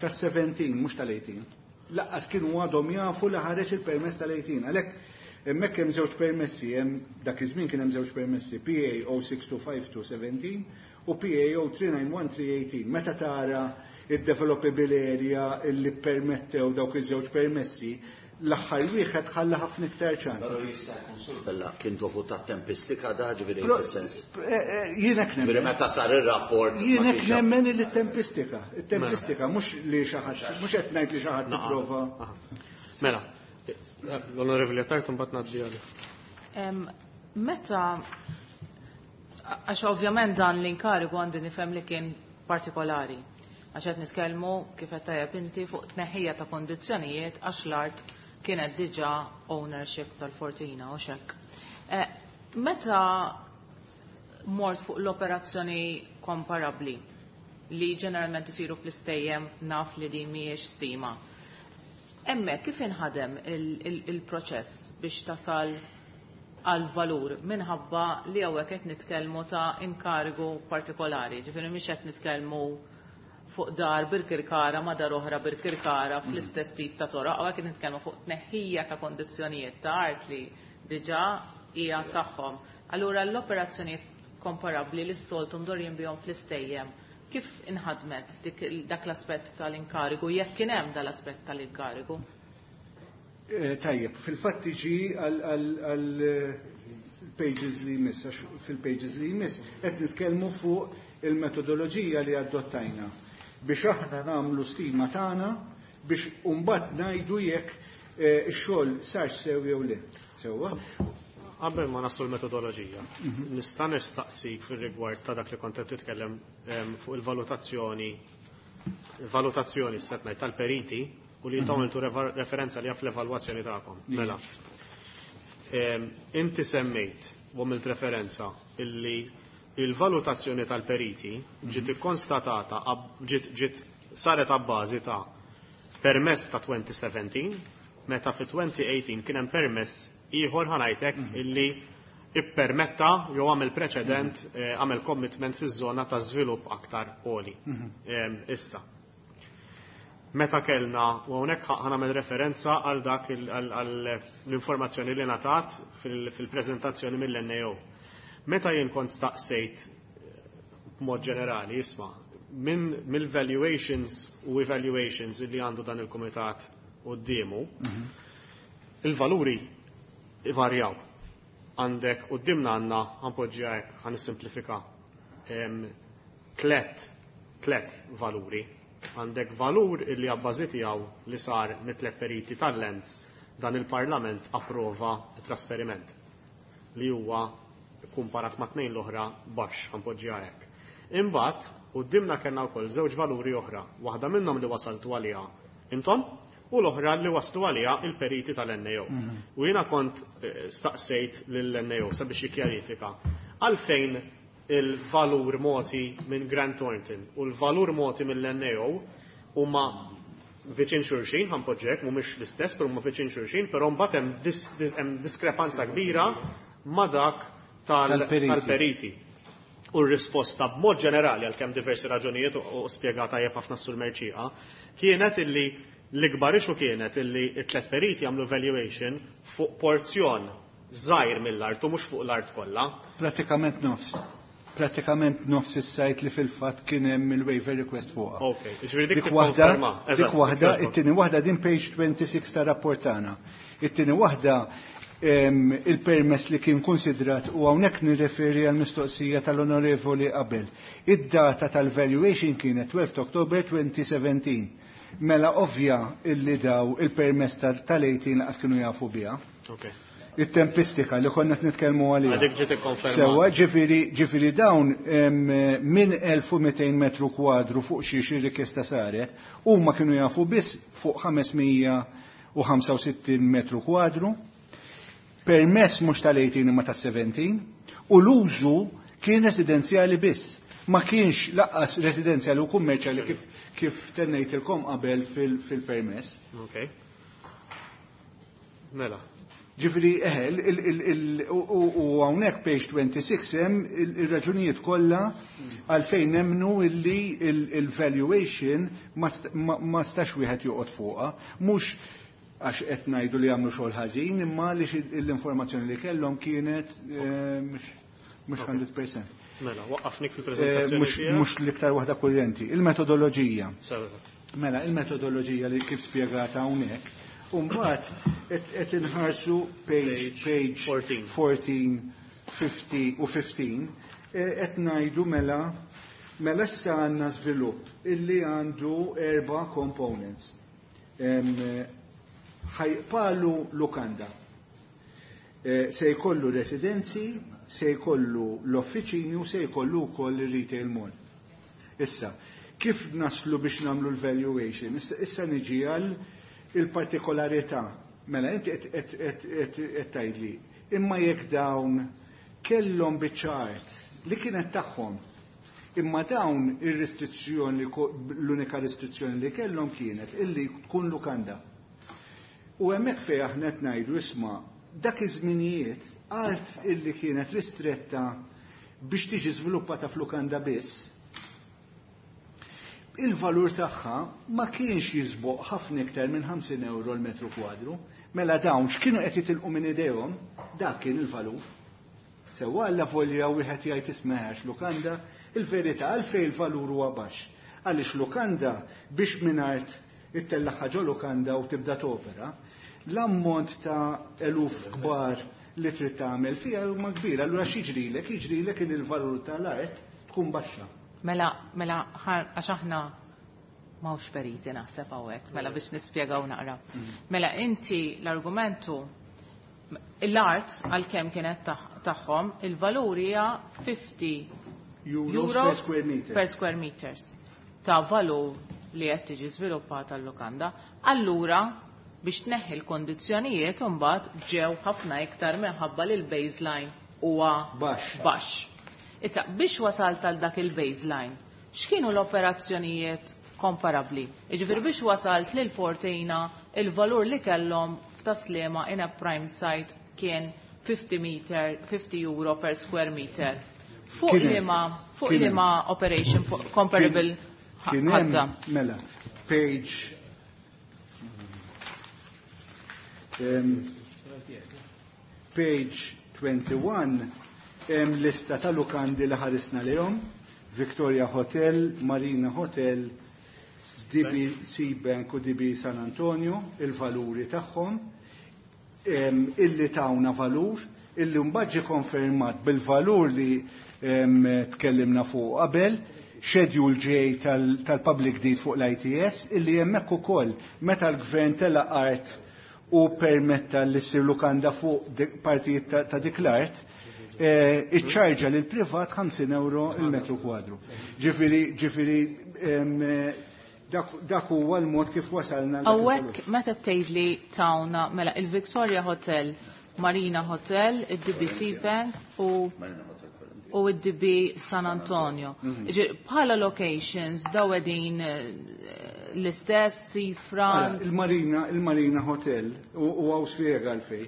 tas-17, mhux tal-18. Laqqas kienu għadhom jafu li ħareġ il-permess tal-18. Għalhekk hemmhekk hemm żewġ permessi, hemm dak iż-żmien kien hemm żewġ permessi, PA 0625217 u PAO 391318. Meta tara id-developable area illi permettew dawk iż-żewġ permessi, l-aħħar wieħed ħalla ħafna iktar ċans. Però jista' jkun Sur Vella kien dovut tat-tempistika da ġifieri fis-sens. Jien hekk nemmen. Meta sar ir-rapport. Jien hekk nemmen li t-tempistika, it-tempistika mhux li xi ħadd, mhux qed ngħid li xi ħadd tipprova. Mela, l-Onorevoli Attard mbagħad ngħaddi għalih. Meta għax ovvjament dan l-inkarigu għandi nifhem li kien partikolari. Għax qed nitkellmu kif qed tajjeb inti fuq tneħħija ta' kondizzjonijiet għax l-art kienet diġà ownership tal-Fortina u xek. Meta mort fuq l-operazzjoni komparabli li ġeneralment isiru fl-istejjem naf li din mhijiex stima. Hemmhekk kif inħadem il-proċess biex tasal għal valur minħabba li hawnhekk qed nitkellmu ta' inkarigu partikolari, ġifieri mhix qed nitkellmu fuq dar Birkirkara ma' dar oħra Birkirkara fl-istess tip ta' toroq, hawnhekk qed nitkellmu fuq tneħħija ta' kondizzjonijiet ta' art li diġà hija tagħhom. Allura l-operazzjonijiet komparabbli li s-soltu mdorjin bihom fl-istejjem, kif inħadmet dak l-aspett tal-inkarigu, jekk kien hemm dal-aspett tal-inkarigu? Tajjeb, fil-fatt tiġi għal pages li jmiss, għax fil-pages li jmiss qed nitkellmu fuq il-metodoloġija li adottajna biex aħna nagħmlu stima tagħna biex mbagħad ngħidu jekk ix-xogħol sarx sew jew le. Sewwa? Qabel ma naslu l-metodoloġija, nista' nistaqsik fir-rigward ta' dak li kont qed titkellem fuq il-valutazzjoni valutazzjoni set ngħid tal-periti u li intom għamiltu referenza li fl-evalwazzjoni tagħkom. Mela. Inti semmejt u għamilt referenza illi il-valutazzjoni tal-periti ġiet ikkonstatata ġiet saret abbażi ta' permess ta' 2017 meta fi 2018 kien hemm permess ieħor ħa ngħidlek illi ippermetta jew għamel preċedent għamel commitment fiż-żona ta' żvilupp aktar għoli. Issa. Meta kellna, u hawnhekk ħa nagħmel referenza għal dak l-informazzjoni li ngħatat fil-preżentazzjoni mill-NAO. Meta jien kont staqsejt b'mod ġenerali, isma' minn mill-valuations u evaluations li għandu dan il-kumitat quddiemu, il-valuri ivarjaw. Għandek qudiemna għandna ħa npoġġiha hekk ħa nissimplifika tlet valuri. Għandek valur illi abbażi tiegħu li sar mit-tlet periti tal-Lands dan il-Parlament approva trasferiment li huwa kumparat ma' tnejn l-oħra baxx ħa npoġġiha hekk. Imbagħad qudiemna kellna wkoll żewġ valuri oħra, waħda minnhom li wasaltu għaliha intom u l-oħra li waslu għaliha il-periti tal-NAO. U jiena kont staqsejt lill-NAO sabiex jikkjarifika għalfejn il-valur moti minn Grant Thornton u l-valur moti mill-NAO huma viċin xulxin, ħa npoġġek, mhumiex l-istess, però huma viċin xulxin, però mbagħad hemm diskrepanza kbira ma' dak tal-periti. U r-risposta b'mod ġenerali għalkemm diversi raġunijiet u spjegata tajjeb ħafna sur Mercieca, kienet illi l-ikbar issue kienet illi t-tlet periti għamlu valuation fuq porzjon żgħir mill-art u mhux fuq l-art kollha. Pratikament nofs. Pratikament nofs is-site li fil-fatt kien hemm il-waiver request fuqha. Ok, ġifieri dik Dik waħda, tikkonferma. dik waħda, it-tieni waħda din page 26 ta' rapport tagħna. It-tieni waħda il-permess li kien konsidrat u hawnhekk nirreferi għal mistoqsija tal-onorevoli qabel. Id-data tal-valuation kienet 12 October 2017. Mela ovvja illi daw il-permess tal-18 laqas kienu jafu biha. Il-tempistika li konna nitkellmu għaliha. Dik ġiet ikkonfermata. Sewwa, ġifieri dawn minn 1200 metru kwadru fuq xi rikjesta saret, huma kienu jafu biss fuq 565 metru kwadru, permess mhux tal-18 imma tas-17, u l-użu kien residenzjali biss. Ma kienx laqqas residenzjali u kummerċjali kif tennejtilkom qabel fil-permess. Ok. Mela. Ġifieri, u hawnhekk page 26 hemm il-raġunijiet kollha għalfejn nemmnu illi il-valuation ma stax wieħed joqgħod fuqha, mhux għax qed ngħidu li għamlu xogħol ħażin, imma li l-informazzjoni li kellhom kienet mhux 100%. Mela, waqqafnik fil-preżentazzjoni tiegħek. Mhux l-iktar waħda kurrenti. Il-metodoloġija. Sewa. Mela, il-metodoloġija li kif spjegata hawnhekk, u mbagħad qed inħarsu page Page 14. 14, 50 u 15, qed ngħidu mela issa għandna żvilupp illi għandu 4 components. Ħajqpalu lukanda. Se jkollu residenzi, se jkollu l-offiċini u se jkollu wkoll ir-retail mall. Issa, kif naslu biex nagħmlu l-valuation? Issa niġi għal il-partikolarità. Mela, inti qed tgħidli, imma jekk dawn kellhom biċċa art li kienet tagħhom, imma dawn ir-restrizzjoni, l-unika restrizzjoni li kellhom kienet illi tkun lukanda. U hemmhekk fejn aħna qed ngħidu isma' dak iż-żminijiet art illi kienet ristretta biex tiġi żviluppata f'lukanda biss, il-valur tagħha ma kienx jisboq ħafna iktar minn 50 euro l-metru kwadru. Mela dawn x'kienu qed jitilqu minn idejhom, dak kien il-valur. Sewwa alla volja wieħed jgħid ismeħax lukanda, il-verità għalfejn il-valur huwa baxx. Għaliex lukanda biex minn art ittellaħħa ġo lukanda u tibda topera, l-ammont ta' eluf kbar li trid tagħmel fiha huma kbir. Allura x'jiġrilek? Jiġrilek li l-valur tal-art tkun baxxa. Mela, mela, għax aħna m'hawnx periti naħseb hawnhekk, mela biex nispjegaw naqra. Mela inti l-argumentu l-art għalkemm kienet tagħhom, il-valur hija 50 Euros euros per square meter. per square meters ta' valur li qed tiġi żviluppata l-lukanda. Allura biex tneħħi l-kondizzjonijiet imbagħad ġew ħafna iktar minħabba li l-baseline huwa Baxx. baxx. Issa biex wasalt għal dak il-baseline, x'kienu l-operazzjonijiet komparabbli? Jiġifieri biex wasalt lil Fortina il-valur li kellhom f'Tas-Sliema in a prime site kien 50 meter, 50 euro per square meter. Fuq Kien hemm. liema, fuq Kien hemm. liema operation comparable Kien hemm, ħadda? Mela, page 21 hemm lista ta' lukandi li ħarisna lehom, Victoria Hotel, Marina Hotel, DB Seabank u DB San Antonio, il-valuri tagħhom, illi tawna valur, illi mbagħad ġie konfermat bil-valur li tkellimna fuq qabel, schedule J tal-public deed fuq l-ITS, illi hemmhekk ukoll meta l-gvern tela art u permetta li ssir lukanda fuq partijiet ta' dik l-art, iċċarġa lil privat 50 euro il-metru kwadru. Ġifieri, dak huwa l-mod kif wasalna l- Hawnhekk meta tgħid li tawna mela il-Victoria Hotel, Marina Hotel, id-DBC Bank u id-DB San Antonio. Ġifieri, bħala locations daw qegħdin l-istess seafront. Ara, il-Marina Hotel, u għaw spjega għalfej.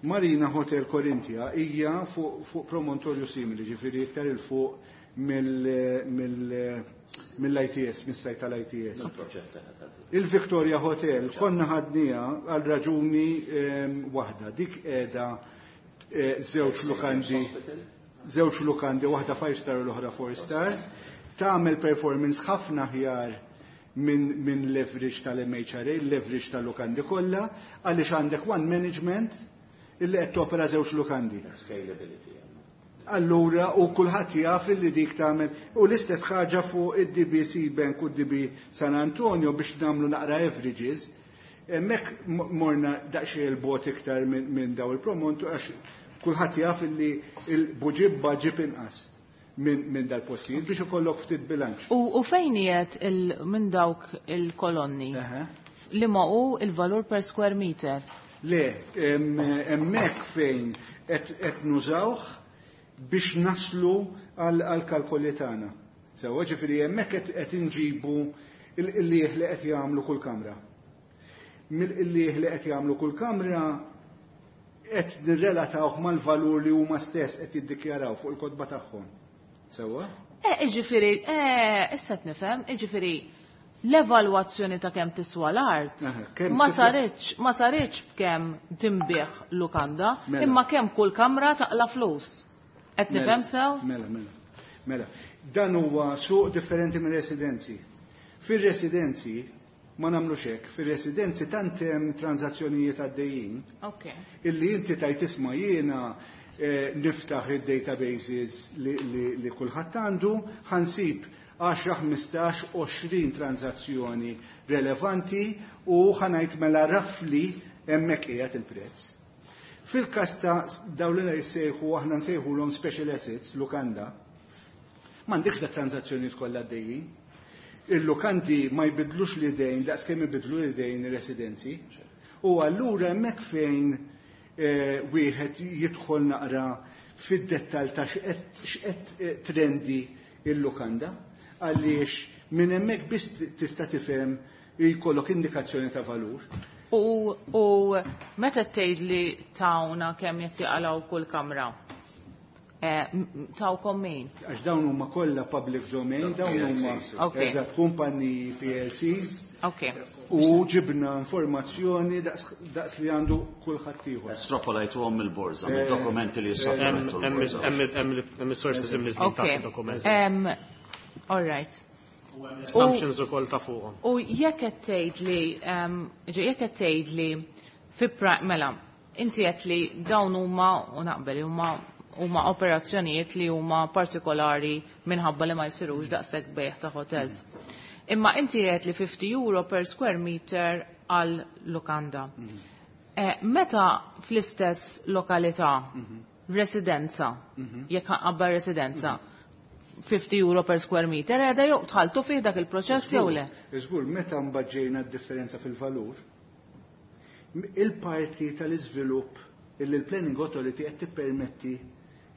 Marina Hotel Corinthia hija fuq promontorju simili, ġifieri iktar il fuq mill-ITS, mis-sajt tal-ITS. Il-Victoria Hotel konna ħadnija għal raġuni waħda, dik qiegħda żewġ lukandi, żewġ lukandi, waħda 5 star u l-oħra 4 star, tagħmel performance ħafna aħjar minn leverage tal-MHRA, leverage tal-lukandi kollha, għaliex għandek one management illi qed topera żewġ lukandi. Scalability. Allura, u kulħadd jaf illi dik tagħmel, u l-istess ħaġa fuq id-DBC Bank u d-DB San Antonio biex nagħmlu naqra averages, hemmhekk morna daqsxejn il-bot iktar minn daw il-promont, għax kulħadd jaf illi il-Buġibba ġib inqas minn dal-postijiet biex ikollok ftit bilanċ. U fejn qiegħed minn dawk il-kolonni? Li ma hu il-valur per square meter? Le, hemmhekk fejn qed nużawh biex naslu għal kalkoli tagħna. Sewwa, ġifieri hemmhekk qed inġibu il-qliegħ li qed jagħmlu kull kamra. Mill-qliegħ li qed jagħmlu kull kamra qed nirrelatawh mal-valur li huma stess qed jiddikjaraw fuq il-kotba tagħhom. Sewwa? Ġifieri, issa qed nifhem, ġifieri l-evalwazzjoni ta' kemm tiswa l-art Kemm tiswa- ma saritx b'kemm tinbigħ lukanda, Mela. imma kemm kull kamra taqla flus. Qed Mela, nifhem sew? Mela, mela. Mela, dan huwa suq differenti minn residenzi. Fir-residenzi ma nagħmlux hekk, fir-residenzi tant hemm transazzjonijiet għaddejjin illi inti tajt isma' jiena niftaħ id-databases li kulħadd għandu, ħa nsib 10, 15, 20 transazzjoni relevanti u ħa ngħid mela roughly hemmhekk qiegħed il-prezz. Fil-każ ta' dawn li jsejħu aħna nsejħulhom special assets, lukanda, m'għandekx da transazzjonijiet kollha għaddejjin. Il-lukandi ma jbidlux l-idejn daqs kemm ibidlu l-idejn ir-residenzi. U allura hemmhekk fejn wieħed jidħol naqra fid-dettall ta' x'qed trendi il-lukanda, għaliex minn hemmhekk biss tista' tifhem jkollok indikazzjoni ta' valur. U meta tgħid li tawna kemm qed jaqalgħu kull kamra? Tawkom min? Għax dawn huma kollha public domain, dawn huma eżatt kumpaniji PLCs. U ġibna informazzjoni daqs li għandu kulħadd ieħor. Estrapolajtuhom mill-borża, mid-dokumenti li jissottomettu l-borża. Hemm is-sources imniżżlin taħt id-dokumenti. All right. Assumptions ukoll ta' fuqhom. U jekk qed tgħid li jekk qed tgħid li fi mela, inti qed li dawn huma u naqbel huma operazzjonijiet li huma partikolari minħabba li ma jsirux daqshekk bejgħ ta' hotels. Imma inti qed li 50 euro per square meter għal lukanda. Meta fl-istess lokalità residenza, jekk qabel residenza, 50 euro per square meter, għeda jew tħaltu fih dak il-proċess jew le? Żgur, meta mbaġġejna d-differenza fil-valur, il-parti tal-iżvilupp illi l-Planning Authority qed tippermetti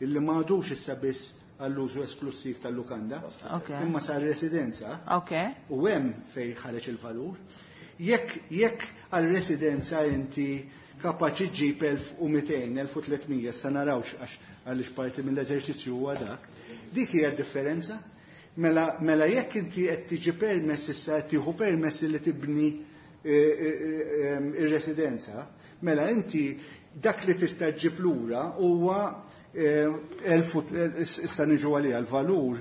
illi ma għadux issa biss għall-użu esklusiv tal-lukanda, imma sar residenza, u hemm fejn ħareġ il-valur. Jekk għal-residenza inti kapaċi ġġib 1200, 1300, issa narawx għaliex parti mill-eżerċizzju huwa dak, dik hija d-differenza. Mela jekk inti qed tiġi permess issa qed tieħu permess li tibni ir-residenza, mela inti dak li tista' ġġib lura huwa issa niġu għalija l-valur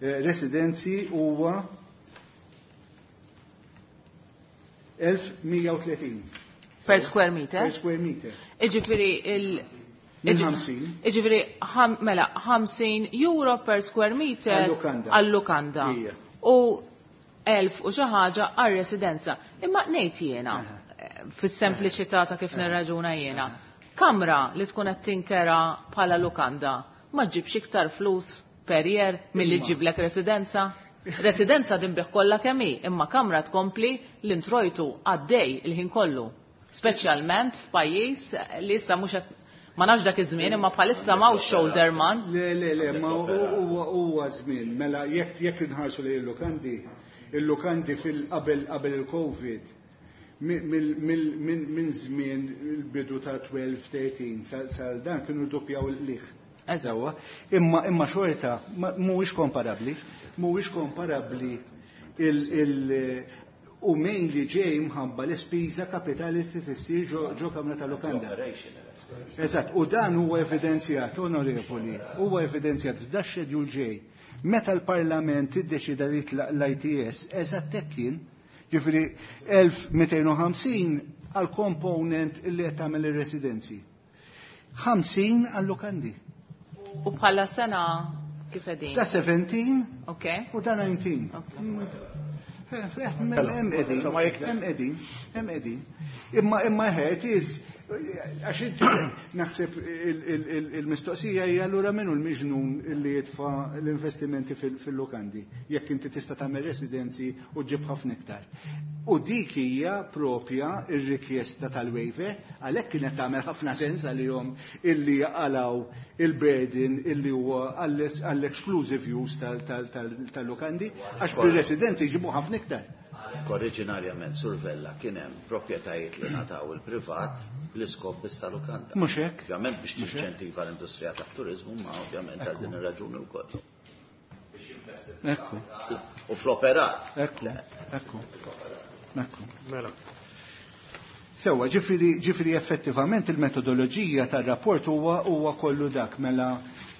residenzi huwa 1130. Per square meter? Per square meter. Iġifieri Minn 50. Iġifieri mela 50 euro per square meter għal-lukanda. U 1000 u xi ħaġa għar-residenza. Imma ngħid jiena fis-sempliċità ta' kif nirraġuna jiena. Kamra li tkun qed tinkera bħala lukanda ma ġibx iktar flus per year milli ġiblek residenza. Residenza dinbih kollha kemm hi, imma kamra tkompli l-introjtu għaddej il-ħin kollu. Speċjalment f'pajjiż li issa mhux qed ma nafx dak iż-żmien imma bħalissa m'hawnx shoulder month. Le, ma huwa żmien. Mela jekk inħarsu lejn il-lukandi, il-lukandi fil-qabel qabel il-Covid minn żmien il-bidu ta' 12-13 sal dan kienu rdoppjaw il-qligħ. Eżawa, imma xorta mhuwiex komparabbli, mhuwiex komparabbli u mainly ġej mħabba l-ispiża kapitali li tissir ġo kamra ta' lukanda. Eżatt, u dan huwa evidenzjat, onorevoli, huwa evidenzjat f'da schedule ġej. Meta l-Parlament iddeċida li jitlaq l-ITS, eżatt hekk kien, ġifieri 1250 għal component illi qed tagħmel ir-residenzi. 50 għal lukandi. U bħala sena kif qegħdin? Ta' 17 u ta' 19. Hemm qegħdin, hemm qegħdin. Imma it is għax inti naħseb il-mistoqsija hija allura min hu l-miġnun li jitfa' l-investimenti fil-lukandi jekk inti tista' tagħmel residenzi u ġib ħafna iktar. U dik hija propja ir-rikjesta tal-waiver għalhekk kienet tagħmel ħafna sens għalihom illi jaqalgħu il-burden illi huwa għall-exclusive use tal-lukandi għax bir-residenzi jġibu ħafna iktar. Oriġinarjament Sur Vella kien hemm proprjetajiet li ngħataw il-privat l-iskop biss tal-lukanda. Mhux hekk. Ovvjament biex tinċentiva l-industrija tat-turiżmu, ma ovvjament għal din ir-raġuni wkoll. Ekku. U fl-operat. Ekku, ekku. Ekku. Mela. Sewa, ġifieri effettivament il-metodoloġija tar-rapport huwa kollu dak mela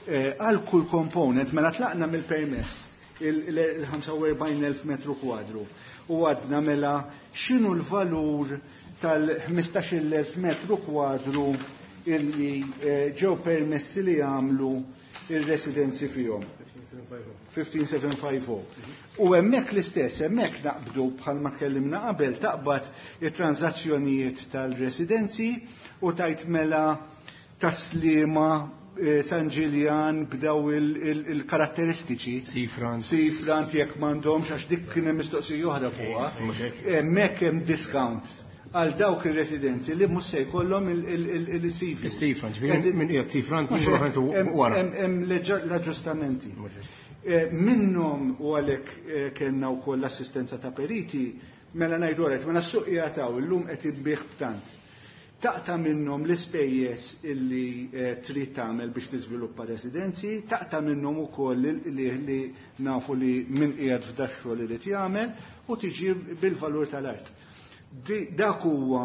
għal kull component mela tlaqna mill-permess il-45,000 metru kwadru u għadna mela x'inhu l-valur tal-15,000 metru kwadru illi ġew permessi li jagħmlu il-residenzi fihom. 15750. U hemmhekk l-istess, hemmhekk naqbdu bħalma tkellimna qabel taqbad it-transazzjonijiet tal-residenzi u tajt mela taslima San Ġiljan b'daw il-karatteristiċi. Seafront. Seafront jekk m'għandhomx għax dik kien hemm mistoqsija oħra fuqha. Hemmhekk hemm discount għal dawk il-residenzi li mhux se jkollhom il-seafront. Il-seafront, ġifieri minn qiegħed seafront wara. Hemm l-aġġustamenti. Minnhom u għalhekk kellna wkoll l-assistenza ta' periti, mela ngħidu għalhekk, mela s-suq jagħtaw illum qed inbih b'tant. Taqta' minnhom l-ispejjeż illi trid tagħmel biex tiżviluppa residenzi, taqta' minnhom ukoll li nafu li min qiegħed f'dax-xogħol irid jagħmel u tiġi bil-valur tal-art. Dak huwa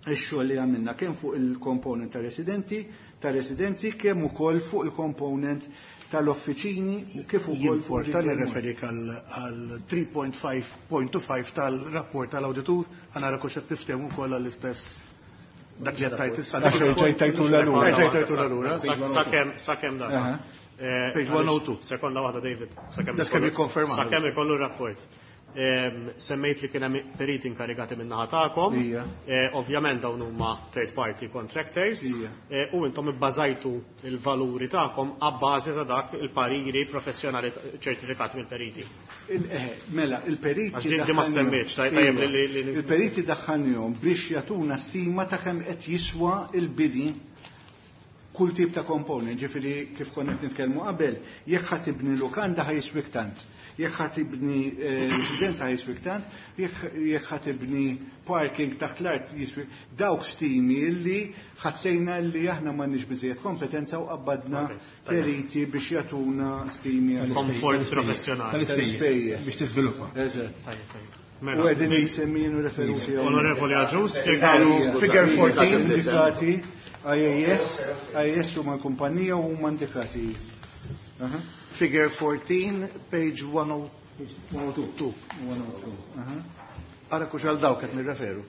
x-xogħol li għamilna kemm fuq il-component ta' residenti, ta' residenzi, kemm ukoll fuq il-component tal-offiċini, kif ukoll fuq Jien il- nirreferik għal 3.5.5 tal-rapport tal-awditur, ħa nara kux qed tiftehmu ukoll għall-istess dak li qed tajt issa. Għax ġej tajtu l-allura. Ġej tajtu l-allura. Sakemm dak. Page 102. Sekonda waħda, David. Dak kemm jikkonferma. Sakemm ikollu r-rapport. Semmejt li kien hemm periti inkarigati minn naħa tagħkom. Ovvjament dawn huma third party contractors. U intom ibbażajtu il-valuri tagħkom abbażi ta' dak il-pariri professjonali ċertifikati mill-periti. Mela, il-periti Għax din ma daħħalnihom. semmitx, tajjeb li Il-periti daħħalnihom biex jagħtuna stima ta' kemm qed jiswa il-bini kull tip ta' component, ġifieri kif konna qed nitkellmu qabel, jekk ħa tibni lukanda ħa jiswik tant. Jekk ħa tibni residenza ħa jiswik tant, jekk ħa tibni parking taħt l-art jiswik. Dawk stimi illi ħassejna li aħna m'għandniex biżejjed kompetenza u qabbadna periti biex jagħtuna stimi għal Komfort professjonali. Tal-ispejjeż. Biex tiżviluppa. Eżatt. Tajjeb, tajjeb. U Mela, qegħdin jsemmin u referuti hawnhekk. Onorevoli Agius, spjegalu Figure 14 indikati IAS, IAS huma l-kumpanija u huma indikati. Aha. Figure 14, page 102. 102. Aha. Ara kux għal dawk qed nirreferu.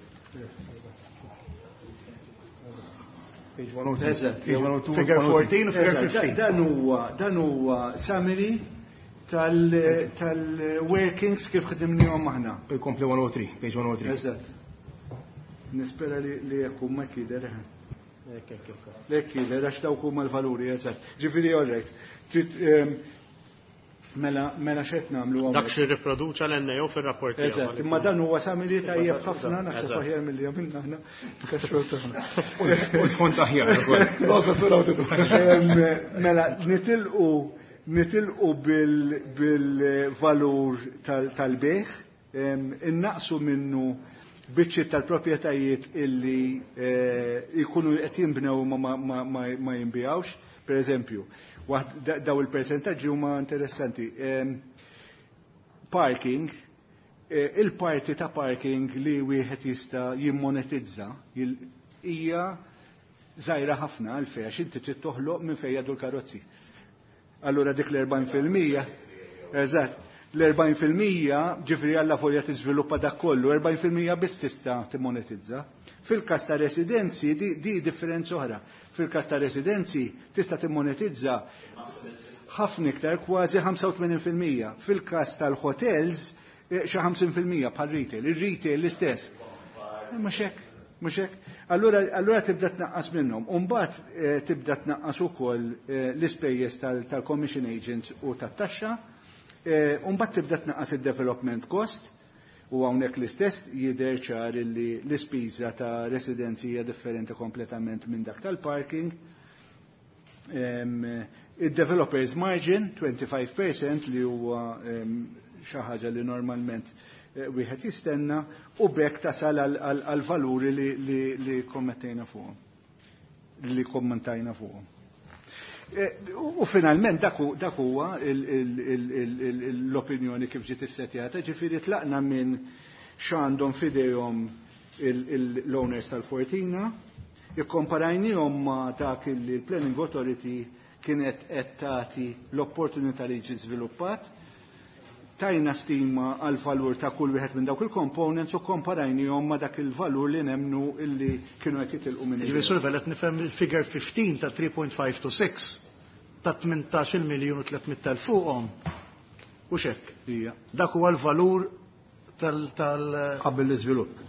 Page 102. Eżatt. Page 102. Figure 14 u figure Eżatt, 15. Dan huwa summary tal-workings kif ħdimnihom aħna. Ikompli 103, page 103. Eżatt. Nispera li jekk huma jidher. Lek jidher għax dawk huma l-valuri, eżatt. Ġifieri all right. Trid mela x'qed nagħmlu hawnhekk? Dak xi ripproduċa l-NAO fir-rapport tiegħu. Eżatt, imma dan huwa summary tajjeb ħafna, naħseb aħjar milli għamilna aħna tax-xogħol tagħna. U l-font aħjar ukoll. Mela, nitilqu bil-valur tal-bejgħ, innaqsu minnu biċċiet tal-proprjetajiet illi jkunu qed jinbnew ma jinbijawx. Per eżempju, daw il-percentaġġi huma interessanti. Parking, il-parti ta' parking li wieħed jista' jimmonetizza hija żgħira ħafna għalfejn għax inti trid toħloq minn fejn jgħaddu l-karozzi. Allura dik l-40%, eżatt, l-40% ġifieri għalla folja tiżviluppa dak kollu, 40% biss tista' timmonetizza. Fil-każ ta' residenzi di differenza oħra. Fil-każ ta' residenzi tista' timmonetizza ħafna iktar, kważi 85%. Fil-każ tal-hotels xi 50% bħal retail. Ir-retail l-istess. Mhux hekk, mhux hekk. Allura tibda tnaqqas minnhom. U mbagħad tibda tnaqqas ukoll l-ispejjeż tal-commission agents u tat-taxxa. U mbagħad tibda tnaqqas id-development cost. U hawnhekk l-istess jidher ċar li l-ispiża ta' residenzi hija differenti kompletament minn dak tal-parking. Il-developers margin 25% li huwa xi ħaġa li normalment wieħed jistenna u bekk tasal għal valuri li kommettejna fuqhom, li kommentajna fuqhom. U finalment dak huwa l-opinjoni kif ġiet issetjata, ġifieri tlaqna minn x'għandhom f'idejhom l-owners tal-Fortina, ikkomparajnihom ma' dak li l-Planning Authority kienet qed tagħti l-opportunità li jiġi żviluppat, tajna stima għal valur ta' kull wieħed minn dawk il-components u komparajnihom ma' dak il-valur li nemnu illi kienu qed jitilqu minn Ġifieri Sur Vella qed nifhem il-figure 15 ta' 3.5 to 6 ta' 18 miljun u 300 elf fuqhom. U xek. Ija. Dak huwa l-valur tal tal Qabel l-iżvilupp.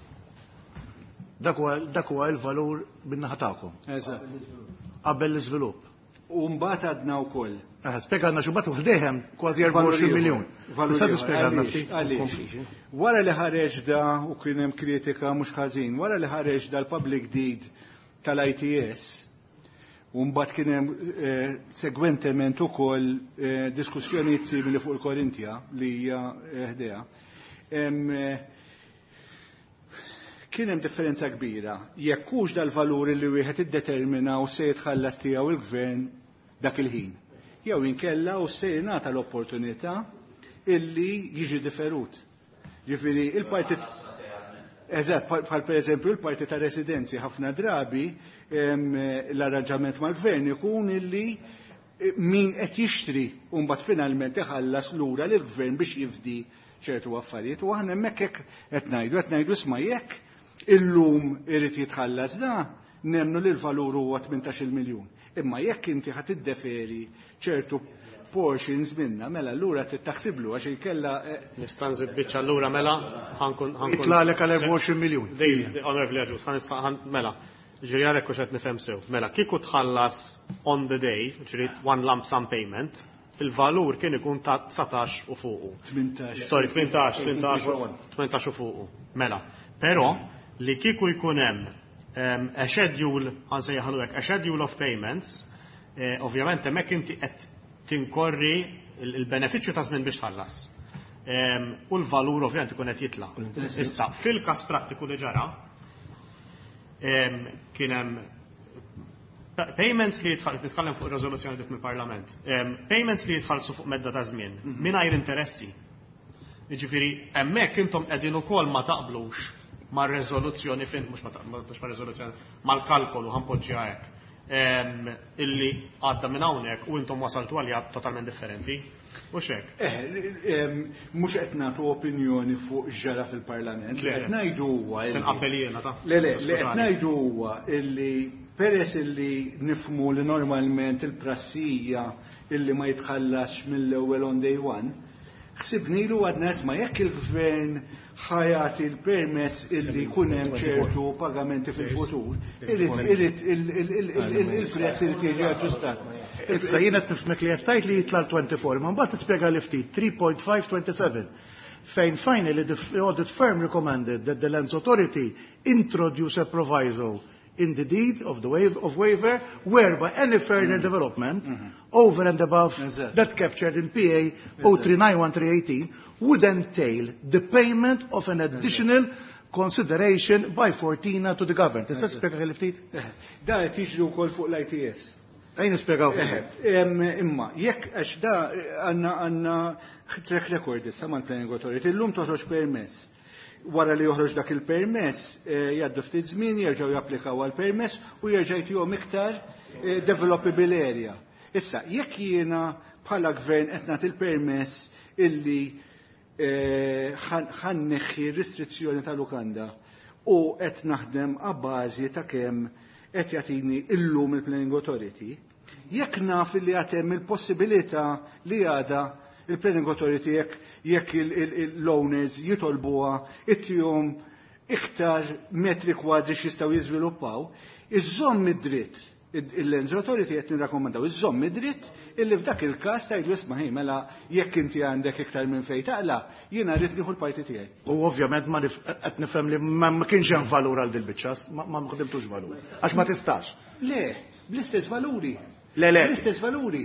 dak huwa dak huwa l-valur bin-naħa tagħkom Eżatt. qabel l-iżvilupp. U mbagħad għadna wkoll. Spjegana xi mbagħad ħdejhem kważi 24 miljun. Valur Tista' ieħor. tispjegalna Għaliex? ftit? Għaliex? Wara li ħareġ da u kien hemm kritika mhux ħażin, wara li ħareġ da l-public deed tal-ITS, u mbagħad kien hemm segwentement ukoll diskussjonijiet simili fuq il-Korintja li hija ħdejha. Kien hemm differenza kbira. Jekk hux dal-valur li wieħed iddetermina u se jitħallas tiegħu il-gvern dak il-ħin. Jew inkella u se jingħata l-opportunità illi jiġi differut. Ġifieri il-partit Eżatt, bħal per eżempju il-parti ta' residenzi ħafna drabi l-arranġament mal-gvern ikun illi min qed jixtri u mbagħad finalment iħallas lura lill-gvern biex jifdi ċertu affarijiet u aħna hemmhekk hekk qed ngħidu isma' jekk illum irid jitħallas da nemnu li l-valur huwa 18 miljun. Imma jekk inti ħa tiddeferi ċertu portions minna, mela allura trid taħsiblu għax inkella Nista' nżid biċċa allura mela ħankun ħankun. Itlagħlek għal 24 miljun. Dej, onorevoli Agius, mela. Ġifieri għalhekk hux qed nifhem sew. Mela, kieku tħallas on the day, ġifieri one lump sum payment, il-valur kien ikun ta' 19 u fuqu. 18. Sorry, 18, 18, 18 u fuqu. Mela, però li kieku jkun hemm a schedule, ħa nsejjaħlu hekk, a schedule of payments, ovvjament hemmhekk inti qed tinkorri il-benefiċċju ta' żmien biex tħallas. U l-valur ovvjament ikun qed jitla'. Issa, fil-każ prattiku li ġara, kien hemm payments li jitħall, nitkellem fuq ir-riżoluzzjoni dik mill-Parlament, payments li jitħallsu fuq medda ta' żmien mingħajr interessi. Jiġifieri hemmhekk intom qegħdin ukoll ma taqblux mar-riżoluzzjoni fin mhux ma mhux mar-riżoluzzjoni, mal-kalkolu ħa npoġġiha hekk. Illi għadda minn hawnhekk u intom wasaltu għalija totalment differenti. U xek? Mhux qed nagħtu opinjoni fuq ġara fil-Parlament. Li Le. qed ngħidu huwa illi- Tinqabbel jiena ta' Le, le, li qed Skużani. ngħidu huwa illi peress illi nifmu li normalment il-prassija illi ma jitħallasx mill-ewwel on day one, ħsibnilu għadna isma' jekk il-gvern ħa jagħti l-permess illi jkun hemm ċertu pagamenti fil-futur, irid il-prezz irid jiġi aġġustat. Issa jiena qed nifhmek li qed tgħid li jitla' l-24, ma mbagħad tispjega li ftit 3.527 fejn finally the audit firm recommended that the Lands Authority introduce a proviso in the deed of the waive of waiver whereby any further development over and above that captured in PA 0391318 would entail the payment of an additional consideration by Fortina to the government. Tista' tispjega li ftit? Da qed jiġri wkoll fuq l-ITS. Ejn nispjegaw fuq. Imma, jekk għax da għandna track record issa mal-Planning Authority, illum toħroġ permess. Wara li joħroġ dak il-permess, jgħaddu ftit żmien, jerġgħu japplikaw għal permess u jerġa' jtihom iktar developable area. Issa, jekk jiena bħala gvern qed nagħti il-permess illi ħa nneħħi restrizzjoni ta' lukanda u qed naħdem għabbażi ta' kemm qed jagħtini illum il-Planning Authority, jekk naf li għad hemm il-possibilità li għada il-Planning Authority jekk l-owners jitolbuha ittihom iktar metri kwadri x'jistgħu jiżviluppaw, iżomm id-dritt il-Lands Authority qed nirrakkomandaw iżomm id-dritt illi f'dak il-każ tgħidu isma' ħi mela jekk inti għandek iktar minn fejn taqla, jiena rrid nieħu l-parti tiegħi. U ovvjament ma qed nifhem li ma kienx hemm valur għal dil-biċċa, ma ħdimtux valur. Għax ma tistax. Le, bl-istess valuri. Le, le. Bl-istess valuri.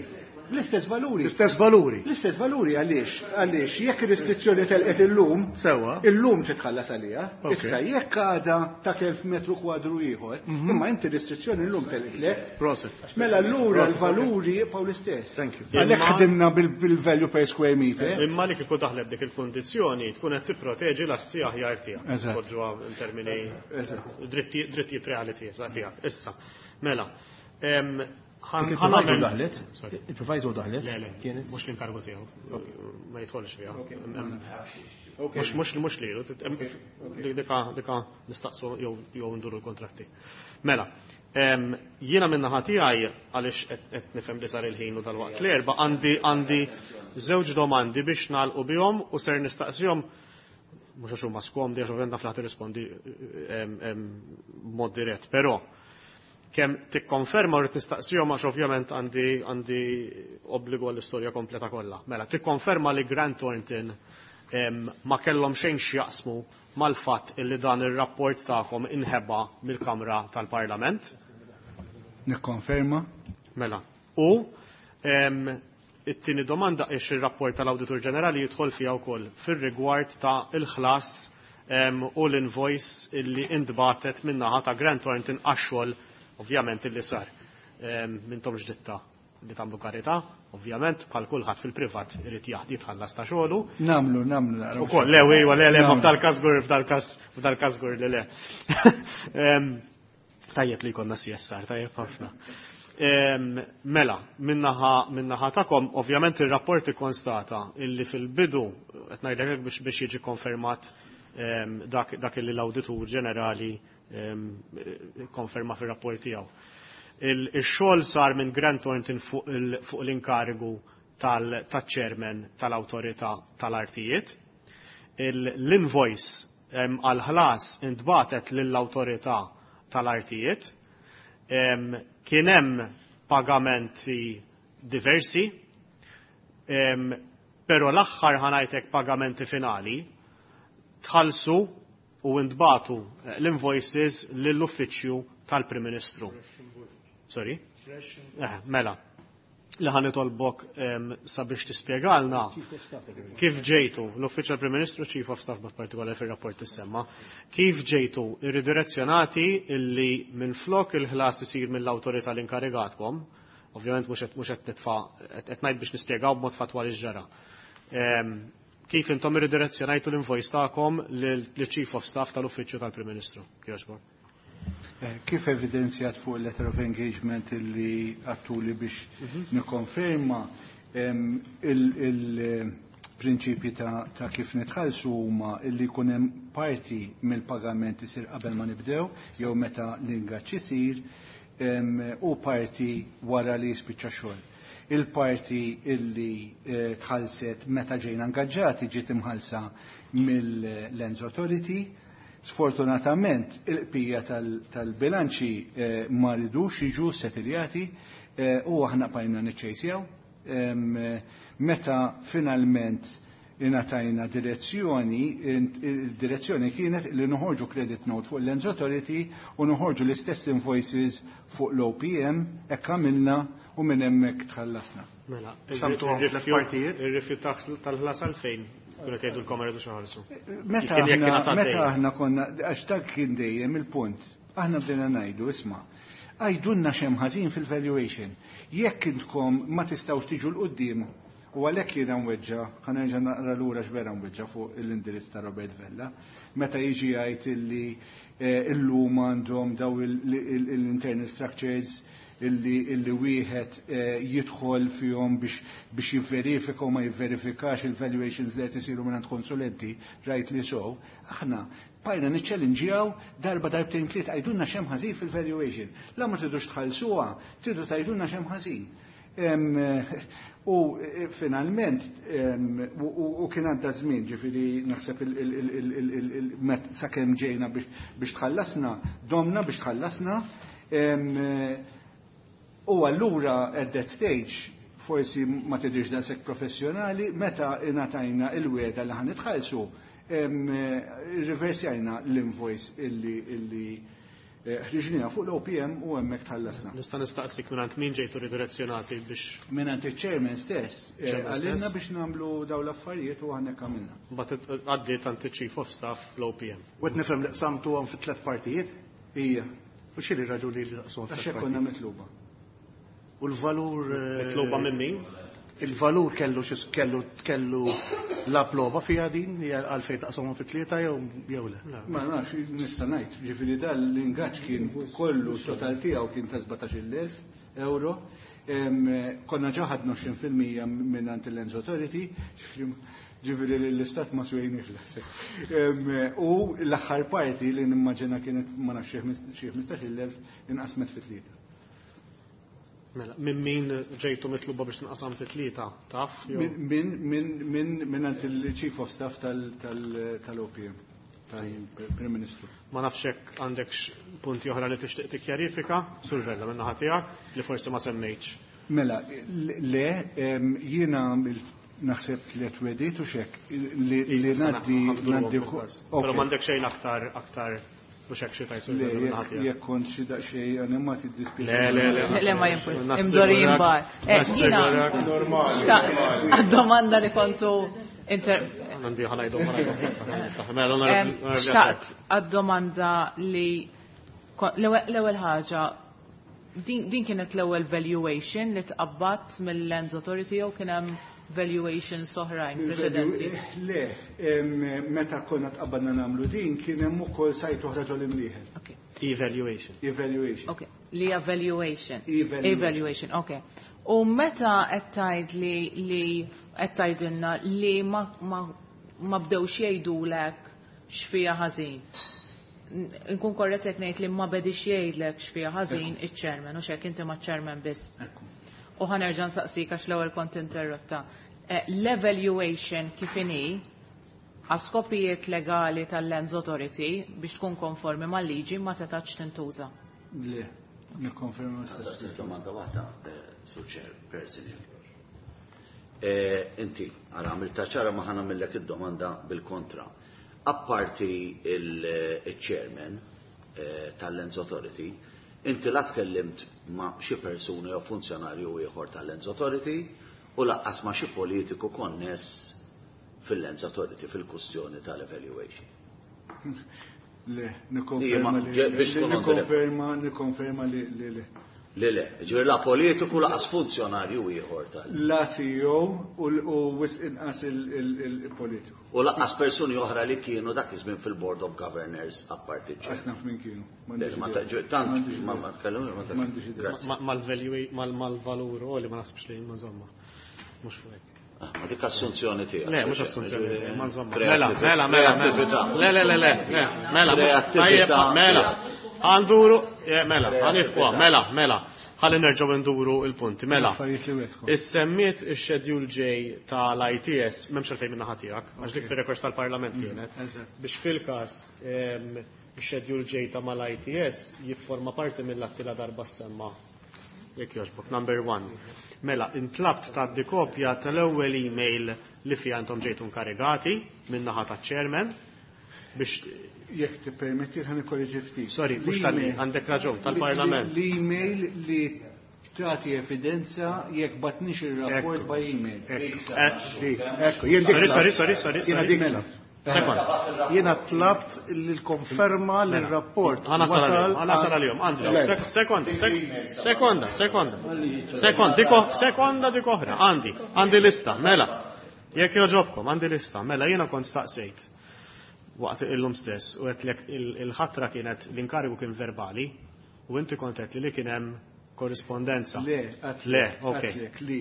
L-istess valuri. L-istess valuri. L-istess valuri għaliex, għaliex jekk ir-restrizzjoni telqet illum, Sewa. Illum titħallas għaliha. Ok. Issa jekk għada ta' 1000 metru kwadru ieħor, imma inti restrizzjoni llum telqet lek. Prosit. Mela allura Prosit, l-valuri jibqgħu l-istess. Thank you. Għalhekk Imma- ħdimna bil-value per square meter. Imma li kieku daħlet dik il-kondizzjoni tkun qed tipproteġi l-assi aħjar tiegħek. Eżatt. Poġġuha in termini Eżatt. drittijiet reali tiegħek. Issa, mela. Il-proviso Ħanamel. daħlet? Sorry. Il-proviso daħlet? Le, Kienet? mhux l-inkargu tiegħu. Ma jidħolx fiha. Mhux lilu, dika dika nistaqsu jew nduru l-kontratti. Mela, jiena min-naħa tiegħi għaliex qed nifhem li sar il-ħin u dal-waqt l-erba' għandi żewġ domandi biex nagħlqu bihom u ser nistaqsihom mhux għax huma skomdi għax ovvjament naf li ħa tirrispondi b'mod dirett, però kemm tikkonferma u rrid nistaqsihom għax ovvjament għandi obbligu għall-istorja kompleta kollha. Mela, tikkonferma li Grant Thornton ma kellhom xejn x'jaqsmu mal-fatt illi dan ir-rapport tagħkom inħeba mill-Kamra tal-Parlament. Nikkonferma. Mela. U it-tieni domanda ix ir-rapport tal-Awditur Ġenerali jidħol fiha wkoll fir-rigward ta' il-ħlas u l-invoice illi intbatet min-naħa ta' Grant Thornton għax-xogħol ovvjament illi sar. M'intomx ditta li tagħmlu karità, ovvjament bħal kulħadd fil-privat irid jitħallas ta' xogħlu. Namlu, namlu. naraw. Ukoll, le, iwa, le, le, ma Namlu. f'dal-każ żgur li le. Tajjeb li jkollna CSR, tajjeb ħafna. Mela, min-naħa tagħkom, ovvjament il-rapport ikkonstata illi fil-bidu, qed ngħidlek hekk biex jiġi konfermat dak illi l-Awditur Ġenerali konferma fir-rapport tiegħu. Il-xogħol sar minn Grant Thornton fuq l-inkarigu tal-chairman tal-awtorità tal-artijiet. L-invoice għal-ħlas intbatet lill-awtorità tal-artijiet. Kien hemm pagamenti diversi, però l-aħħar ħa ngħidlek pagamenti finali tħallsu u intbatu l-invoices lill-uffiċċju tal-Prim Ministru. Sorry? Mela. Li ħa nitolbok sabiex tispjegalna kif ġejtu l-Uffiċċju tal-Prim Ministru, Chief of Staff b'mod partikolari fir-rapport tissemma, kif ġejtu irridirezzjonati illi minn flok il-ħlas isir mill-awtorità li inkarigatkom, ovvjament mhux qed nitfa' qed ngħid biex nispjegaw b'mod fatwali x'ġara. Kif intom irridirezzjonajtu l-invoice tagħkom lill-Chief of Staff tal-Uffiċċju tal-Prim Ministru? Kjoġbok. Kif evidenzjat fuq il-letter of engagement illi għedtuli biex nikkonferma, il-prinċipji ta' kif nitħallsu huma illi jkun hemm parti mill-pagament isir qabel ma nibdew jew meta l-ingaġġ isir u parti wara li jispiċċa xogħol. Il-parti illi tħallset meta ġejna ingaġġati ġiet imħallsa mill-Lands Authority. Sfortunatament, il-bqija tal-bilanċi ma ridux jiġu settiljati u aħna bqajna niċċejsjaw. Meta finalment ingħatajna direzzjoni, il-direzzjoni kienet li noħorġu credit note fuq l-Lands Authority u noħorġu l-istess invoices fuq l-OPM, hekk għamilna u minn hemmhekk tħallasna. Mela, Samtu għam tliet partijiet? Ir-rifjut tal-ħlas għalfejn? Kienu tgħidu l-kamra rridu xaħalsu. Meta Kien jekk aħna kienet għaddej. Meta aħna konna, għax dak kien dejjem il-punt, aħna bdejna ngħidu, isma', għajdunna x'hemm ħażin fil-valuation. Jekk intkom ma tistgħux tiġu 'l quddiem u għalhekk jiena nweġġa, ħa nerġa' naqra lura x'vera nweġġa fuq l-indirizz ta' Robert Vella, meta jiġi jgħid illi illum għandhom daw l-internal structures illi wieħed jidħol fihom biex jivverifika u ma jivverifikax il-valuations li qed isiru minn konsulenti, right li so, aħna bqajna niċċellinġjaw darba, darbtejn, tliet, għajdunna x'hemm ħażin fil-valuation. La ma tridux tħallsuha, tridu tgħidulna x'hemm ħażin. U finalment, u kien għadda żmien, ġifieri naħseb sakemm ġejna biex tħallasna, domna biex tħallasna. U allura at that stage, forsi ma tidhirx daqshekk professjonali, meta ingħatajna il-wegħda li ħa nitħallsu, riversjajna l-invoice illi Ħriġniha fuq l-OPM u hemmhekk tħallasna. Nista' nistaqsik mingħand min ġejtu ridirezzjonati biex. Mingħand iċ-chairman stess, qalilna biex nagħmlu dawn l-affarijiet u aħna hekk għamilna. Mbagħad għaddiet għand iċ-Chief of Staff fl-OPM. U qed nifhem li qsamtuhom fi tliet partijiet? Ija. U x'inhi r-raġuni li taqsmuhom fi Għax hekk konna mitluba. U l-valur. Mitluba minn min? Il-valur kellu xi kellu kellu lab logħba fiha din għalfejn taqsamhom fi tlieta jew jew le? Ma nafx, nista' ngħid, ġifieri dan l-ingaġġ kien kollu total tiegħu kien ta' 17,000 euro. Konna ġa ħadna 20% mingħand il-Lands Authority, ġifieri lill-Istat ma swejniex daqshekk. U l-aħħar parti li nimmaġina kienet ma nafx xi 15,000 inqasmet fi tlieta. Mela, minn min ġejtu mitluba biex tinqasam fi tlieta, taf? Minn minn minn minn il-Chief of Staff tal-OPM, tal-Prim Ministru. Ma nafx hekk għandekx punti oħra li tixtieq tikkjarifika, Sur Vella, minn naħa tiegħek, li forsi ma semmejtx. Mela, le, jiena għamilt naħseb tliet wegħdiet u xek li ngħaddi ngħaddi. Però m'għandek xejn aktar aktar mhux hekk xi tajt. Le, jekk kont xi daqsxejn animat iddispjaċini. Le, le, le. Le, ma jimpur. Imdorin bar. Jiena għad-domanda li kontu inter. Għandi ħanajdu ħanajdu. Xtaqt għad-domanda li l-ewwel ħaġa din kienet l-ewwel valuation li tqabbat mill-Lands Authority jew kien hemm valuations oħrajn preċedenti? Le, meta konna tqabbadna nagħmlu din kien hemm ukoll site oħra ġol Imrieħel. Evaluation. Evaluation. Ok, li evaluation. Evaluation. Evaluation, ok. U meta qed tgħid li li qed tgħidilna li ma ma ma bdewx jgħidulek x'fiha ħażin. Nkun korrett jekk ngħid li ma bedix jgħidlek x'fiha ħażin iċ-chairman u x'hekk inti maċ-chairman biss. U ħa nerġa' nsaqsik għax l-ewwel kont interrotta. L-evaluation kif inhi għal skopijiet legali tal-Lands Authority biex tkun konformi mal-liġi ma setax tintuża. Le, nikkonferma l-istess. Domanda waħda, Sur Chair, person. Inti, għara għamilta ċara ma ħa nagħmillek id-domanda bil-kontra. Apparti il-chairman tal-Lands Authority, inti la tkellimt ma' xi persuna jew funzjonarju ieħor tal-Lands Authority u lanqas ma' xi politiku konness fil-Lands Authority fil-kustjoni tal-evaluation. Le, nikkonferma li nikkonferma nikkonferma li le. Le, le, ġifieri la politiku lanqas funzjonarju ieħor tal. La CEO u wisq inqas il-politiku. U lanqas persuni oħra li kienu dak iż-żmien fil-Board of Governors apparti ġej. Qas naf min kienu. Tant ma ma tkellmu ma M'għandix Mal-value mal-valur u li ma naħsibx li ma żomma. Mhux fuq hekk. Ma dik assunzjoni tiegħek. Le, mhux assunzjoni tiegħek, ma nżomma. Mela, mela, mela, mela. Le, le, le, le, mela, tajjeb, mela. Għanduru, mela, ħanifwa, mela, mela. Ħalli nerġgħu nduru il-punti, mela. Issemmiet ix-schedule J tal-ITS, m'hemmx għalfejn minn naħa tiegħek, għax dik fir-rekords tal-Parlament kienet. Biex fil-każ ix-schedule J ta' mal-ITS jifforma parti mill-atti la darba semma. Jekk jogħġbok, number one. Mela, intlabt tgħaddi kopja tal-ewwel email li fiha intom ġejtu inkarigati minn naħa taċ-chairman biex Jekk tippermetti ħa nikkoreġi ftit. Sorry, mhux tal għandek raġun tal-Parlament. L-email li tagħti evidenza jekk bgħatniex ir-rapport by email. Ekku, jien dik. Sorry, sorry, sorry, sorry. Jiena dik tlabt. Sekond. Jiena tlabt l-konferma l-rapport. Ħa nasal għalihom, Andrew. Sekonda, sekonda, sekonda. Sekonda, dik sekonda dik oħra, għandi, għandi lista, mela. Jekk jogħġobkom, għandi lista, mela jiena kont staqsejt waqt illum stess u għedtlek il-ħatra kienet l-inkarigu kien verbali u inti kont għedt li kien hemm korrispondenza. Le, Le, ok. għedtlek li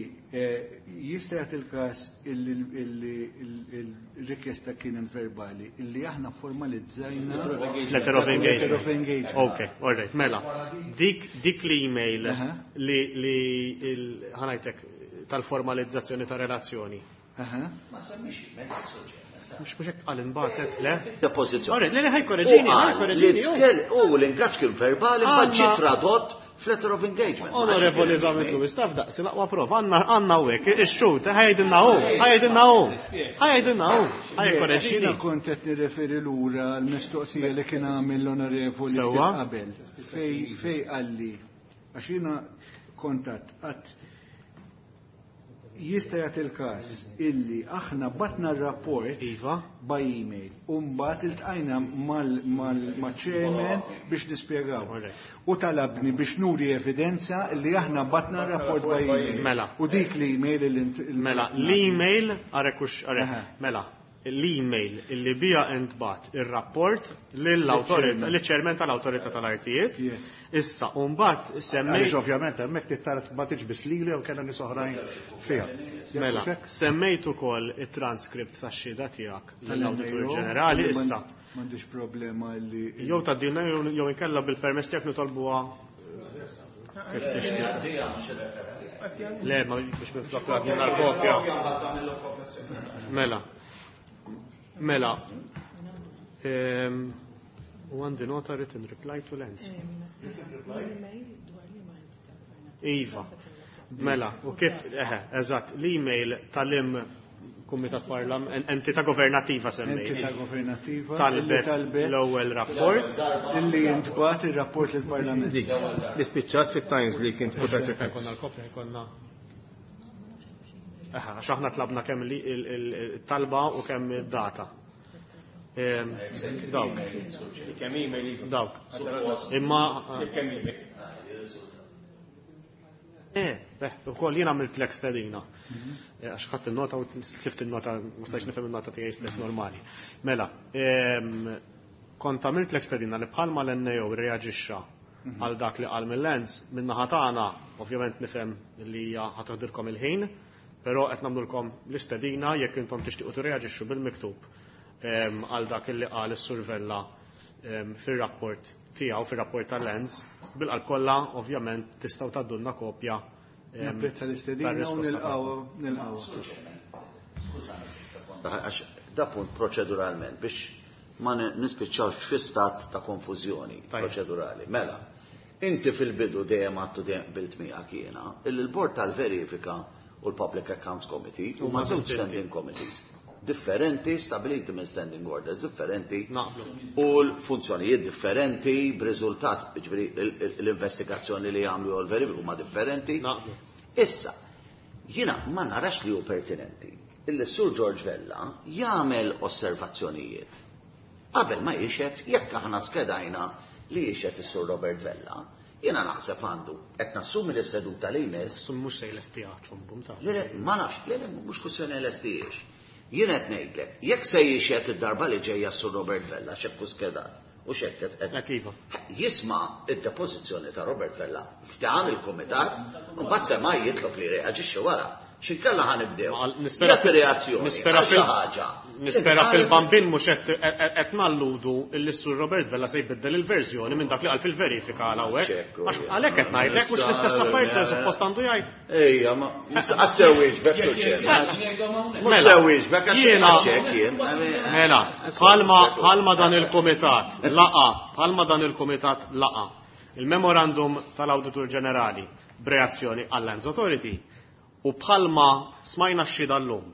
jista' jagħti il-każ il-rikjesta kienet verbali illi aħna formalizzajna Letter of engagement. Letter of engagement. Ok, all right, mela. Dik l-email li ħa ngħidlek tal-formalizzazzjoni ta' relazzjoni. Ma semmix email suġġett. Mhux mhux hekk qal inbagħtet, le? Depożizzjoni. All right, le, le, ħa jkorreġini, ħa jkorreġini. U l-ingaġġ kien verbali, mbagħad ġie tradott f'letter of engagement. Onorevoli Zammit Lewis, taf daqsi l-aqwa prova, għandna hawnhekk, ix-xhud, ħa jgħidilna hu, ħa jgħidilna hu, ħa jgħidilna hu, ħa jikkoreġini. Jiena kont qed nirreferi lura l-mistoqsija li kien għamel l-onorevoli ftit qabel. Fej qalli, għax jiena kontat qatt jista' jagħti l-każ illi aħna batna r-rapport iva. by email u mbagħad iltqajna mal-chairman biex nispjegaw. U talabni biex nuri evidenza li aħna batna r-rapport by email. Mela. U dik l-email li Mela, l-email, għarek għarek, mela, l-email illi bija intbat ir-rapport lill-awtorità, lill-ċermen tal-awtorità tal-artijiet. Issa, u mbagħad semmejt. Għaliex ovvjament hemmhekk trid ma tiġbis lili jew kellha nies oħrajn fiha. Mela, semmejt ukoll it-transkript tax-xhieda tiegħek lill-Awditur Ġenerali issa. M'għandix problema li. Jew tgħaddilna jew inkella bil-permess tiegħek nitolbuha kif tixtieq. Le, ma biex minflok għaddilna l-kopja. Mela. Mela. U għandi nota written reply to Lands. Iva. Mela, u kif, eħe, eżatt, l-email tal-im Kumitat Parlam, entità governativa semmejt. Entità governativa. Talbet l-ewwel rapport. Illi jintbat ir-rapport lill-Parlament. Dik, li spiċċat fit-Times li kien tpoġġa. Konna l-kopja, konna. Eħe, għax aħna tlabna kemm il-talba u kemm id-data. Dawk. Kemm email. Dawk. Imma. Kemm email. Ukoll jien għamilt l stedina. Għax ħadd il-nota u tlift il-nota, ma stajtx nifhem il-nota tiegħi stess normali. Mela, kont għamilt l stedina li bħalma l-NAO reaġixxa għal dak li qal mill-Lands, min-naħa tagħna, ovvjament nifhem li hija ħa teħdilkom il-ħin, però qed nagħmlulkom l-istedina jekk intom tixtiequ tirreaġixxu bil-miktub għal dak li qal is-Sur Vella fir-rapport tiegħu, fir-rapport tal-Lands, bil-qalb kollha ovvjament tistgħu tgħaddulna kopja. Napprezza l-istedina u nilqgħu nilqgħu. Għax da punt proċeduralment biex ma nispiċċawx fi stat ta' konfużjoni proċedurali. Mela, inti fil-bidu dejjem għattu dejjem qbilt miegħek jiena, il-Bord tal-Verifika u l-Public Accounts Committee huma żewġ standing committees differenti, stabiliti minn standing orders differenti u l-funzjonijiet differenti b'riżultat, ġifieri l-investigazzjoni li jagħmlu u l-verifika huma differenti. Issa, jiena ma narax li hu pertinenti illi Sur George Vella jagħmel osservazzjonijiet qabel ma jixhed jekk aħna skedajna li jixhed is-Sur Robert Vella. Jiena naħseb għandu qed nassumi li s-seduta li jmiss. Mhux se jlestiha ċumbum ta'. Le, ma nafx, le, le, mhux kwistjoni lestijiex. Jien qed ngħidlek, jekk se jixhed id-darba li ġejja s-Sur Robert Vella x'hekk skedat u x'hekk qed iva. Jisma' id-depożizzjoni ta' Robert Vella f'dan il-kumitat, u mbagħad sema jitlob li reaġixxi wara. X'inkella ħa nibdew. Jagħti reazzjoni. Nispera għal xi ħaġa. Nispera fil-bambin mhux qed nalludu li s-Sur Robert Vella se jbiddel il-verżjoni minn dak li qal fil-verifika għal hawnhekk. Għax għalhekk qed ngħidlek mhux l-istess affarijiet se suppost għandu jgħid. Ejja, ma għassewiex bekk Mhux sewwiex bekk għax hekk jien. Mela, bħalma dan il-kumitat laqa, bħalma dan il-kumitat laqa il-memorandum tal-Awditur Ġenerali b'reazzjoni għall-Lands Authority u bħalma smajna x-xhieda llum.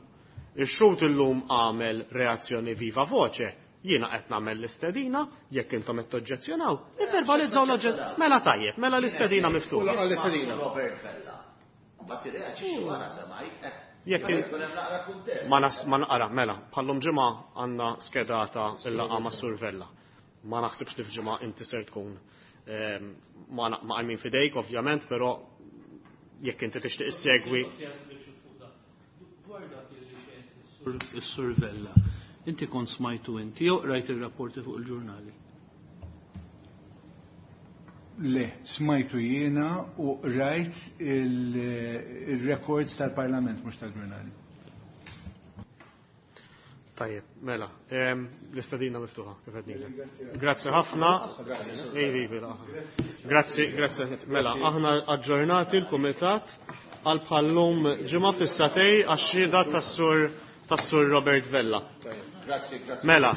Ix-xhud illum għamel reazzjoni viva voce, jiena qed nagħmel l-istedina, jekk intom qed toġġezzjonaw, ivverbalizzaw l-oġġett. Mela tajjeb, mela l-istedina miftuħa. Robert Vella. Mbagħad irreaġixxi wara semaj. Jekk ma nas ma naqra, mela, bħallum ġimgħa għandna skedata l-laqgħa ma' Sur Vella. Ma naħsibx li f'ġimgħa inti ser tkun ma għajmin fidejk, ovvjament, però jekk inti tixtieq issegwi. Is-Sur Vella, inti kont smajtu inti jew qrajt ir-rapporti fuq il-ġurnali? Le, smajtu jiena u rajt il-records tal-Parlament mhux tal-ġurnali. Tajjeb, mela, l-istedina miftuħa, kif qed ngħidlek. Grazzi ħafna. Grazzi, grazzi. Mela, aħna aġġornati l-Kumitat għal bħallum ġimgħa fis-satej għax-xhieda tas-Sur Robert Vella. Grazzi, grazzi. Mela.